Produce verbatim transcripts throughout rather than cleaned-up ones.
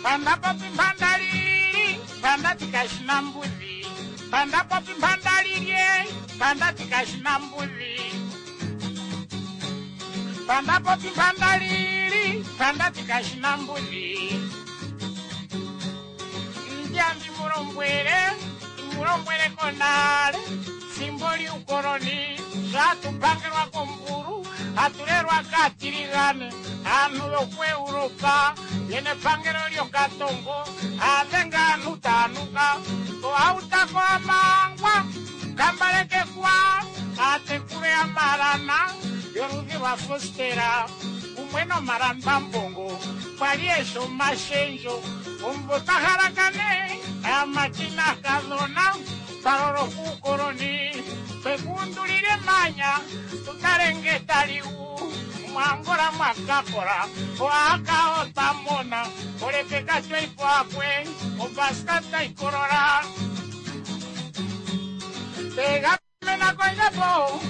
Panda popi mpanda lili, panda tikashina mbudhi. Panda popi mpanda lilye, panda tikashina mbudhi. Panda popi mpanda lili, panda tikashina mbudhi. Ndiambi mulombwele, mulombwele konale, fimbo liukoloni, zvatupangelwa komburu, hatulelwa katiligane, anhu yokuEuropa, yene pangelo lyokatongo, adenga anhu tanuka, ohautako amangwa, kambalekekwa, atekule amalana, yoludhi lwa fostera, kumwe nomalambambongo, kwali esho omashendjo, omumvo twahalakane, amati nakadhona, twalolo kuukoloni, twekundulile emanya, tutale nge taliwu, mwangola mwakakola, oaka otamona, olepeka tweipo akwe, obaska taikolola. Tegamena kondjapo,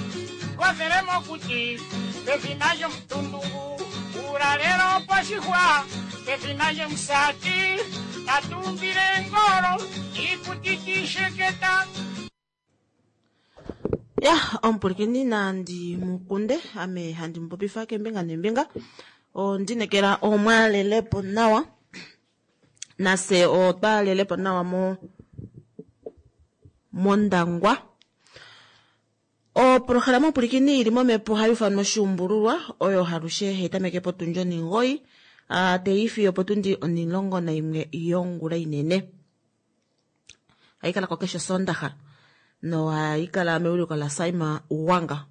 kothele mokuti, pefina lyomutundugu, uulalelo oposhihwa, pefina lyomusati, atumbile engolo, iikuti tiisheketa. Ya omupulikini nandi mukunde ame handi mupopifa kembinga nembinga ondinekela omwalelepo nawa nase otwalelepo nawa mo mondangwa. Oprograma omupulikini ili momepo hayi ufanwa oshuumbululwa oyo halushe haitameke potundi oningoyi teifi opotundi onilongo naimwe yongula inene. Haikala ko keshe Sondaha no haikala meuliko la Saima Uwanga.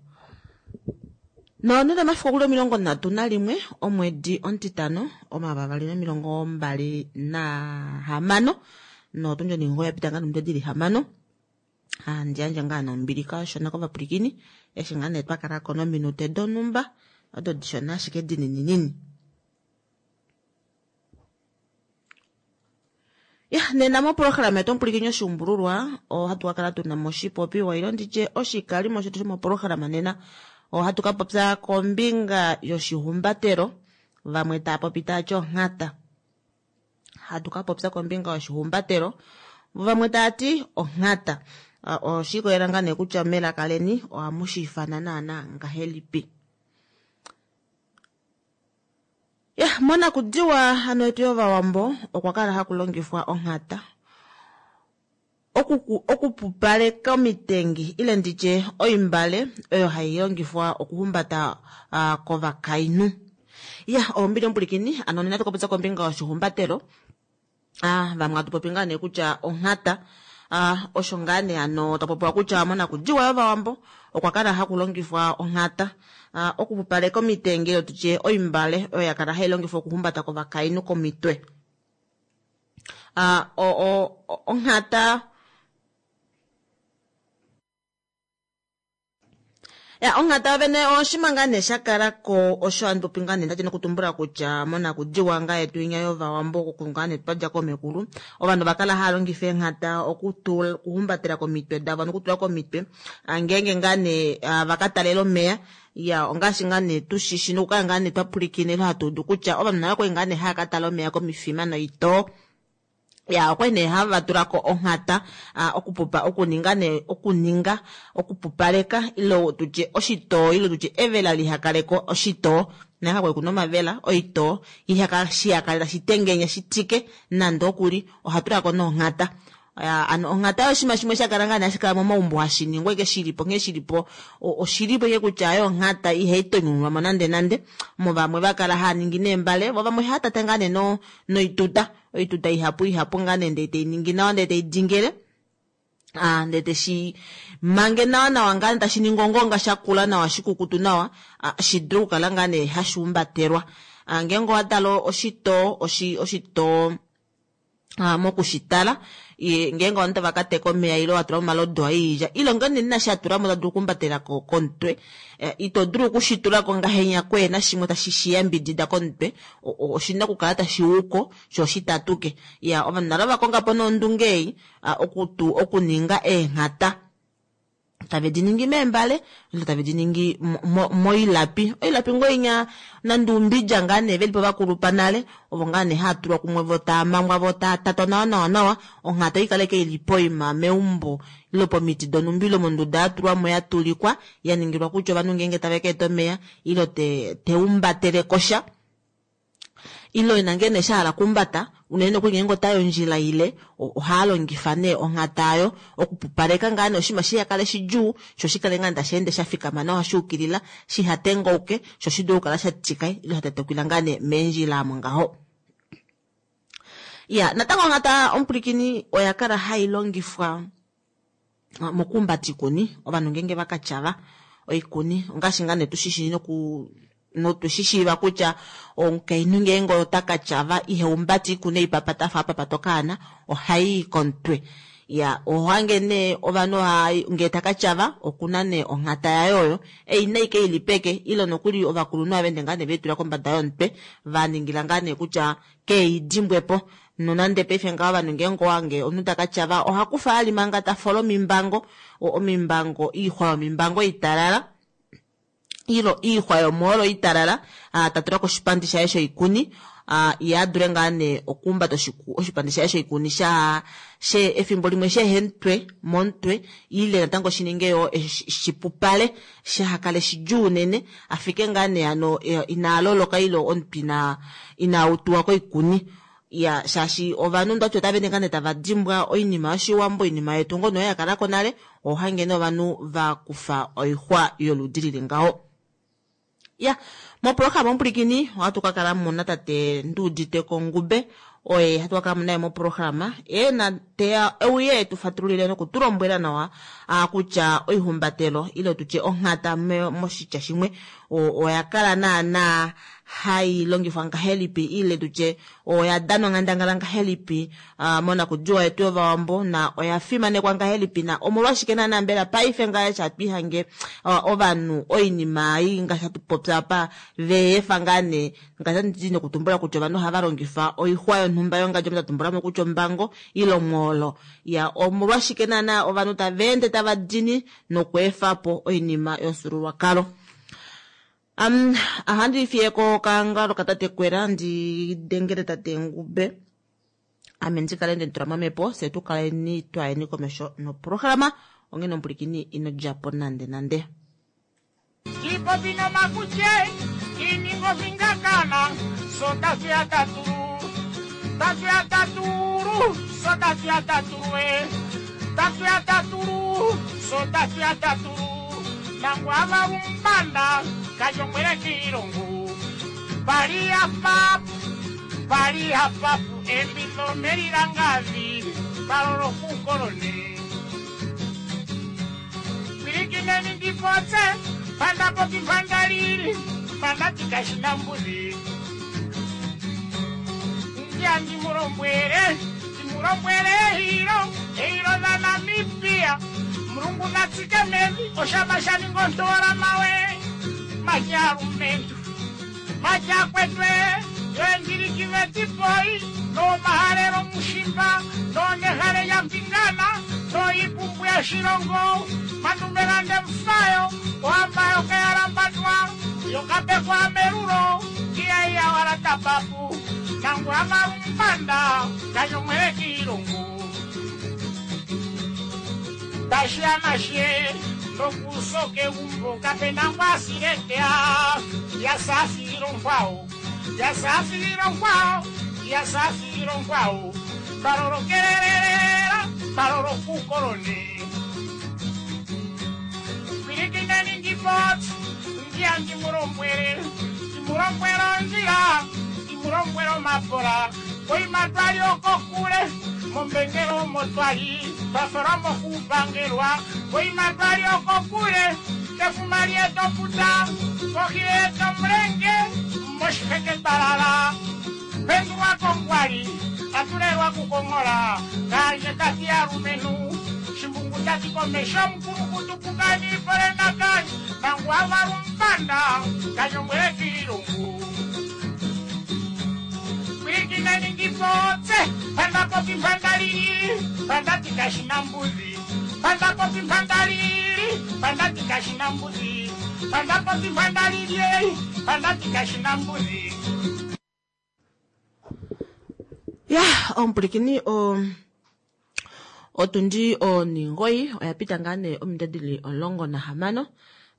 No nena mafiku okuli omilongo nhatu nalimwe omwedi omutitano omavavali nomilongo mbali nahamano no tundi oningoyi yapita ngaa nomito dili hamano. Handi yandje ngaa nombili kashona kovapulikini eshi ngaa nee twakalako nominute donhumba odo dishona ashike dinininini. Ya nena moprograma yetu omupulikini oshuumbululwa ohatu kakala tuna moshipopiwa ilo nditye oshikalimo shetu shomoprograma nena ohatu kapopya kombinga yoshihumbatelo vamwe taapopi taati onghata. Hatu kapopya kombinga yoshihumbatelo vamwe taati onghata. Oshikolela ngaa nee kutya melaka leni ohamu shi ifana naana ngahelipi. Ya monakudiwa hano yetu yovawambo okwa kala haku longifwa onghata okuku okupupaleka omitengi ile nditye oimbale oyo hai longifwa okuhumbata uh, kovakainhu. Ya ombili omupulikini ano nena tukapopya kombinga yoshihumbatelo. Ah vamwe hatu popi ngaa nee kutya onghata ah osho ngaa nee ano tapopiwa kutya monakudiwa yovawambo okwa kala haku longifwa onghata ah okupupaleka omitengi ile tutye oimbale oyo yakala hai longifwa okuhumbata kovakainhu komitwe. Ah o o onghata ya onghata vene oshima ngaa nee shakalako osho handi popi ngaa nee ndati nokutumbula kutya monakudiwa ngaa yetu inya yovawambo oku ngaa nee twadja komekulu ovanhu vakala haya longifa eenghata okutula okuhumbatela komitwe davo nokutula komitwe ngeenge ngaa nee vakatalela omeya ya ongaashi ngaa nee tushishi nokukala ngaa nee twapulikine hatu udu kutya ovanhu navo kwali ngaa nee haya katala omeya komifima noitoo. Ya okwali nee hava tulako onghata okupupa okuninga nee okuninga okupupaleka ilo tutye oshitoo ilo tutye evela lihakaleko oshitoo naka kwali kuna omavela oitoo ihaka shiyakale tashi tengenya shitike nande okuli ohatulako nonghata. Ano onghata oshinima shimwe shakala ngaa nee hashi kala momaumbo hashi ningwa ike shilipo nghee shilipo oshilipo ike kutya ayo onghata ihai tonyunwamo nande nande mo vamwe vakala haya ningi neembale vo vamwe haya tata ngaa nee no noituta oituta ihapu ihapu ngaa nee ndee tei ningi nawa ndee tei dingele ah ndee teshi mange nawa nawa ngaa tashi ningi ongonga shakula nawa shikukutu nawa shi dule okukala ngaa nee hashi humbatelwa. Ngeenge owatala oshitoo oshi oshitoo mokushitala ngeenge ovanhu tava kateka omeya ile watula omalodu oilya ile ngoo nee inashi atulamo ta dulu okuhumbatela komutwe ito dulu okushitulako ngahenya kweena shimwe tashi shiyambidida komutwe oshina okukala tashi wuko sho shitatuke. Ya ovanhu nalo vakongapo nondunge ei okutu okuninga eenghata Tave di ningi meembale ile tave di ningi moilapi. Oilapi ngoo inya nande umbidja ngaa nee velipo vakulupa nale, ovo ngaa nee haa tulwa kumwe vo taa mangwa vo taa tatwa nawa nawa nawa, onghata ikale ke ili poima meumbo ile pomiti donhumba ile monduda ya tulwamo ya tulikwa ya ningilwa kutya ovanhu ngeenge tave ka eta omeya ile te teumbatele kosha ile ina ngee nee shahala kumbata unene nokuli ngeenge otayi ondjila ile ohaa longifa nee onghata ayo okupupaleka ngaa nee oshinima shiha kale shidjuu sho shikale ngaa tashi ende sha fikama nawa shuukilila shiha tengauke sho shi dule okukala sha tika ile sha tetekila ngaa nee meendjila amo ngaho. Ya natango onghata omupulikini oya kala hai longifwa mokuumbata oikuni ovanhu ngeenge vakatyava oikuni ongaashi ngaa nee tushishi noku notushishiiva kutya omukainhu ngeenge ota katyava ihaumbata oikuni eipapata afa apapata okaana ohai komutwe. Ya ohange nee ovanhu ngee takatyava okuna nee onghata yaye oyo ei naike ili peke ile nokuli ovakulunhu avende ngaa nee veitula kombada yomutwe vaningila ngaa nee kutya keidimbwepo. Nonande paife ngaho ovanhu ngeenge owange omunhu takatyava ohakufa ali manga tafola omimbango omimbango iixwa yomimbango italala ilo iixwa yomoolo italala tatula koshipandi shaye shoikuni ye adule ngaa nee okuumbata oshipandi shaye shoikuni sha she efimbo limwe shehemutwe momutwe ile natango shininge yo shipupale shahakale shidjuu unene afike ngaa nee hano inaaloloka ile omutwe ina inautuwa koikuni. Ya shaashi ovanhu ndati otava ende ngaa nee tava dimbwa oinima yoshiwambo oinima yetu ngoo noyo yakalako nale ohange nee ovanhu vakufa oixwa yoludi lili ngaho. Ya moprograma omupulikini ohatu kakala muna tate Nduuditeko Ngube oye hatu kakala naye moprograma e na teya euye tufatululile nokutulombwela nawa kutya oihumbatelo ile tutye onghata moshitya shimwe oya kala naana hai longifwa ngahelipi ile tutye oya danwa nghandangala ngahelipi monakudiwa yetu yovawambo na oya fimanekwa ngahelipi na omolwashike naana mbela paife ngaashi hatu ihange ovanhu oinima ei ngaashi hatu popya apa veefa ngaa nee ngaashi ndi nokutumbula kutya ovanhu ohava longifa oixwa yonhumba yongadjo tatumbulamo kutya ombango ile omwoolo. Ya omolwashike naana ovanhu tava ende tava dini nokweefa po oinima yomufyuululwakalo. Um, ahandi fiyeko kangalo katate Kwera ndi dengele tate Ngube ame ndikale nditula momhepo se tukaleni twayeni komesho noprograma onghene omupulikini ino djapo nande nande. Ipopi nomakuche iningo vingakana so tatu ya taturu tatu ya taturu so tatu ya taturu e tatu ya taturu so tatu ya taturu nangu avarumbanda kajongwere kiilongo pali apapu pali apapu embilo melilangavi palolo kukolone pilikineni ndipotse pandapopi pandalili pandatikashina mbuzi ndiya ndimulombwele ndimulombwele ehilo ehilo la Namibia mulungu natsike mevi oshama shaningontola mawe majalumentu majakwetwe yoendilikivetipoi nomahalelo mushimba nonehale ya mpingana noipumbu ya shilongo mandumelande mfayo ohamba yokayalambandwa yokapekwa melulo iyaiya tapapu nangu amalumbanda kanyomwele kiilongo tashiamashe nokusoke umbo kapena ngwasiletea yasafilongwao yasafilongwao yasafilongwao balolokelelera balolokukoloni pilikineni ndipoti ndiya ndimulombwele ndimulombwele onjila ndimulombwele omapola koima twali okokule mombengelo motwali twafelwa mokupangelwa koima twali okokule kefuma lyetoputa kohi yetomulenge moshiheke twalala pendulwa kongwali atulelwa kukong'ola kanje kati yalumenhu shimbungu tati komesho mukulukutu kukani polena kanje nangu avalumbanda kanyongwele kiilungu pilikineni ndipotse pandapopi pandalili pandatikashina mbuzi Mpanda popi mpanda lili, mpanda ti kashi na mbudhi. Mpanda popi mpanda lili, mpanda ti kashi na mbudhi. Ya omupulikini o otundi oningoyi oya pita ngaa nee ominute dhili omulongo nahamano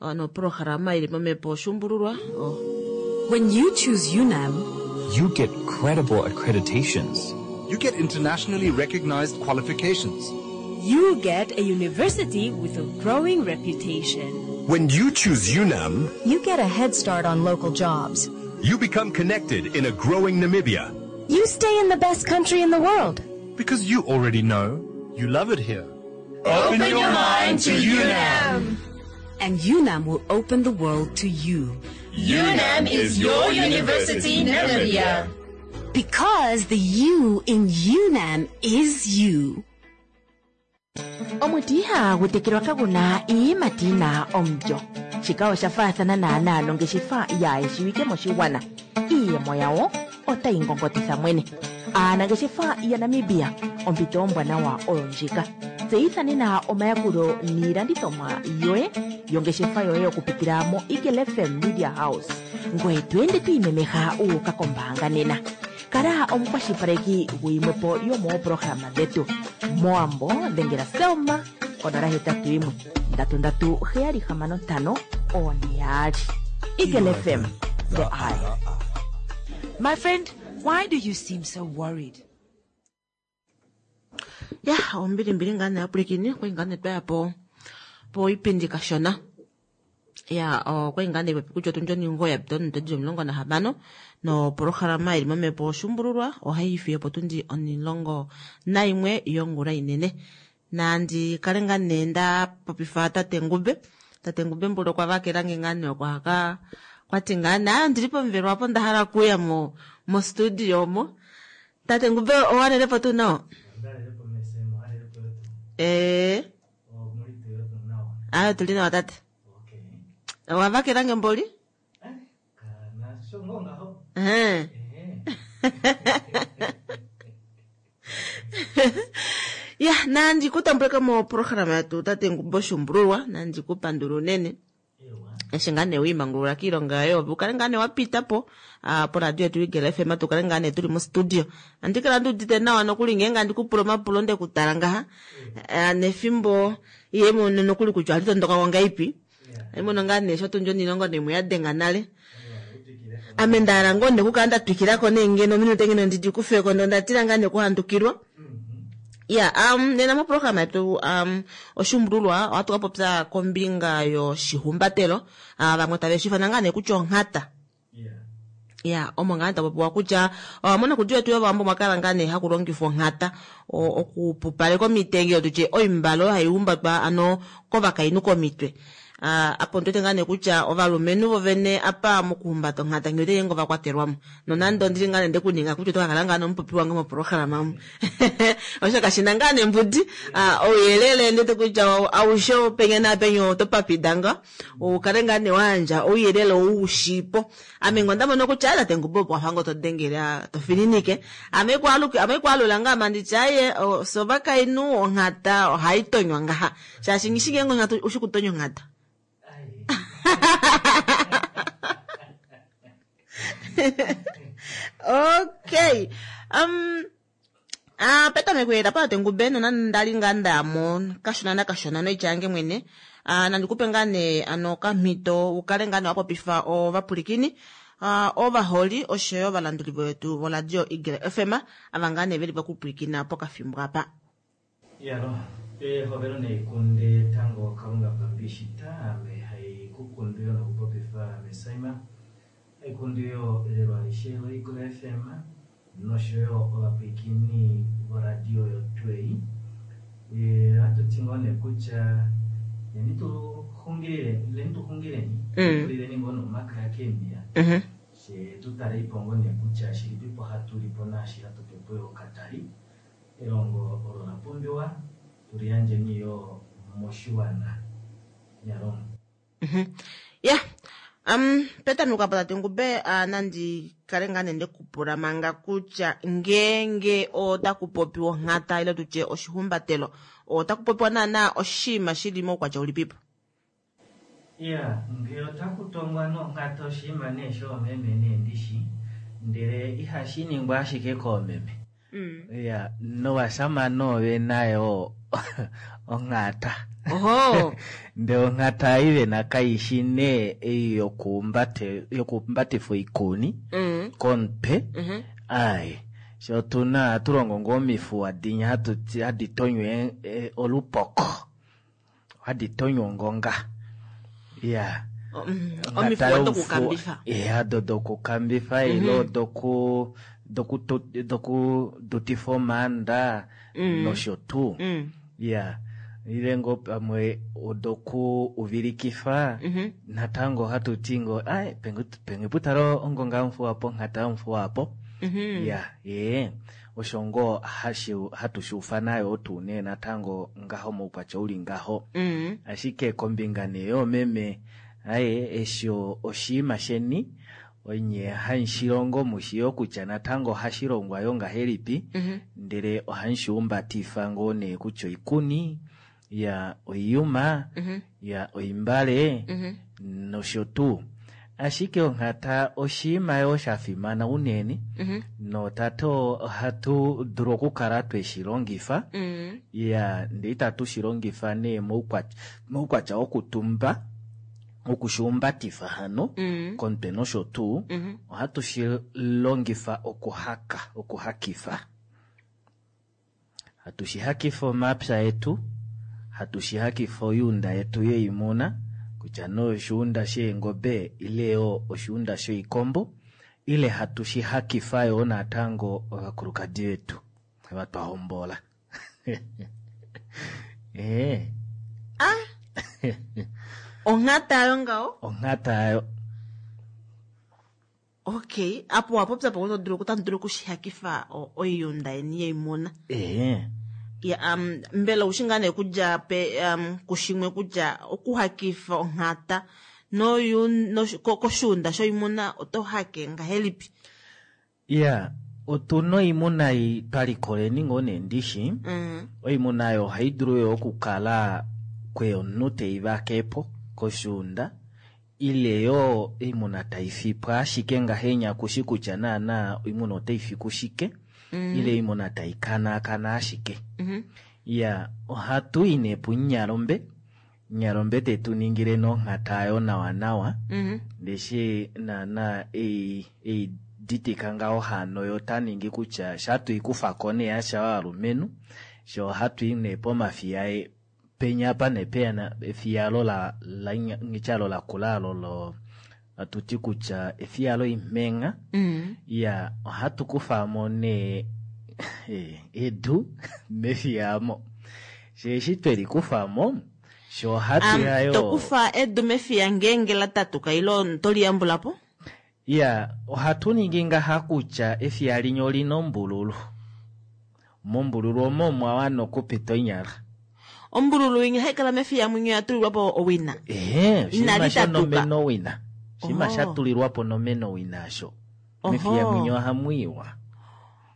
noprograma ili momhepo oshuumbululwa oh. When you choose UNAM, You get credible accreditations. You get internationally recognized qualifications. you get a university with a growing reputation. When you choose UNAM, You get a head start on local jobs. you become connected in a growing Namibia. You stay in the best country in the world. Because you already know you love it here. Open your mind to UNAM. And UNAM will open the world to you. UNAM is your university, Namibia. Because the U in UNAM is you. Omuti ihagu tekelwa kaguna iiyimati yina omulyo. Shika osha faathana naanaa nongeshefa yaayeshiwike moshigwana. Iiyemo yawo otayi ngongotitha mwene. Aanangeshefa yaNamibia, ompito ombwanawa oyo ndjika. Tseyitha nena omayakulo niilandithomwa yoye yongeshefa yoye okupitila mo Eagle F M Media House. Ngoye to ende to imemeha wu uka kombaanga nena. Kala omukwashilipaleki guyimwepo yomoopolohalama dhetu. Moambo dhengela Selma konola hetatu yimwe ndatu ndatu heyali hamano ntano one yaali. Eagle F M, the eye. My friend, why do you seem so worried? Ya ombilimbili ngaa nee apulikini okwali ngaa nee twaya po poipindi kashona. Ya okwali ngaa nee popi kutya otundi oningoyi ya pita ominute dhili omulongo nahamano nopolohalama ili momhepo oshuumbululwa ohayi fiyo potundi omulongo nayimwe yongula inene. Nandi kale ngaa nee nda popifa tate Ngube. Tate Ngube mbula okwa vakelange ngaa nee okwa ka kwati ngaa nee ayo ndili pomuvelo apo nda hala okuya mo mo studio omo. Tate Ngube owanelepo tuu nawa? Ee. Ayo tuli nawa tate. Owa vakelange mboli? Ehe. Ya nandi kutambuleka moprograma yetu tate Ngube oshuumbululwa nandi kupandula unene. Eshi ngaa nee wiimangulula kiilonga yoye opo ukale ngaa nee wa pita po poradio yetu Eagle F M tukale ngaa nee tuli mostudio. Andi kala ndi udite nawa nokuli ngeenge andi kupula omapulo nde kutala ngaha nefimbo iye mono nokuli kutya ohali tondoka kongaipi. Mono ngaa nee sho tundi onilongo nemwe ya denga nale. Ame nda hala ngoo nekukala nda twikilako nee ngeno ominute ngeno ndidi kufeko ndo ndatila ngaa nekuhandukilwa. Ya um, nena moprograma yetu um, oshuumbululwa ohatu ka popya kombinga yoshihumbatelo. Uh, vamwe tave shi ifana ngaa nee kutya onghata. Ya omo ngaa tapopiwa kutya uh, monakudiwa yetu yovawambo mwakala ngaa nee haku longifwa onghata okupupaleka omitenge tutye oimbalo hai humbatwa ano kovakainhu komitwe. Uh, apo ndwete ngaa nee kutya ovalumenhu vovene apa mokuhumbata onghata ngee ote ngo vakwatelwamo. Nonande ondili ngaa nee ndekuninga kutya oto ka kala ngaa nomupopi wange moprograma omu. Osho kashina ngaa nee mbudi uh, ouyelele ndwete kutya aushe penya napenya oto papida nga ukale ngaa nee wayandja ouyelele oushipo. Ame ngo ndamono kutya tate Ngube opo wafa ngo to dengele to fininike. Ame kwaluke ame kwalula ngaa manditya aye sovakainhu onghata ohai tonywa ngaha. Shaashi ngishi ngenge onghata ushi kutonya onghata. Okay. Um ah petameko era pa tate Ngube nonande ndali ngaa ndayamo kashona nakashona noitya mwene. Ah nandikupe ngaa nee ano okamhito ukale ngaa nee wapopifa ovapulikini ah ovaholi oshoyo ovalanduli vetu voradio Eagle F M ava ngaa nee veli vakupulikina pokafimbo apa. Yalo, ehovelo neikunde tango Kalunga pambishita ame haikukundu yo nokupopifa mesaima haikundu yo lelo alishe lo Eagle F M noshoyo ovapwilikini voradio yotwei. Hatu ti ngoo nee kutya leni tu xungileni tulileni ngoo nomakaya keemiya she tutaleipo ngoo nee kutya shilipipo hatulipo naashi hatupepo yo katali elongo olo la pumbiwa tuliyandjeni yo moshiwana. Nyalongo. Ya Um, petameko apa tate Ngube uh, nandi kale ngaa nee ndekupula manga kutya ngeenge otaku popiwa onghata ile tutye oshihumbatelo otaku popiwa naana oshinima shili moukwatya ulipipo? Iya, ngee otaku tongwa nonghata oshinima nee shoomeme nee ndishi, ndele ihashi ningwa ashike koomeme. Iya, novashamane ove nayo onghata. Oho. Ndele onghata ei vena kaishi nee ei yokuumbate yokuumbatifa oikuni Mm. komutwe. Mhm. Ai, sho otuna ohatu longo ngoo omifuwa dinya hatu ti- hadi tonywa e- e, olupoko. Hadi tonywa ongonga. Iya. Omifuwa dokukambifa. Iya, do dokukambifa ilo doku doku doku dutifa omaanda Mm. nosho tuu. Mm. Iya. Ile ngoo pamwe odoku uvilikifa Mhm. natango ohatu ti ngoo ai penge penge putalo ongonga yomufuwa po onghata yomufuwa po. Mhm. Ya, ee osho ngoo hashi hatu shi nayo tuu nee natango ngaho moukwatya uli ngaho. Mm. Ashike kombinga nee yoomeme aye eshi oshiima sheni onye hamushilongo mushiyo kutya natango ohashi longwa yo ngahelipi Mhm. ndele ohamushiumbatifa ngoo nee kutya oikuni ya oiyuma Mhm. ya oimbale Mhm. nosho tuu. Ashike onghata oshiima yo sha fimana unene Mhm. notate ohatu dulu okukala tweshi longifa Mm. ya ndee itatu shi longifa nee moukwatya moukwatya wokutumba okushiumbatifa hano Mm. komutwe nosho tuu Mhm. ohatu shi longifa okuhaka okuhakifa hatu shi hakifa omapya etu hatu shi hakifa oyuunda yetu yoimuna kutya nee oshuunda sheengobe ile yo oshuunda shoikombo ile hatu shi hakifa yo natango ovakulukadi vetu ava twa hombola. Ee. Onghata ayo ngaho? Onghata ayo. Okay, apo wapopya po oto dulu otamu dulu okushihakifa o- oiyunda yeni yoimuna. Ee. Ya, um, mbela oushi ngaa nee kudja pe um, kushimwe kutya okuhakifa onghata noyu noshu- ko- koshuunda shoimuna oto hake ngahelipi? Iya, otuna oimuna ei twalikoleni ngoo nee ndishi. Mm. Oimuna oyo ohayi dulu yo okukala kwe omunhu tei vakepo koshuunda ile yo oimuna taifipwa ashike ngahenya kushi kutya naana oimuna otaifi kushike Mm. ile oimuna taikanakana ashike. Mhm. Iya, ohatu i nee punyalombe, nyalombe tetu ningile nonghata ayo nawa nawa Mhm. ndeshi naana ei ei ditika ngaho hano yo taningi kutya shatuikufako nee yasha ovalumenhu sho ohatu i nee pomafiya e penya apa nee pena efiya alo la la ngityalo lakula alo lo atuti kutya efiya loimhenga. Mm. Iya, ohatu kufamo nee edu mefiya amo sheeshi tweli kufamo sho ohatu Um, yayo tokufa edu mefiya ngeenge la tatuka ilo toliyambula po? Iya, ohatu ningi ngaha kutya efiya linya olina ombululu. Mombululu omo omwa wana okupita onyala. Ombululu inya haikala mefiya mwinyo ya tulilwa po owina. Ehe, oshinima Inali tatuka. shonomena owina. Oshinima Oho. sha tulilwa po nomena owina asho. Oho. Mefiya mwinyo ohamu iwa.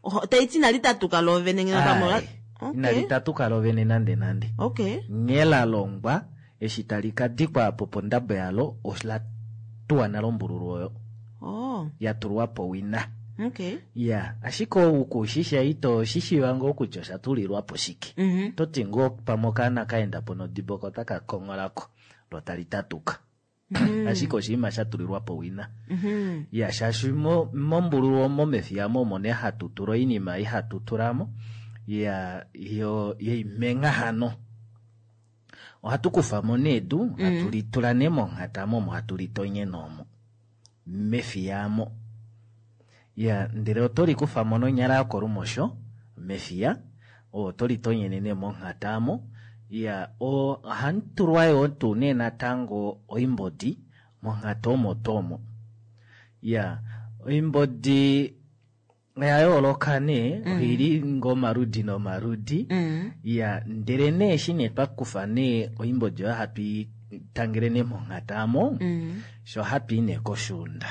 Oho, taiti inali tatuka loovene ngeno pamwe Ai, inali tatuka lovene nande nande. Okay. Nghee la longwa eshi tali ka dikwa apo pondabo yalo ola tuwa nale ombululu oyo. Oh, Ya tulwa po wina. okay. Ya, ashike okushisha ito shishiiva ngoo kutya osha tulilwa po shike. Mhm. Toti ngoo pamwe okaana kaenda po nodibo ko otaka kongolako lo tali tatuka. Ashike oshinima sha tulilwa po wina. Mhm. Ya, shaashi mo- mombululu omo mefiya mo omo nee hatu tula oinima ei hatu tulamo ya yo yoimengha hano. Ohatu kufamo nee edu, hatu litula nee monghata momo hatu litonyene omo mefiya amo. Ya, ndele oto likufamo nonyala yokolumosho mefiya, oto litonyene nee monghata amo. Ya, ohamu tulwa yoo tuu nee natango oimbodi monghata omo tuu omo. Ya, oimbodi oya yooloka nee, oili ngoo omaludi nomaludi. Mm. Ya, ndele nee eshi nee twakufa nee oimbodi oyo hatu i tangele nee monghata amo, sho hatu i nee koshuunda.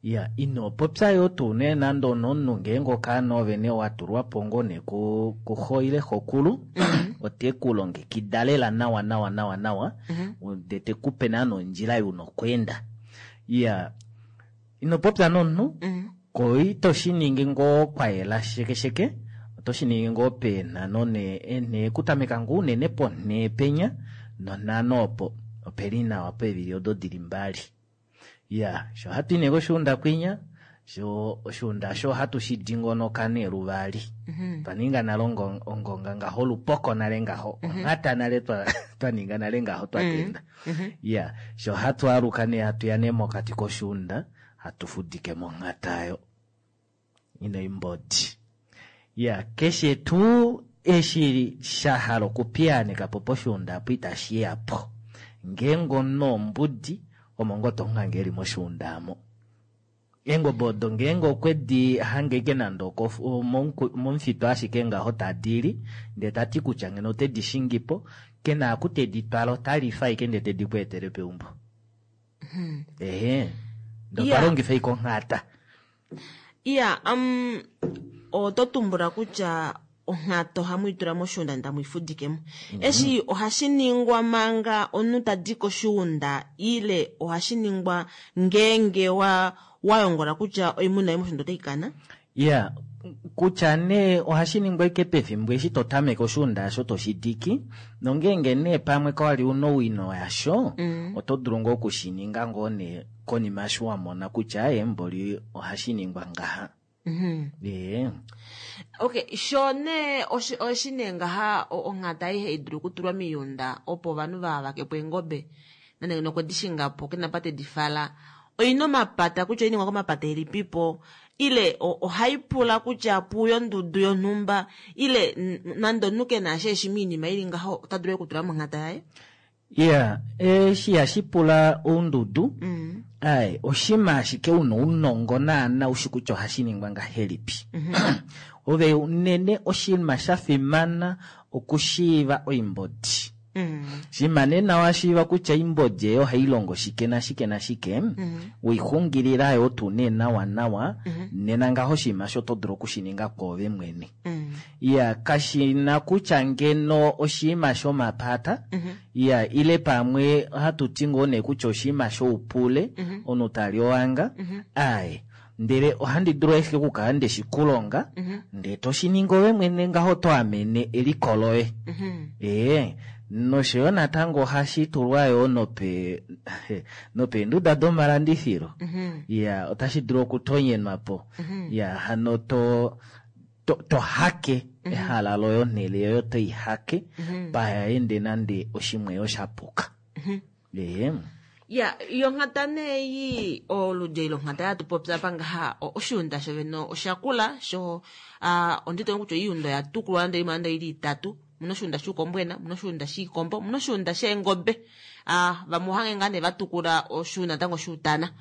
Ya, ino popya yoo tuu nee nande onomunhu ngeenge okaana ove nee wa tulwa po ngoo nee ku- kuxo ile xokulu, ote ku longekida lela nawa nawa nawa nawa, ndee te ku pe naana ondjila yuna okweenda. Ya, ino popya nomunhu, ko ito shi ningi ngoo kwayela sheke sheke, oto shi ningi ngoo peenhano nee eenhee kutameka ngoo unene ponhee penya nonhano opo opeli nawa peevili odo dili mbali. Ya, sho hatu i nee koshuunda kwinya, sho oshuunda osho ohatu shi dingonoka nee luvali. Twa ninga nale ongo- ongonga ngaho, olupoko nale ngaho, onhata nale twa twa ninga nale ngaho twa tenda. Ya, sho hatu aluka nee hatu ya nee mokati koshuunda, hatu fudike monghata oyo ina oimbodi. Ya, keshe tuu eshi sha hala okupiyaaneka po poshuunda apo itashi ya po. Ngeenge omunhu ombudi, omo ngoo tomuhange eli moshuunda aamo. Eengobe odo ngeenge okwe di hange ashike nande okofu- momuku- momufitu ashike ngaho tadi li, ndee tati kutya ngeno ote di shingi po, kena aku tedi twala ota lifa ashike ndee tedi ku etele peumbo. Ehe, ndee otwa Ya. longifa ashike onghata. Iya, um, oto tumbula kutya onghata ohamu itula moshuunda ndee tamu ifudike mo. Eshi ohashi ningwa manga omunhu tadi koshuunda ile ohashi ningwa ngeenge wa wa yongola kutya oimuna yoye moshuunda otai kana? Ya, kutya nee ohashi ningwa ashike pefimbo eshi to tameke oshuunda asho toshi diki, nongeenge nee pamwe kawali una owino yasho, oto dulu ngoo okushininga ngoo nee konima eshi wa mona kutya emboli ohashi ningwa ngaha. Ee. Okay, sho nee oshi oshi nee ngaha o- onghata aihe idulu okutulwa miiyunda opo ovanhu va vakepo eengobe nande nokwe di shinga po kena pa tedi fala, oina omapata kutya oiningwa komapata elipipo ile o- ohai pula kutya puye ondudu yonhumba ile n- nande omunhu kena ashe eshi miinima ili ngaho ota dulu okutula monghata yaye? Ya, eshi ihashi pula oundudu, ai, oshima ashike una ounongo naana ushi kutya ohashi ningwa ngahelipi. Ove unene oshinima sha fimana okushiiva oimbodi. Shima nee nawa washiiva kutya oimbodi eyo ohai longo shike nashike nashike, weixungilila yoo tuu nee nawa nawa, nena ngaho oshinima osho oto dulu okushininga kwoove mwene. Ya, kashina kutya ngeno oshinima shomapata, ya, ile pamwe ohatu ti ngoo nee kutya oshinima shoupule, omunhu tali owanga, aye. Ndele ohandi dulu ashike okukala ndeshi kulonga, ndee toshiningi ove mwene ngaho oto amene eliko loye. Ee, nosho yo natango ohashi tulwa yoo nope nopeenduda domalandifilo. Ya, otashi dulu okutonyenwa po. Ya, hano to to, to hake ehala loye onhele yoye oto i hake, paha ende nande oshimweyo sha puka. Ee. Ya, yonghata nee ei oludi eli longhata hatu popi apa ngaha, o- oshuunda shovene oshakula sho ah, onditono kutya oiunda oya tukulwa nande imwe nande ili itatu. Muna oshuunda shuukombwena, muna oshuunda shiikombo, muna oshuunda sheengobe. Ah, vamwe ohange ngaa nee vatukula oshuunda natango shuutana.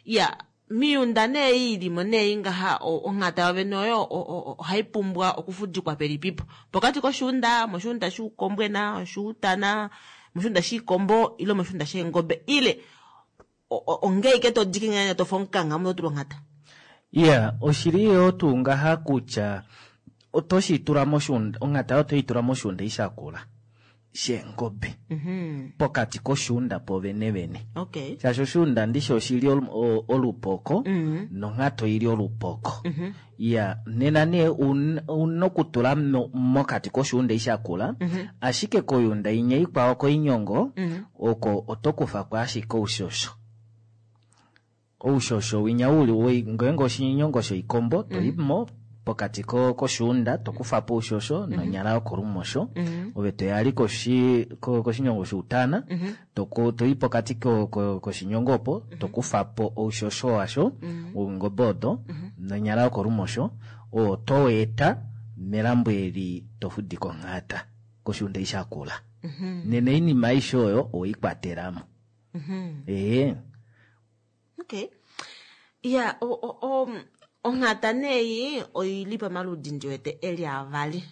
Ya, miunda nee ei ilimo nee ngaha o- onghata yovene oyo o- o- ohai pumbwa okufudikwa pelipipo. Pokati koshuunda, moshuunda shuukombwena, shuutana, moshuunda shiikombo ile moshuunda sheengobe ile o- o- ongeike to diki ngene to fomukanga mo tulwa onghata. Ya, oshili yoo tuu ngaha kutya oto shi tula moshuunda, onghata oto i tula moshuunda ishakula sheengobe pokati koshuunda povene vene. Okay. Shaashi oshuunda ndishi oshili olu- o- olupoko, nonghata oili olupoko. Ya, nena nee un- una okutula mo- mokati koshuunda ishakula, ashike koyunda inya ikwao koinyongo, oko oto kufa ko ashike oushosho. Oushosho winya uli woi- ngeenge oshinyongo shoikombo, toi mo pokati ko- koshuunda, to kufa po oushosho nonyala yokolumosho, ove toya koshi ko- koshinyongo shuutana, toko toi pokati ko- ko- koshinyongo opo, to kufa po oushosho washo, wongobe odo, nonyala yokolumosho, oo to eta melambo eli to fudike onghata koshuunda ishakula. Nena oinima aishe oyo oweikwatelamo. Ee. Okay. Ya, o, o, o, onghata nee oili pamaludi ndi wete eli avali.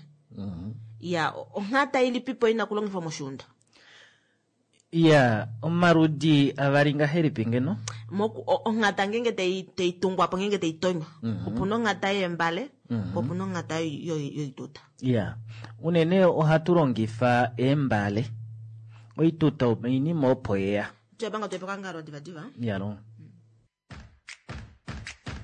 Ya, onghata ilipipo ina kulongifwa moshuunda? Iya, omaludi avali ngahelipi ngeno? Moku onghata ngenge tai tai tungwa po ngenge tai tonywa. Mm -hmm. Opuna onghata yeembale, Mm -hmm. opuna onghata yoituta. Iya. Unene ohatu longifa eembale. Oituta oinima opo yeya. Tuyabanga tuyapaka ngalo diva diva. Yalo.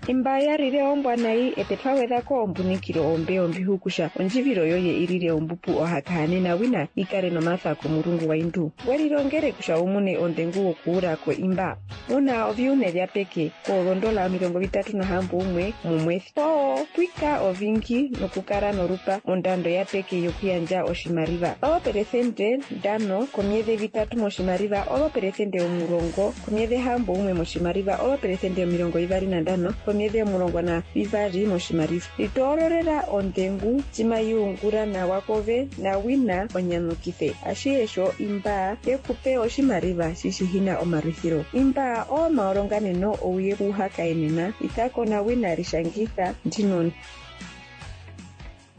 Imba yalile ombwa nayi ete twawedhako ombunikilo ombe ombihukusha ondjivilo yoye ilile ombupu ohakahanena wina ikale nomatha komulungu waindu welilongele kusha umune ondengu wokuulako imba una oviune vya peke koolondola omilongo vitatu nahambo umwe mumwethi oo pwika ovingi nokukala norupa ondando ya peke yokuyandja oshimaliwa oopelesente ndano komyedhe vitatu moshimaliwa oopelesente omulongo komyedhe hambo umwe moshimaliwa oopelesente omilongo ivali nandano komyedhe omulongo na vivali moshimaliwa litoololela ondengu cimayungula nawa kove na wina onyamukithe ashiesho imba yekupe oshimaliwa shishihina omalwithilo imba omaolonganeno ouye kuhakaenena itako na wina lishangitha ndinoni.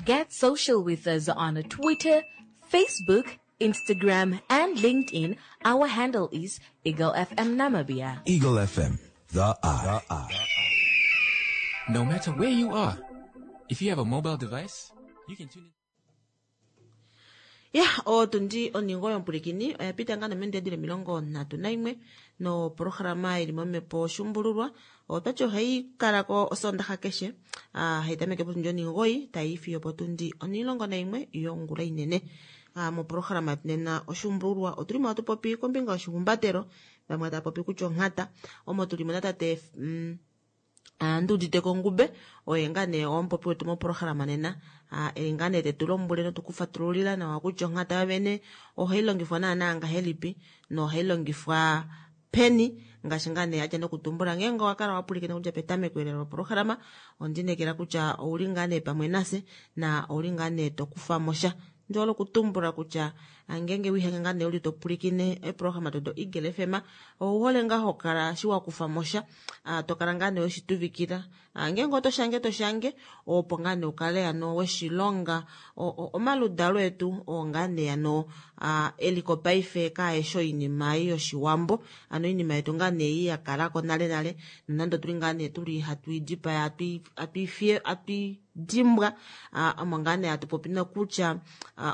Get social with us on Twitter, Facebook, Instagram, and LinkedIn. Our handle is Eagle F M Namibia. Eagle F M, the eye. The eye. No matter where you are, if you have a mobile device, you can tune in. Ya, otundi oningo yompulikini oya pita nga nomendedile omilongo nhatu naimwe noprograma ili momhepo shumbululwa. Otwati ohayi kalako osondaha keshe, ah, hayi tameke potundi oningoi tayi fiyo potundi onilongo naimwe yongula inene. Ah, moprograma yetu nena oshumbululwa otulimo hatu popi kombinga yoshihumbatelo, vamwe tava popi kutya onghata, omo tulimo natate mm, Nduudite Kongube oye nga nee omupopi wetu moprograma nena, eli nga nee tetu lombwele notukufatululila nawa kutya onghata yovene ohayi longifwa naana ngahelipi nohayi longifwa peni, ngaashi nga nee adja nokutumbula ngeenge owakala wapulikina kutya petameko elelo loprograma ondinekela kutya ouli nga nee pamwe nase na ouli nga nee tokufa mosha. Ndjola okutumbula kutya ngenge wihange nga nee uli topulikine eprograma todo Eagle F M ouhole nga hokala shi wakufa mosha, tokala nga nee weshituvikila ngenge oto shange to shange opo nga nee ukale ano weshilonga omaludalo etu oo nga nee ano eliko paife kaesho oinima yoshiwambo, ano oinima yetu nga nee yakalako nale nale nonande otuli nga nee tuli hatu idipaya hatu hatu dimbwa omo nga nee hatu popi nokutya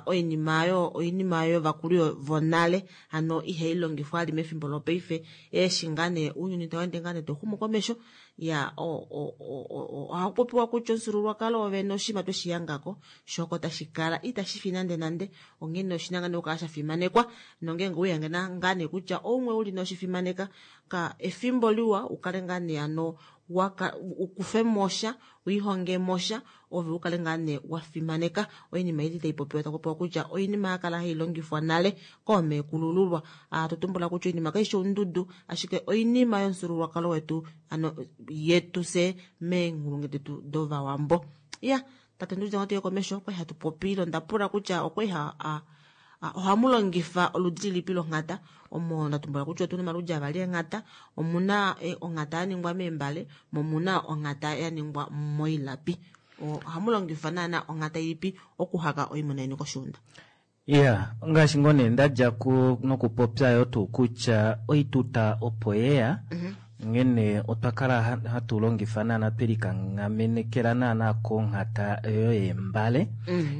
oinima yo oinima yo vakulu vonale ano ihai longifwa ali mefimbo lopaife eshi nga nee ounyuni tau nga nee toxumu komesho ya o o o ohakupopiwa kutya omufyuululwakalo wovene oshinima tweshiyangako shoko tashi kala itashi fi nande nande, onghene oshina nga nee okukala sha fimanekwa nongeenge uyange nga nee kutya oumwe uli noshifimaneka ka efimbo liwa ukale nga nee ano waka ukufe mosha uihonge mosha ove ukale nga nee wafimaneka oinima ili taipopiwa takupopiwa kutya oinima yakala hailongifwa nale koomekulululwa. Atutumbula kutya oinima kaishi ondudu ashike oinima yomufyuululwakalo wetu ano yetu se meenghulungu detu dovawambo. Ya tate Nduudite ngoo komesho okwali hatu popile ondapula kutya okwali ha ohamu longifa oludi lilipi longhata, omo ndatumbula kutya otuna omaludi avali eenghata, omuna onghata ya ningwa meembale momuna onghata ya ningwa moilapi. Ohamu longifa naana onghata ilipi okuhaka oimuna yeni koshiunda? Iya, ngaashi ngoo nee ndadja nokupopya yo tuu kutya oituta opo yeya, ngene otwa kala hatu longifa naana twelikangamenekela naana konghata yo yeembale.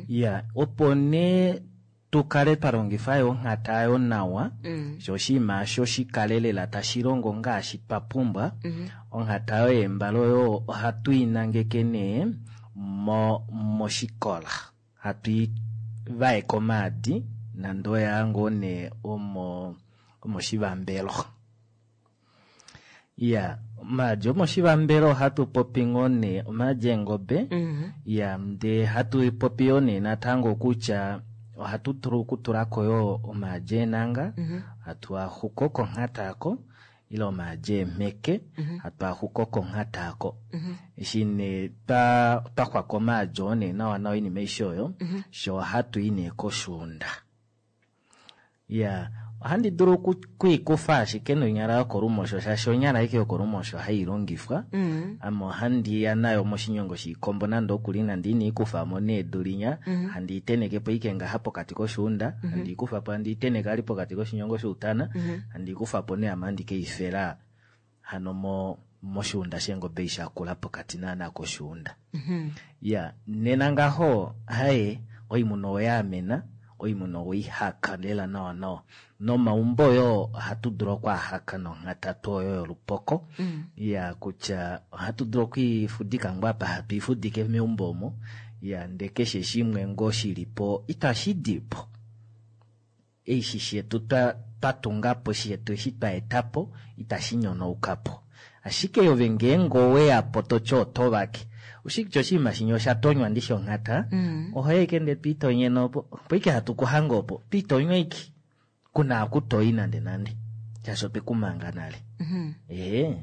Iya, opo nee tukale twalongifa yo onghata yo nawa, sho oshinima osho shikale tashi longo ngaashi twa pumbwa. Onghata yo yeembale oyo ohatu i nangeke nee mo moshikola, hatu i vaeka omaadi nande oya ngoo nee omo omoshivambelo. Iya, omaadi omoshivambelo ohatu popi ngoo nee omaadi eengobe. Iya, ndee hatu popi yo nee natango kutya ohatu dulu okutulako yo omaadi eenanga, hatu axuko konghata ako, ile omaadi eemheke, hatu axuko konghata ako. Eshi nee twa xwaka omaadi oo nee nawa nawa oinima aishe oyo, sho ohatu i nee koshuunda. Iya, Ohandi dulu okuikufa ashike nonyala yokolumosho shaashi onyala ashike yokolumosho hailongifwa. Mm. Ame ohandi ya nayo moshinyongo shiikombo nande okuli nande ina ikufamo nee edu linya Mm -hmm. handi iteneke po ike ngaha pokati koshuunda mm -hmm. handi ikufapo handi iteneke ali pokati koshinyongo shoutana mm -hmm. handi ikufapo nee ame handi keifela hano mo moshuunda sheengobe shakula pokati naana koshuunda mm -hmm. Ya nena ngaho haye oimuna oyaamena oimuna oihaka lela nawa nawa nomaumbo yo ohatu dulu okwaahaka nonghata oyo yolupoko mm. Ya kutya ohatu dulu okwiifudika ngoo apa hatu ifudike meumbo omo ya nde keshe shimwe ngoo shilipo itashi dipo eshi shetu twatungapo shetu eshi twaetapo itashi nyonaukapo ashike yove ngeenge oweyapo toti oto vake ushikutya oshinima shinya osha tonywa ndishi onghata mm. ohoya ike nde twiitonyene opo opo ike hatu kuhanga opo twiitonywa ike kuna akutoi nande nande shaashi otwekumanga nale mm -hmm. Ee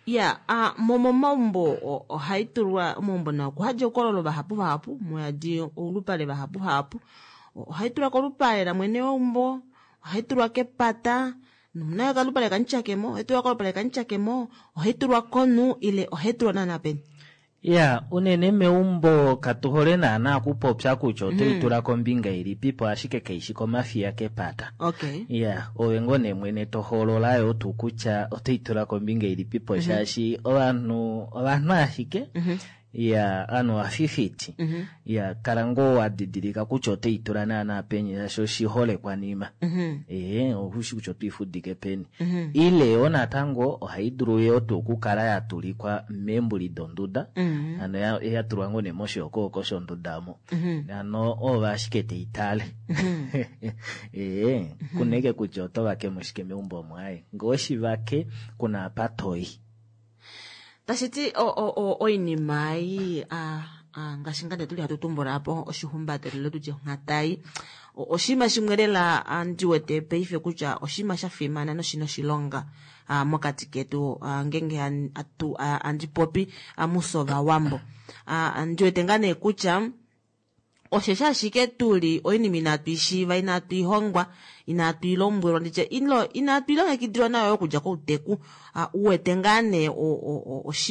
ya uh, momaumbo ohai tulwa omaumbo nao kuhadja oukololo vahapu vahapu muyadi oulupale vahapu vahapu ohai tulwa kolupale lamwene weumbo ohai tulwa kepata nomunayo kalupale kamutyakemo ohai tulwa kolupale kamutyakemo ohai tulwa konu ile ohai tulwa naana peni Ya unene meumbo katuhole naana okupopya kutya otoitula kombinga ilipipo ashike kaishi komafiya kepata. Okay. Ya ove ngoo nee mwene tohoolola yo tuu kutya otoitula kombinga ilipipo shaashi ovanhu ovanhu ashike mm -hmm. Ya ovanhu ovafifiti mm -hmm. Ya kala ngoo wadidilika kutya otoitula naana peni shaashi oshiholekwanima mm -hmm. Ee oushi kutya otwiifudike peni mm -hmm. Ile yoo natango ohai dulu yoo tuu okukala yatulikwa meembuli donduda mm -hmm. hano yatulwa ngoo nee moshihokohoko shonduda omo mm -hmm. hano ove ashike teitale mm -hmm. Ee mm -hmm. kuneke kutya oto vakemo shike meumbo omo aye ngee oshivake kuna apa toyi Tashiti oinima ei ngaashi ngaa tuli hatu tumbula po oshihumbatelo tutye onghata ei oshinima shimwe lela ndi wete paife kutya oshinima sha fimana noshina oshilonga mokati ketu ngeenge handi popi mufye ovawambo ndi wete ngaa nee kutya osheshi ashike tuli oinima inatu ishiiva inatu ihongwa inatu ilombwelwa nditye inatu ilongekidilwa nayo okudja kouteku uwete ngaa nee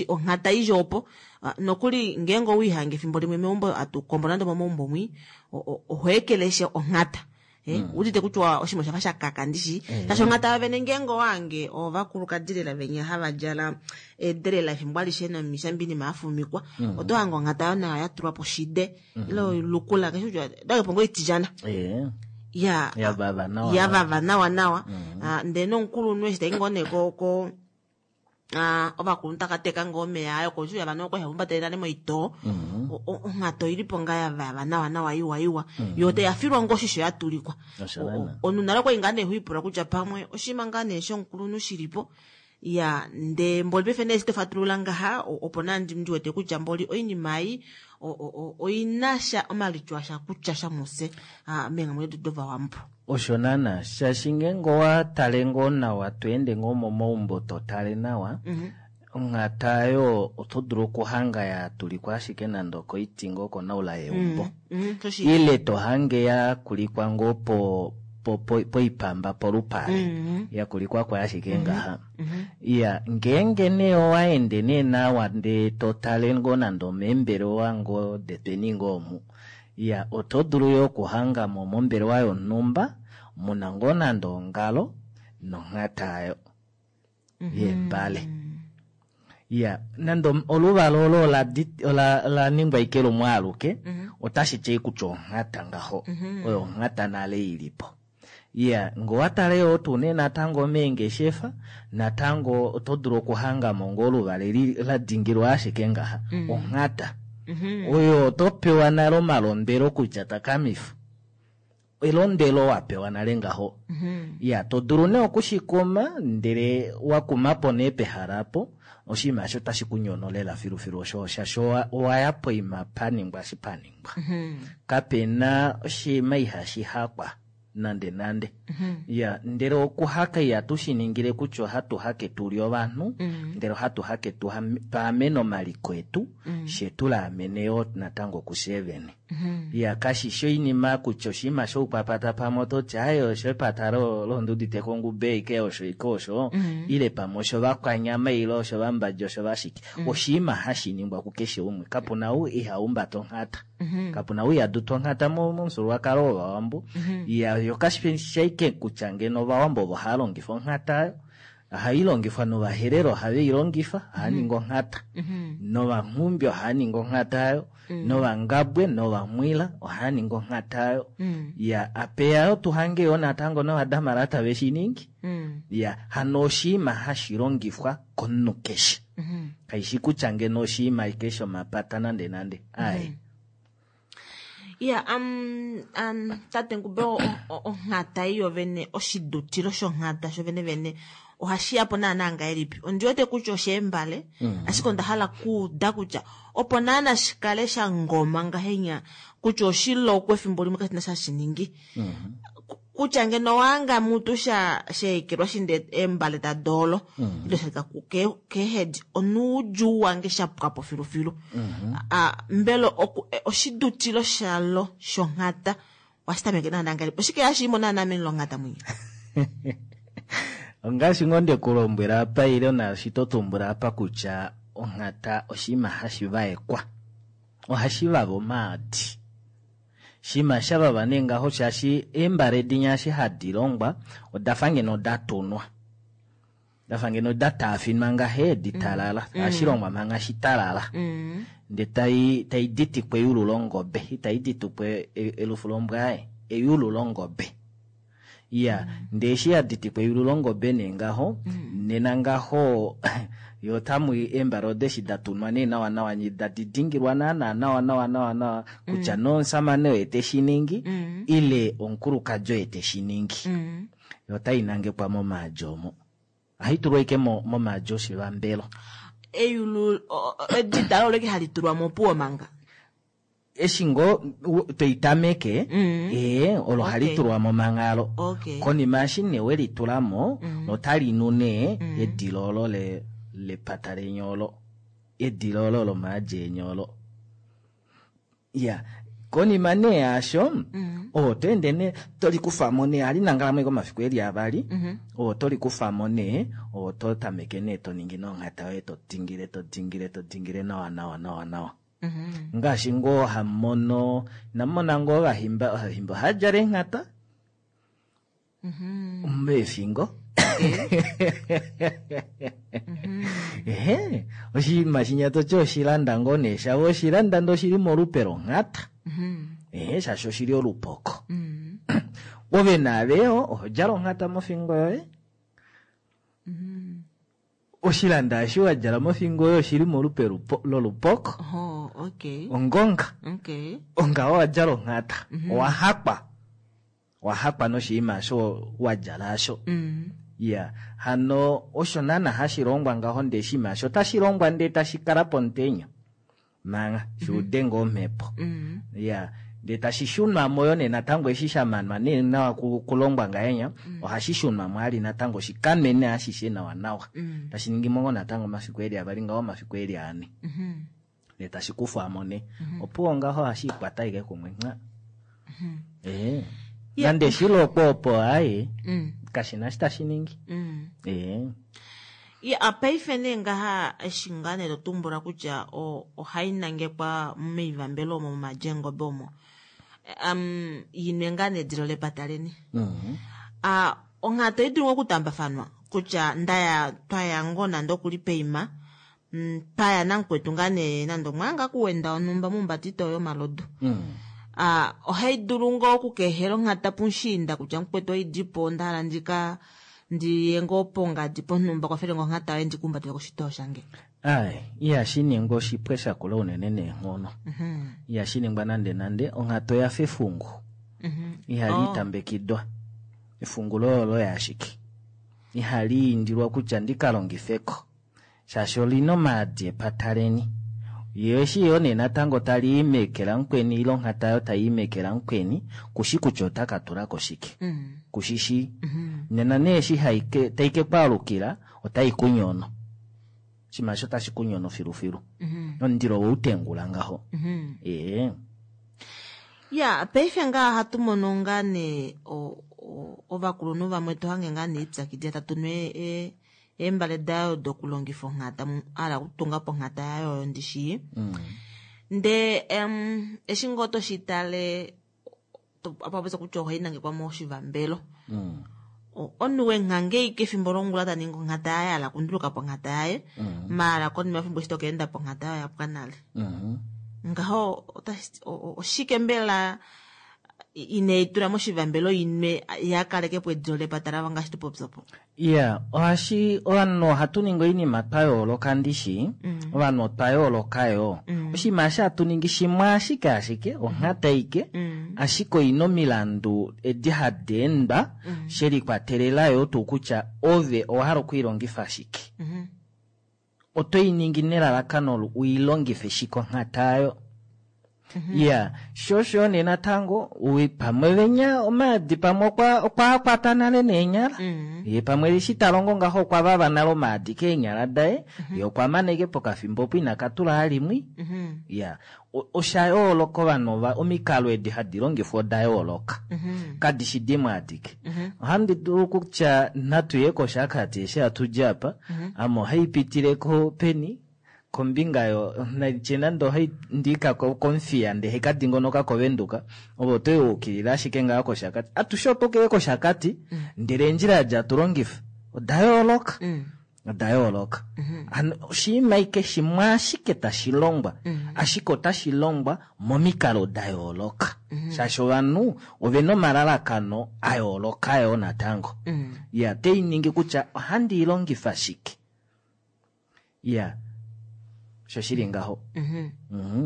onghata idja opo nokuli ngeenge owiihange efimbo limwe meumbo atukombo nande momaumbo mwi oho ekeleshe onghata Mm. udite kutya oshinima oshafa shakaka ndishi shaashi onghata yovene ngeenge owange ovakulukadi lela venya hava djala eedelela efimbo alishe nomishambi inima yafumikwa Mm. oto hange onghata yo nayo yatulwa poshide Mm. ile oilukula keshe kutya dakepo ngoo itilyana Ee ya yavava nawa yavava nawa nawa Mm. Ah, ndee nomukulunhu eshi tai ngoo nee ko ko ah, ovakulunhu takateka ngoo omeya ayo koshuya vana okwali havahumbatele nale moitoo Mm. onghata oilipo ngaa yavava nawa nawa iwa iwa Mm. yo tayafilwa ngoo oshisho yatulikwa Osho naana. omunhu nale okwali ngaa nee hwiipula kutya pamwe oshinima ngaa nee shomukulunhu shilipo ya ndee mboli paife nee eshi tofatulula ngaha opo naa ndiwete kutya mboli oinima ei oinasha omalityo asha kutya sha mufye meenghalamwenyo detu dovawambo Osho naana shaashi ngeenge owatale ngoo nawa tweende ngoo momaumbo totale nawa mm -hmm. onghata oyo oto dulu okuhanga yatulikwa ashike nande okoiti ngoo konaula yeumbo mm -hmm. ile tohange yakulikwa ngoo po po poipamba polupale mm -hmm. yakulikwako ashike mm -hmm. ngaha mm -hmm. Ya ngeenge nee owaende nee nawa ndee totale ngoo nande omeembelewa ngoo detweni ngoo omu ya oto dulu yoo okuhangamo mombelewa yonhumba muna ngoo nande ongalo nonghata ayo mm -hmm. yembale ya nande oluvala olo ola laningwa ike lumwe aluke mm -hmm. otashi ti kutya onghata ngaho mm -hmm. oyo onghata nale ilipo ya ngee owatale yoo tuu nee natango meengeshefa natango oto dulu okuhangamo ngoo oluvale ladingilwa ashike ngaha mm -hmm. onghata mm -hmm. oyo oto pewa nale omalondelo kutya takamifa elondelo wapewa nale ngaho mm -hmm. Ya to dulu nee okushikuma ndele wakumapo nee pehala apo oshinima osho otashi kunyono lela filufilu osho shaashi owaya poima paningwa eshi paningwa mm -hmm. kapena oshinima ihashi hakwa nande nande. Ya, ndele okuhaka ihatu shi ningile kutya ohatu hake tu li ovanhu, ndele ohatu hake tu twaamene omaliko etu, she tu laamene yoo natango kufye vene. Ya, kashi shi oinima kutya oshinima shoukwapata pamwe ototi aye oshepata londudite kongube ike osho ike osho, ile pamwe oshovakwanyama ile oshovambadja oshovashike. Oshinima hashi ningwa kukeshe umwe, kapuna ou iha humbata onghata. Kapuna ou iha duta onghata momufyuululwakalo wOvawambo. Ya, yo kashi ashike kutya ngeno Ovawambo ovo hava longifa onghata, ohai longifwa nOvaherero ohave i longifa, ohava ningi onghata. Novanghumbi ohava ningi onghata ayo, novangabwe novamwila ohava ningi onghata ayo. Ya, apeya yo tuhange yo natango novadamara tave shi ningi. Ya, hano oshinima hashi longifwa komunhu keshe. Kaishi kutya ngeno oshinima ike shomapata nande nande. Aye. Ya, um, um, tate Ngube, onghata iyo vene, oshidutilo shonghata sho vene vene ohashi yapo naana ngahelipi? Ondi wete kutya osheembale, ashike onda hala kuuda kutya opo naana shikale sha ngoma ngahenya kutya oshilokwe efimbo limwe kashina sha shiningi. Kutya ngeno wanga mutu sha sheekelwa shinde eembale tadoolo, ile shalika keehedi, onuudjuu wange sha pwapo filufilu. Mbela oshidutilo shalo shonghata ohashi tameke naana ngahelipi? Oshike hashi imo naana meni longhata mwinya? Ongaashi ngoo ndekulombwela apa ile naashi to tumbula apa kutya onghata oshinima hashi vaekwa. Ohashi vava omaadi. Shima sha vava nee ngaho shaashi eembale dinya eshi hadi longwa odafa ngeno da tunwa. Dafa ngeno da taafinwa ngahe ditalala. Ohashi longwa manga shitalala. Ndee tai tai ditikwa eyulu longobe, itai ditikwa elufu lombwa, eyulu longobe. Ya, ndee eshi ya ditikwa eyulu longobe nee ngaho, nena ngaho yo tamu eembale odeshi da tunwa nee nawa nawa da didingilwa naana nawa nawa nawa nawa kutya nomusamane oye teshi ningi ile omukulukadi oye teshi ningi. Yo tai nangekwa momaadi omo. Ohai tulwa ike momaadi oshivambelo. Eyulu edidalo olo hali tulwa mopuwo manga. Eshi ngoo toitameke, ee, olo hali tulwa momanghalo. Konima eshi nee we litulamo, otali nu nee edilo olo le lepata lenyolo, edilo olo lomaadi enyolo. Ya, konima nee yaasho, oho to ende nee tolikufamo nee, ohali nangala mo omafiku eli avali, oho tolikufamo nee, oho to tameke nee to ningi nonghata yoye to dingile to dingile to dingile nawa nawa nawa nawa. Ngaashi ngoo hamono, namona ngoo ovahimba, ovahimba ohava djala eenghata meefingo. Ehe, oshinima shinya toti oshilanda ngoo nee shavo, oshilanda ndee oshili molupe longhata. Ehe, shaashi oshili olupoko. Ove naaveyo oho djala onghata mofingo yoye. Oshilanda eshi wa djala mofingo yoye oshili molupe lolupoko. Oh, okay. Ongonga. Okay. Onga wa djala onghata. Owa hakwa. Owa hakwa noshinima osho wa djala asho. Ya, hano osho naana hashi longwa ngaho ndee oshinima osho otashi longwa ndee tashi kala pomutenya. Manga, shuude ngoo omhepo. Ya, ndee tashi shunwa mo yo nee natango eshi sha manwa nee nawa kulongwa ngahenya, ohashi shunwa mo ali natango shikamene ashishe nawa nawa. Tashi ningi mo ngoo natango omafiku eli avali ngaho omafiku eli ane. Ndee tashi kufwa mo nee. Opuwo ngaho ohashi ikwata ike kumwe nga. Eh. Nande shilokwa opo aye, kashina shi tashi ningi. Eh. Ya, paife nee ngaha eshi ngaa nee totumbula kutya ohai nangekwa moivambelo omo momadjengobe omo. Um, yinwe ngaa nee edilo lepata leni. Ah, onghata oidulu ngoo okutambafanwa kutya ndaya twaya ngoo nande okuli peima, paya namukwetu ngaa nee nande omwanga kuwenda onhumba mumbatito yomalodu. Ah, ohai dulu ngoo okukehela onghata pumushiinda kutya mukwetu oidipo onda hala ndika ndiye ngoo pongadi ponhumba kwafele ngoo onghata yoye ndikumbatele koshitoo shange. Ai, ihashi ningwa oshipwe shakula unene neenghono. Ihashi ningwa nande nande, onghata oya fa efungu. Ihali tambekidwa. Efungu loye oloye ashike. Ihali indilwa kutya ndika longifeko. Shaashi olina omaadi epata leni. Ye eshi yoo nee natango tali i meke lamukweni ile onghata oyo tai i meke lamukweni, kushi kutya ota ka tulako shike. Mm. Kushishii. Nena nee eshi hai ke, tai ke kwaalukila, otai ku nyono. Oshinima osho otashi ku nyono filufilu. Mhm. Omundilo woutengula ngaho. Mhm. Ee. Ya, paife ngaa ohatu mono ngaa nee o- o- ovakulunhu vamwe to hange ngaa nee ipyakidila tatu nu e- e- eembale dayo dokulongifa onghata, mu- a hala okutunga po onghata yayo oyo ndishii. Ndee em, eshi ngoo toshi tale, to- apa popya kutya ohai nangekwa moshivambelo. O- Omunhu wenghange ike efimbo longula ta ningi onghata yaye, a hala okunduluka po onghata yaye, maala konima yefimbo eshi toka enda po onghata yaye oya pwa nale. Ngaho otashi- o- o- oshike mbela inei tula moshivambelo inwe ya kaleke po edilo lepata lavo ngaashi tupopya po? Iya, ohashi ovanhu ohatu ningi oinima twa yooloka ndishi. Ovanhu otwa yooloka yo. Oshinima eshi hatu ningi shimwe ashike ashike onghata ike, ashike oina omilandu edi hadi endwa she likwatelela yo tuu kutya ove owa hala okuilongifa shike. Oto i ningi nelalakano uilongife shike onghata ayo. Iya, sho osho nee natango ui- pamwe venya omaadi pamwe okwa okwa kwata nale neenyala. Ye pamwe eshi ta longo ngaho okwa vava nale omaadi keenyala daye, ye okwa maneke pokafimbo opo ina katula halimwi. Iya, O- osha yooloka ovanhu ova omikalo edi hadi longifwa oda yooloka. Kadi shi dimwe adike. Ohandi dulu kutya natu ye kOshakati eshi hatu di apa, ame ohai pitile ko peni kombinga yo nalitye nande ohai ndika ko- kOmuthiya ndele haika dingonoka kOvenduka, ove oto ukilila ashike ngaho kOshakati. Atushe oto keye kOshakati, ndele eendjila edi hatu longifa oda yooloka. Oda yooloka. Hano oshinima ike shimwe ashike tashi longwa, ashike otashi longwa momikalo da yooloka. Shaashi ovanhu ovena omalalakano a yooloka yoo natango. Ya, tei ningi kutya ohandi i longifa shike. Ya, osho shili ngaho. Mhm.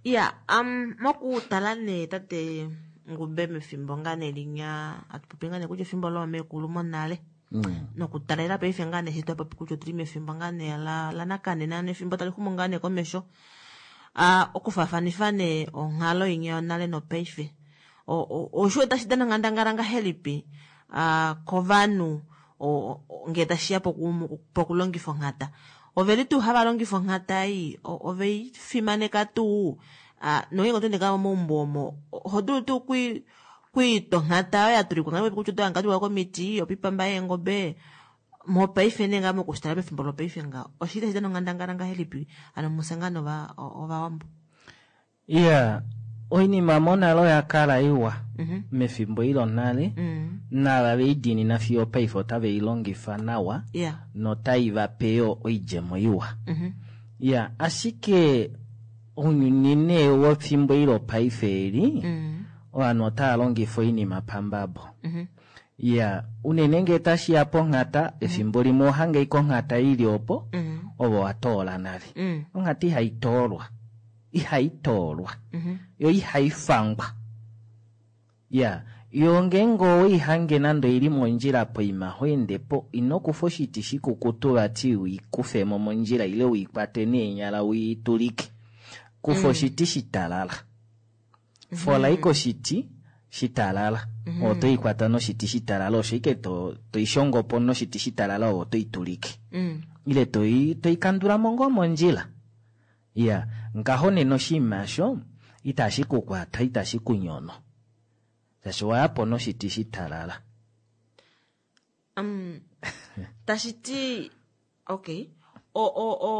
Ya, um, mokutala nee tate Ngube mefimbo ngaa nee linya, hatu popi ngaa nee kutya efimbo loomekulu monale. Nokutalela paife ngaa nee eshi twa popi kutya otuli mefimbo ngaa nee la, lanakanena nefimbo tali xumu ngaa nee komesho. Ah, okufaafanifa nee onghalo inya yonale nopaife. O- o- Osho otashi dana onghandangala ngahelipi ah, kovanhu o- o- ngee tashiya poku- pokulongifa onghata. Oveli tuu hava longifa onghata ei, o- ovei fimaneka tuu, ah, nongeenge oto ende ngaa momaumbo omo, oho dulu tuu kui kwiita onghata oyo ya tulikwa ngaa kutya oto hanga tulikwa komiti, opipamba yeengobe, mopaife nee ngaa mokushitala pefimbo lopaife ngaho. Oshili tashi dana onghandangala ngahelipi ano mufye ngaa nova ovawambo? Iya, oinima monale oya kala iwa mefimbo ilo nale, naava veidiinina fiyo opaife otave i longifa nawa Yeah. notai vape yo oidjemo iwa. Ya, ashike ounyuni nee wefimbo ilo paife eli, ovanhu otava longifa oinima pambabo. Ya, unene ngee tashiya ponghata, efimbo limwe ohange ike onghata ili opo, ove owa toola nale. Onghata ihai toolwa. Ihai toolwa. Yo ihai fangwa. Ya, yo ngeenge oweihange nande oili mondjila poima ho ende po, ino kufa oshiti shikukutu vati uikufemo mondjila ile uikwate neenyala uitulike. Kufa oshiti shitalala. Fola ike oshiti shitalala. Oto ikwata noshiti shitalala, osho ike to toishongo po noshiti shitalala ove oto itulike. Ile toi toikandula mo ngoo mondjila. Ya, ngaho nena oshinima osho itashi ku kwata, itashi ku nyono. Shaashi owa ya po noshiti shitalala. Um, tashi ti okay. O o o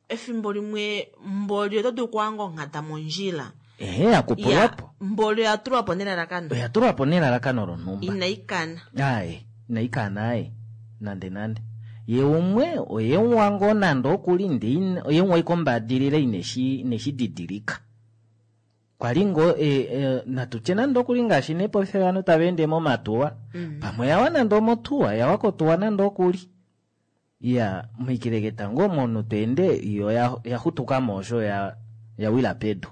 efimbo limwe mboli oto dulu okuhanga onghata mondjila. Ehe, ya kupulwa po. Mboli oya tulwa po nelalakano. Oya tulwa po nelalakano lonhumba. Inai kana. Aye, inai kana aye. Nande nande. Ye umwe oye uwa ngoo nande okuli nde ina, oye uwa ike ombadilila ineshi, ineshi didilika. Kwali ngoo, e, e, natutye nande okuli ngaashi nepaife ovanhu tava ende momatuwa. Pamwe yawa nande omotuwa, yawa kotuwa nande okuli. Ya, moikeleketa ngoo omunhu to ende, yo ya, ya xutuka mo osho ya, ya wila pedu.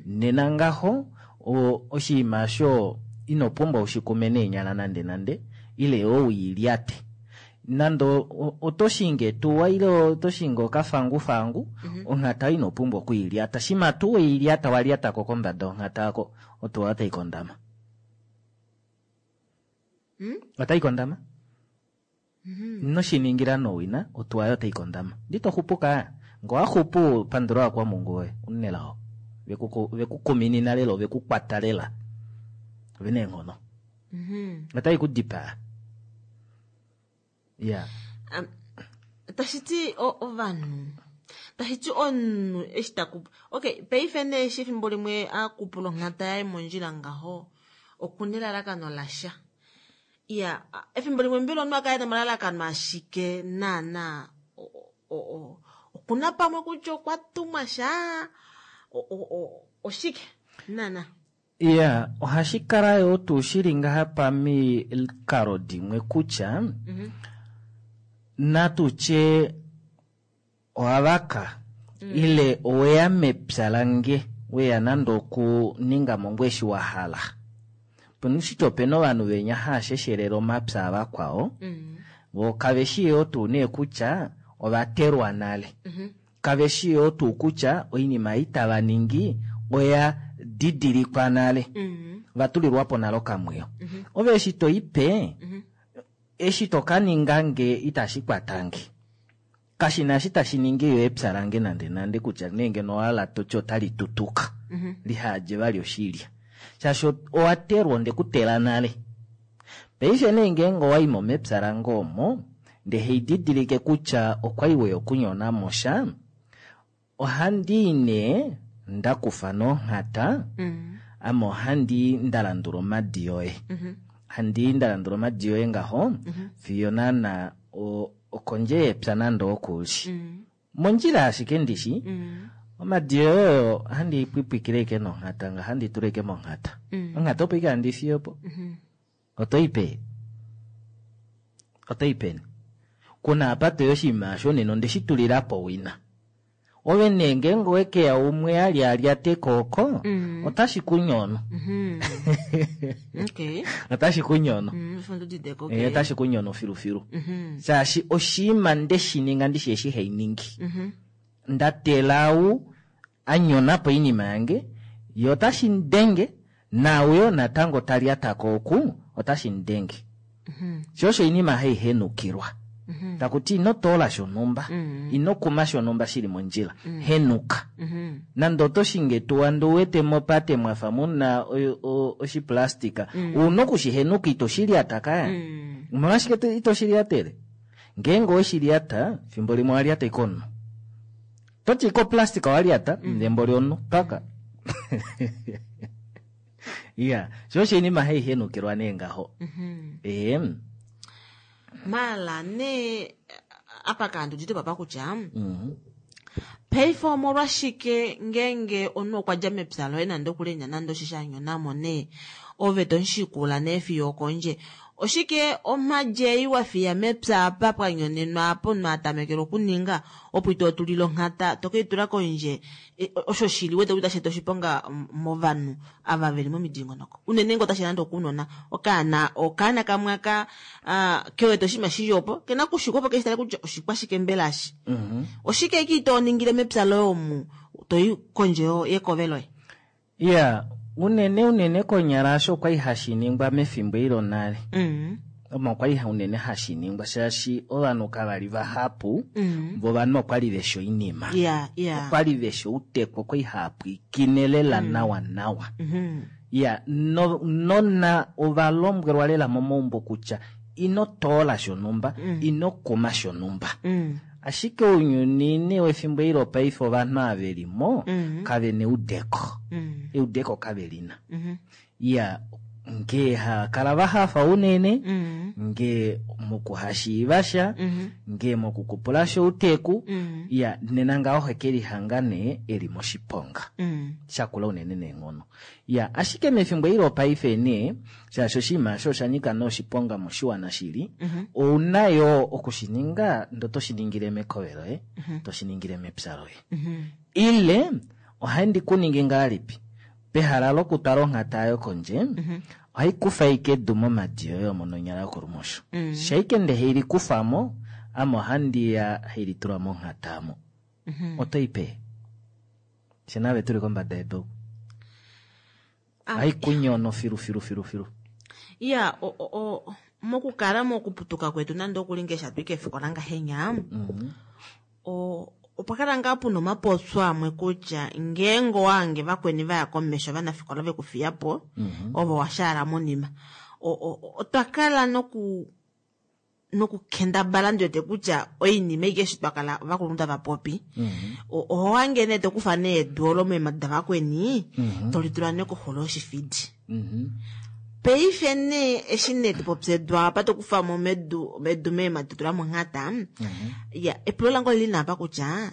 Nena ngaho, o, oshinima osho ino pumbwa ushikume neenyala nande nande, ile yo uilyate. Nande o- oto shingi etuwa ile oto shingi okafangufangu, onhata ino pumbwa okuilyata. Shima tuu weilyata walyatako kombada yonhata yako, otuwa otai kondama. Otai kondama. Inoshiningila nowina, otuwa yo otai kondama. Ndi to xupu ka. Ngo waxupu pandula kwa Mungu woye, unelao. Vekuku vekukuminina lela, vekukwata lela. Vene eenghono. Otai ku dipaa. Ya. Um, tashi ti ovanhu tashi ti omunhu eshi taku okay paife nee eshi efimbo limwe akupula onghata yaye mondjila ngaho okuna elalakano lasha. Iya, efimbo limwe mbela omunhu akale nomalalakano ashike naana okuna pamwe kutya okwa tumwa sha oshike naana. Iya, ohashi kala yo tuu shili ngaha pamikalo dimwe kutya mm-hmm. natutye owavaka mm. ile oweya mepya lange weya nande okuninga mo ngwe eshi wa hala. Ponushito opena ovanhu venya haasheshelele omapya avakwao mm. vo kaveshi yo tuu nee kutya ovatelwa nale mm-hmm. kaveshi yo tuu kutya oinima ei tava ningi oya didilikwa nale mm-hmm. vatulilwapo nale okamwiyo mm-hmm. ove eshi toipe mm-hmm. eshi tokaninga nge itashi kwatange kashina eshi tashi ningi yo epya lange nande nande kutya nenge noala toti otali tutuka mm-hmm. lihadje vali oshilya shaashi owatelwa onde kutela nale paife nee ngeenge owaimo mepya lange omo nde heididilike kutya okwali weya okunyona mosha ohandi nee ndakufa nonghata mm. ame ohandi ndalandula omadi yoye mm-hmm. handi ndalandula omadi yoye ngaho mm-hmm. fiyo naana okondje yepya nande okuli mm. mondjila ashike ndishi mm. omadi yoye oyo handi pwipwikile ike nonghata nga handi tula ike monghata mm. onghata opo ike handi fiyo po mm-hmm. otoipe otoipeni kuna apa toyo oshinima osho nena onde shi tulila po wina ove nee ngeenge owekeya umwe ali alyate kooko mm. otashi kunyono mm-hmm. okay. otashi kunyono mm, okay. e, otashi kunyono filufilu mm-hmm. shaashi oshiima nde shi ninga ndishi eshi hei ningi mm-hmm. ndatelau anyonapo oinima yange ye otashi ndenge nauyo natango talyatako oku otashi ndenge mm-hmm. sho osho oinima hai henukilwa mm-hmm. takuti ino toola shonhumba mm-hmm. ino kuma shonhumba shili mondjila mm-hmm. henuka mm-hmm. nande oto shinge tuwa ndee uwete mopate mwafa muna oshiplastika mm. una okushihenuka ito shilyata kaya mm. omolwashike ito shilyatele ngeenge oweshilyata fimbo limwe owalyata ike omunhu toti ike oplastika owalyata mm. ndembo lyomunhu paka iya sho osho oinima haihenukilwa nee ngaho mm-hmm. ee mala nee apa kaandu papa kutya mm-hmm. paife omolwashike ngeenge omunhu okwa dja mepya loye nande okulenya nande oshisha anyonamo nee ove tomushikula nee fiyo okondje oshike omhadje wa fiya mepya apa pwa nyonenwa apo omunhu atamekele okuninga opo ito tulile onghata tokeitula kondje osho shili wete kutya tashi oshiponga movanhu ava veli momidingonoko unene ngee otashi nande okunona okaana okaana kamwe aka kewete oshinima shili opo kena kushikwa opo keshi tale kutya oshikwashike mbela ashi mm-hmm. oshike ki toningile mepya loye omu toyi kondje yekove loye iya unene unene konyala asho okwali hashi ningwa mefimbo ilo nale mm. omo okwali unene hashi ningwa shaashi ovanhu kavali vahapu mm. vo ovanhu okwali veshi oinima yeah, yeah. okwali veshi outekwa okwali haapwikine lela mm. nawa nawa mm-hmm. ya no, nona ovalombwelwa lela momaumbo kutya ino toola shonhumba mm. ino kuma shonhumba mm. ashike ounyuni nee wefimbo eli lopaife ovanhu ava velimo mm. kave na eudeko mm. eudeko kave lina mm-hmm. iya ngee hakala vahafa unene mm. ngee mokuhashiiva sha mm-hmm. ngee mokukupula sha outeku mm. iya nena ngaho ohekelihanga nee eli moshiponga mm. shakula unene neenghono ya ashike mefimbo eli lopaife nee shaashi oshinima osho osha nyika nee oshiponga moshiwana shili mm-hmm. ouna yo okushininga ndo toshiningile mekove loye mm-hmm. toshiningile mepya loye mm-hmm. ile ohandi kuningi ngahelipi pehala lokutwala onghata yayo kondje mm-hmm. Ohai kufa ike edu momadi yoye omo nonyala yokolumosho. Mm. Shaike nde hei likufa mo, ame ohandi ya hei litula monghata amo. Mhm. Oto i pe? Fye nave tuli kombada yedu oku. Ah. Ohai kunyono filu filu filu filu. Ya, o, o, o, mokukala mokuputuka kwetu nande okuli ngeshi hatu i keefikola ngahenya, Mhm. o, opwa kala ngaa puna omapopyo amwe kutya ngeenge owahange vakweni vaya komesho ovanafikola vekufiya po, ovo wa shaala monima. O, o, otwa kala noku nokukendabala ndi wete kutya oinima aike eshi twa kala ovakulunhu tava popi, o- oho hange nee tokufa nee edu olo meemadi davakweni, tolitula nee koxulo yoshifidi. Paife nee eshi nee topopya edu apa tokufamo medu medu meemadi totula monghata, ya epulo lange olili nee apa kutya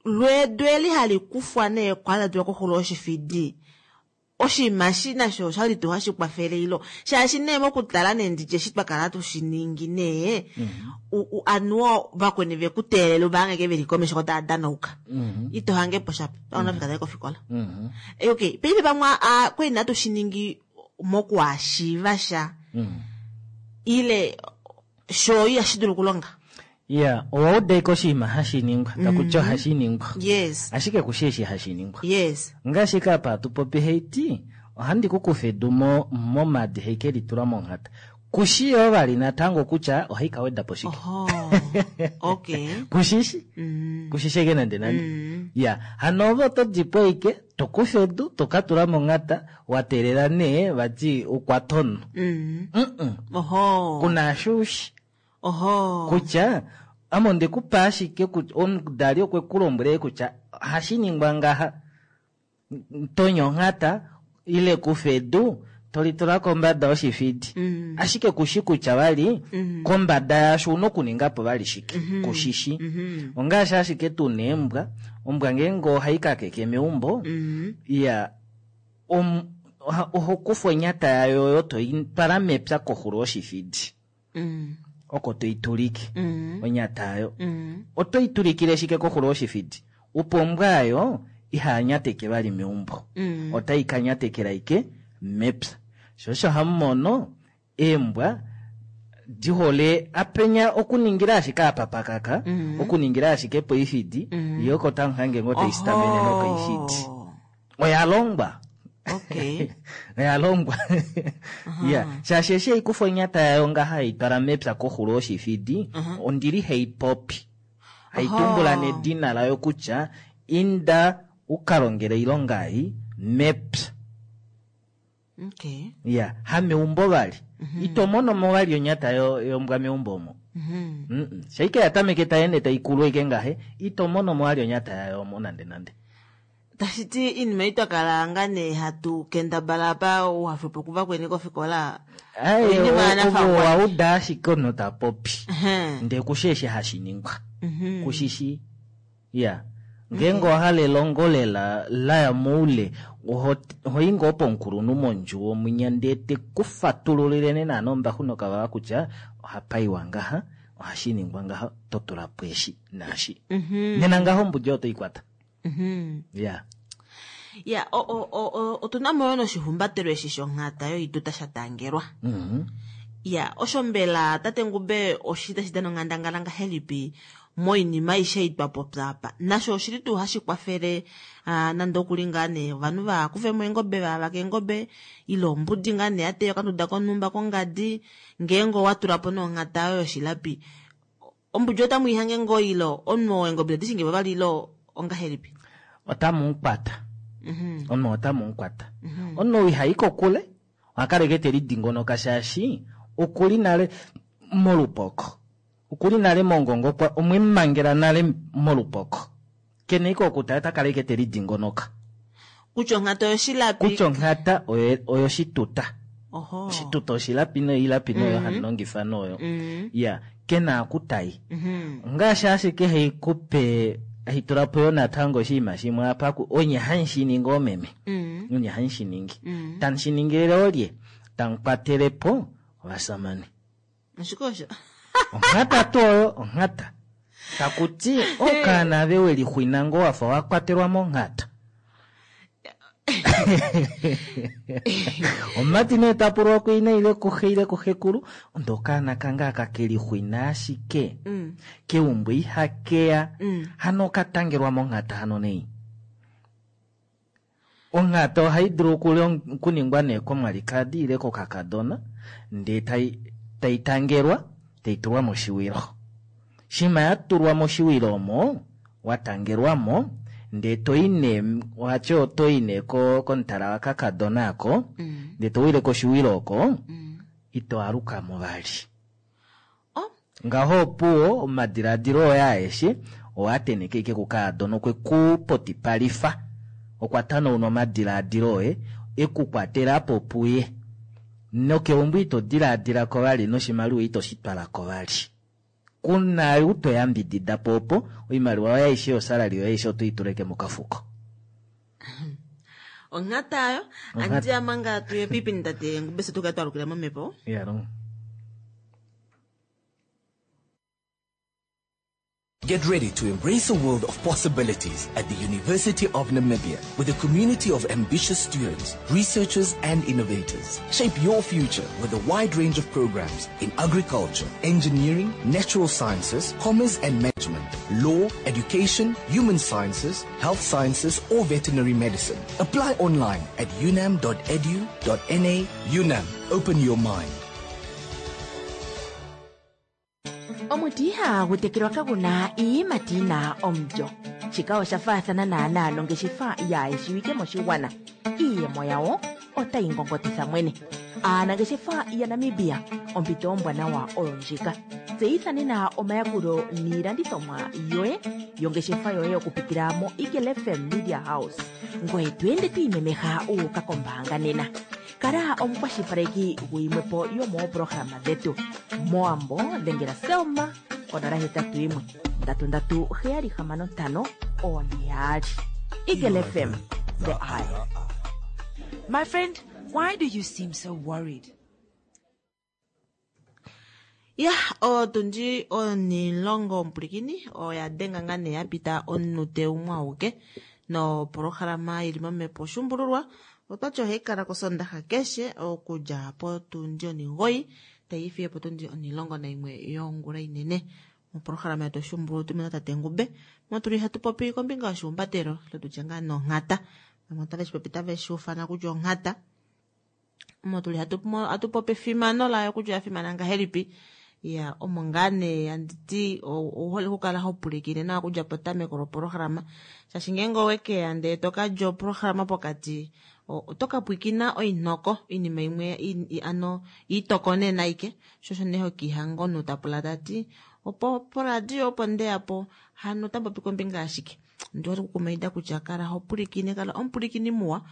lweedu eli hali kufwa nee kwali latulwa koxulo yoshifidi, oshinima eshi nasho oshali tuu hashi kwafele ilo shaashi nee mokutala nee nditye eshi twa kala tushiningi nee, u- u- anuwa vakweni vekuteelela uvahange veli komesho ko tava danauka, ito hange po shapo paunafika tayi kofikola. Eh, okay paife pamwe a- kwali natu shiningi mokuhashiiva sha ile sho ihashi dulu okulonga. Ya, owa uda ike oshinima hashi ningwa, takutya ohashi ningwa. Yes. Ashike kushi eshi hashi ningwa. Yes. Ngaashi ka apa hatu popi heiti, ohandi ku kufa edu mo- momadi haike litula monghata. Kushi yoo vali natango kutya ohai ka weda po shike. Okay. Kushishi? Kushishi ike nande nande. Ya, hano ove oto dipo ike, tokufa edu, toka tula monghata, wa teelela nee vati ukwatono. Mm. Mm-mm. Oho. Kuna ashushi. Oho. Kutya, ame ondekupa ashike kutya omudali okwe ku lombwele kutya ohashi ningwa ngaha. Tonya onghata ile kufa edu tolitula kombada yoshifidi. Ashike kushi kutya vali kombada yasho una okuninga po vali shike. Kushishi. Ongaashi ashike tuna eembwa, ombwa ngeenge ohai kakeke meumbo, iya om- oha- oho kufa onyata yayo oyo toi twala mepya koxulo yoshifidi. Mm. Oko toi tulike Mm. onyata yayo. Mm. Oto i tulikile shike koxulo yoshifidi? Opo ombwa yayo ihanyateke vali meumbo. Mm. Otai ka nyatekela ike mepya. Sho osho hamu mono eembwa di hole apenya okuningila ashike apa pakaka, Mm. okuningila ashike poifidi, yo oko tamu hange ngoo tai sitamene nokoifidi. Oya longwa. Okay. Oya longwa. Ya, shaashi eshi haikufa onyata yayo ngaha hai twala mepya koxulo yoshifidi, ondili hai popi. Hai tumbula nedina layo kutya inda uka longele oilonga ei mepya. Okay. Ya, hameumbo vali. Ito mono mo vali onyata yo- yombwa meumbo omo. Mhm. Mm-mm. Shaike ya tameke tai ende tai kulu ike ngahe, ito mono mo vali onyata yayo omo nande nande. Tashi ti iinima ei twa kala nga nee hatu kendabala apa uhafepo kuvakweni kofikola. Ai, Oinima o- yanafangwa. ovo wa uda ashike omunhu ta popi. Mhm. Ndee kushi eshi hashi ningwa. Mhm. Kushishi. Ya. Ngeenge owa hala elongo lela laya moule, oho ohoyi ngoo pomukulunhu mondjuwo mwinya ndee te ku fatululile nee naana ombaxu nokavava kutya ohapa iwa ngaha, ohashi ningwa ngaha, to tula po eshi naashi. Mhm. Nena ngaho ombudi oyo toi kwata. Mhm. Ya. Ya, o- o- o- o- otuna mo yo noshihumbatelo eshi shonghata yoituta sha tangelwa. Mhm. Ya, osho mbela tate Ngube oshi tashi dana onghandangala ngahelipi moinima aishe ei twa popya apa? Nasho oshili tuu hashi kwafele ah, nande okuli ngaa nee ovanhu va kufe mo eengobe va vake eengobe ile ombudi ngaa nee ya teya okanduda konhumba kongadi, ngeenge owa tula po nee onghata yoye yoshilapi, ombudi otamu i hange ngoo ile omunhu weengobe tadi shingi po vali ile ongahelipi? Otamu mukwata. Mhm. Omunhu otamu mukwata. Omunhu ihayi kokule, oha kala ike te lidingonoka shaashi okuli nale molupoko. Okuli nale mongongo kwa omwemangela nale molupoko. Kena ike okutala ota kala ike te lidingonoka. Kutya onghata oyoshilapi. Kutya onghata oyo oyoshituta. Oho. Oshituta oshilapi noilapi noyo Mhm. handi longifa noyo. Mhm. Ya, kena akutai. Mhm. Ngaashi ashike hei kupe hei tula po yo natango oshinima shimwe apa ku onye hamushiningi oomeme. Mhm. Onye hamushiningi. Mhm. Tamushiningilile olye? Tamukwatele po ovasamane. Ashike osho. Onghata tuu oyo onghata. Takuti okaana ave welixwina ngoo wafa wa kwatelwa monghata. Omumati nee ta pulwa kuina ile kuxe ile kuxekulu, onde okaana kange aka keli xwina ashike. Mm. Keumbo ihakeya. Mm. Hano okatangelwa monghata hano nei. Onghata ohai dulu okulong- okuningwa nee komwalikadi ile kokakadona, ndee tai tai tangelwa, tai tulwa moshiwilo. Shima ya tulwa moshiwilo omo, watangelwa mo, ndee toi nee, ohati otoi nee ko komutala wakakadona ako, ndee towile koshiwilo oko, ito alukamo vali. Ngaho opuwo omadiladilo oye aeshe owa teneke ike kukaadona okwe ku potipalifa, okwa tanauna omadiladilo oye ekukwatela po puye, nokeumbo ito diladilako vali noshimaliwa ito shi twalako vali, kuna ou toyambidida po opo oimaliwa yoye aishe yosalali yoye aishe oto i tuleke mokafuko. Onghata ayo. Onghata. Andiya manga tuye piipindi tate Ngubese tukale twalukila momhepo. Iyalongo. Get ready to embrace a world of possibilities at the University of Namibia with a community of ambitious students, researchers, and innovators. Shape your future with a wide range of programs in agriculture, engineering, natural sciences, commerce and management, law, education, human sciences, health sciences, or veterinary medicine. Apply online at unam dot edu dot N A. UNAM, open your mind. Omuti ihagu tekelwa kaguna iiyimati yina omulyo. Shika osha faathana naanaa nongeshefa yaayeshiwike moshigwana, iiyemo yawo otayi ngongotitha mwene. Aanangeshefa yaNamibia, ompito ombwanawa oyo ndjika. Tseyitha nena omayakulo niilandithomwa yoye yongeshefa yoye okupitila mo Eagle F M Media House, ngoye to ende to imemeha uuka kombaanga nena. Kala omukwashilipaleki guyimwepo yomoopolohalama dhetu. Moambo dhengela Selma konola hetatu yimwe ndatu ndatu heyali hamano ntano one yaali. Eagle F M, the eye. My friend, why do you seem so worried? Ya, otundi onilongo omupulikini oya denga ngaa nee ya pita omunute umwe auke nopolohalama ili momhepo Oshuumbululwa. Otwati ohayi kala kosondaxa keshe okudja potundi onigoyi tai fiye potundi onilongo naimwe yongula inene. Mopolohalama yetu Oshuumbululwa otumuna tate Ngube motuli hatu popi kombinga yoshihumbatelo lotutya ngaa nonghata, vamwe otave shi popi tave shi ufana kutya onghata, omo tuli hatu hatu popi efimano layo kutya oya fimana ngahelipi. Ya, omo ngaa nee anditi ouhole okukala ho pwilikine nawa okudja petameko lopolohalama, shaashi ngeenge owekeya ndee tokalya opolohalama pokati, oto ka pwilikina oinhoko oinima imwe ano itoko nee naike, sho osho nee hokiihanga omunhu tapula tati opo poradio opo ndeyapo hano otapopi kombinga yashike. Ndi hole okukumaida kutya kala ho pwilikine, kala omupulikini muwa,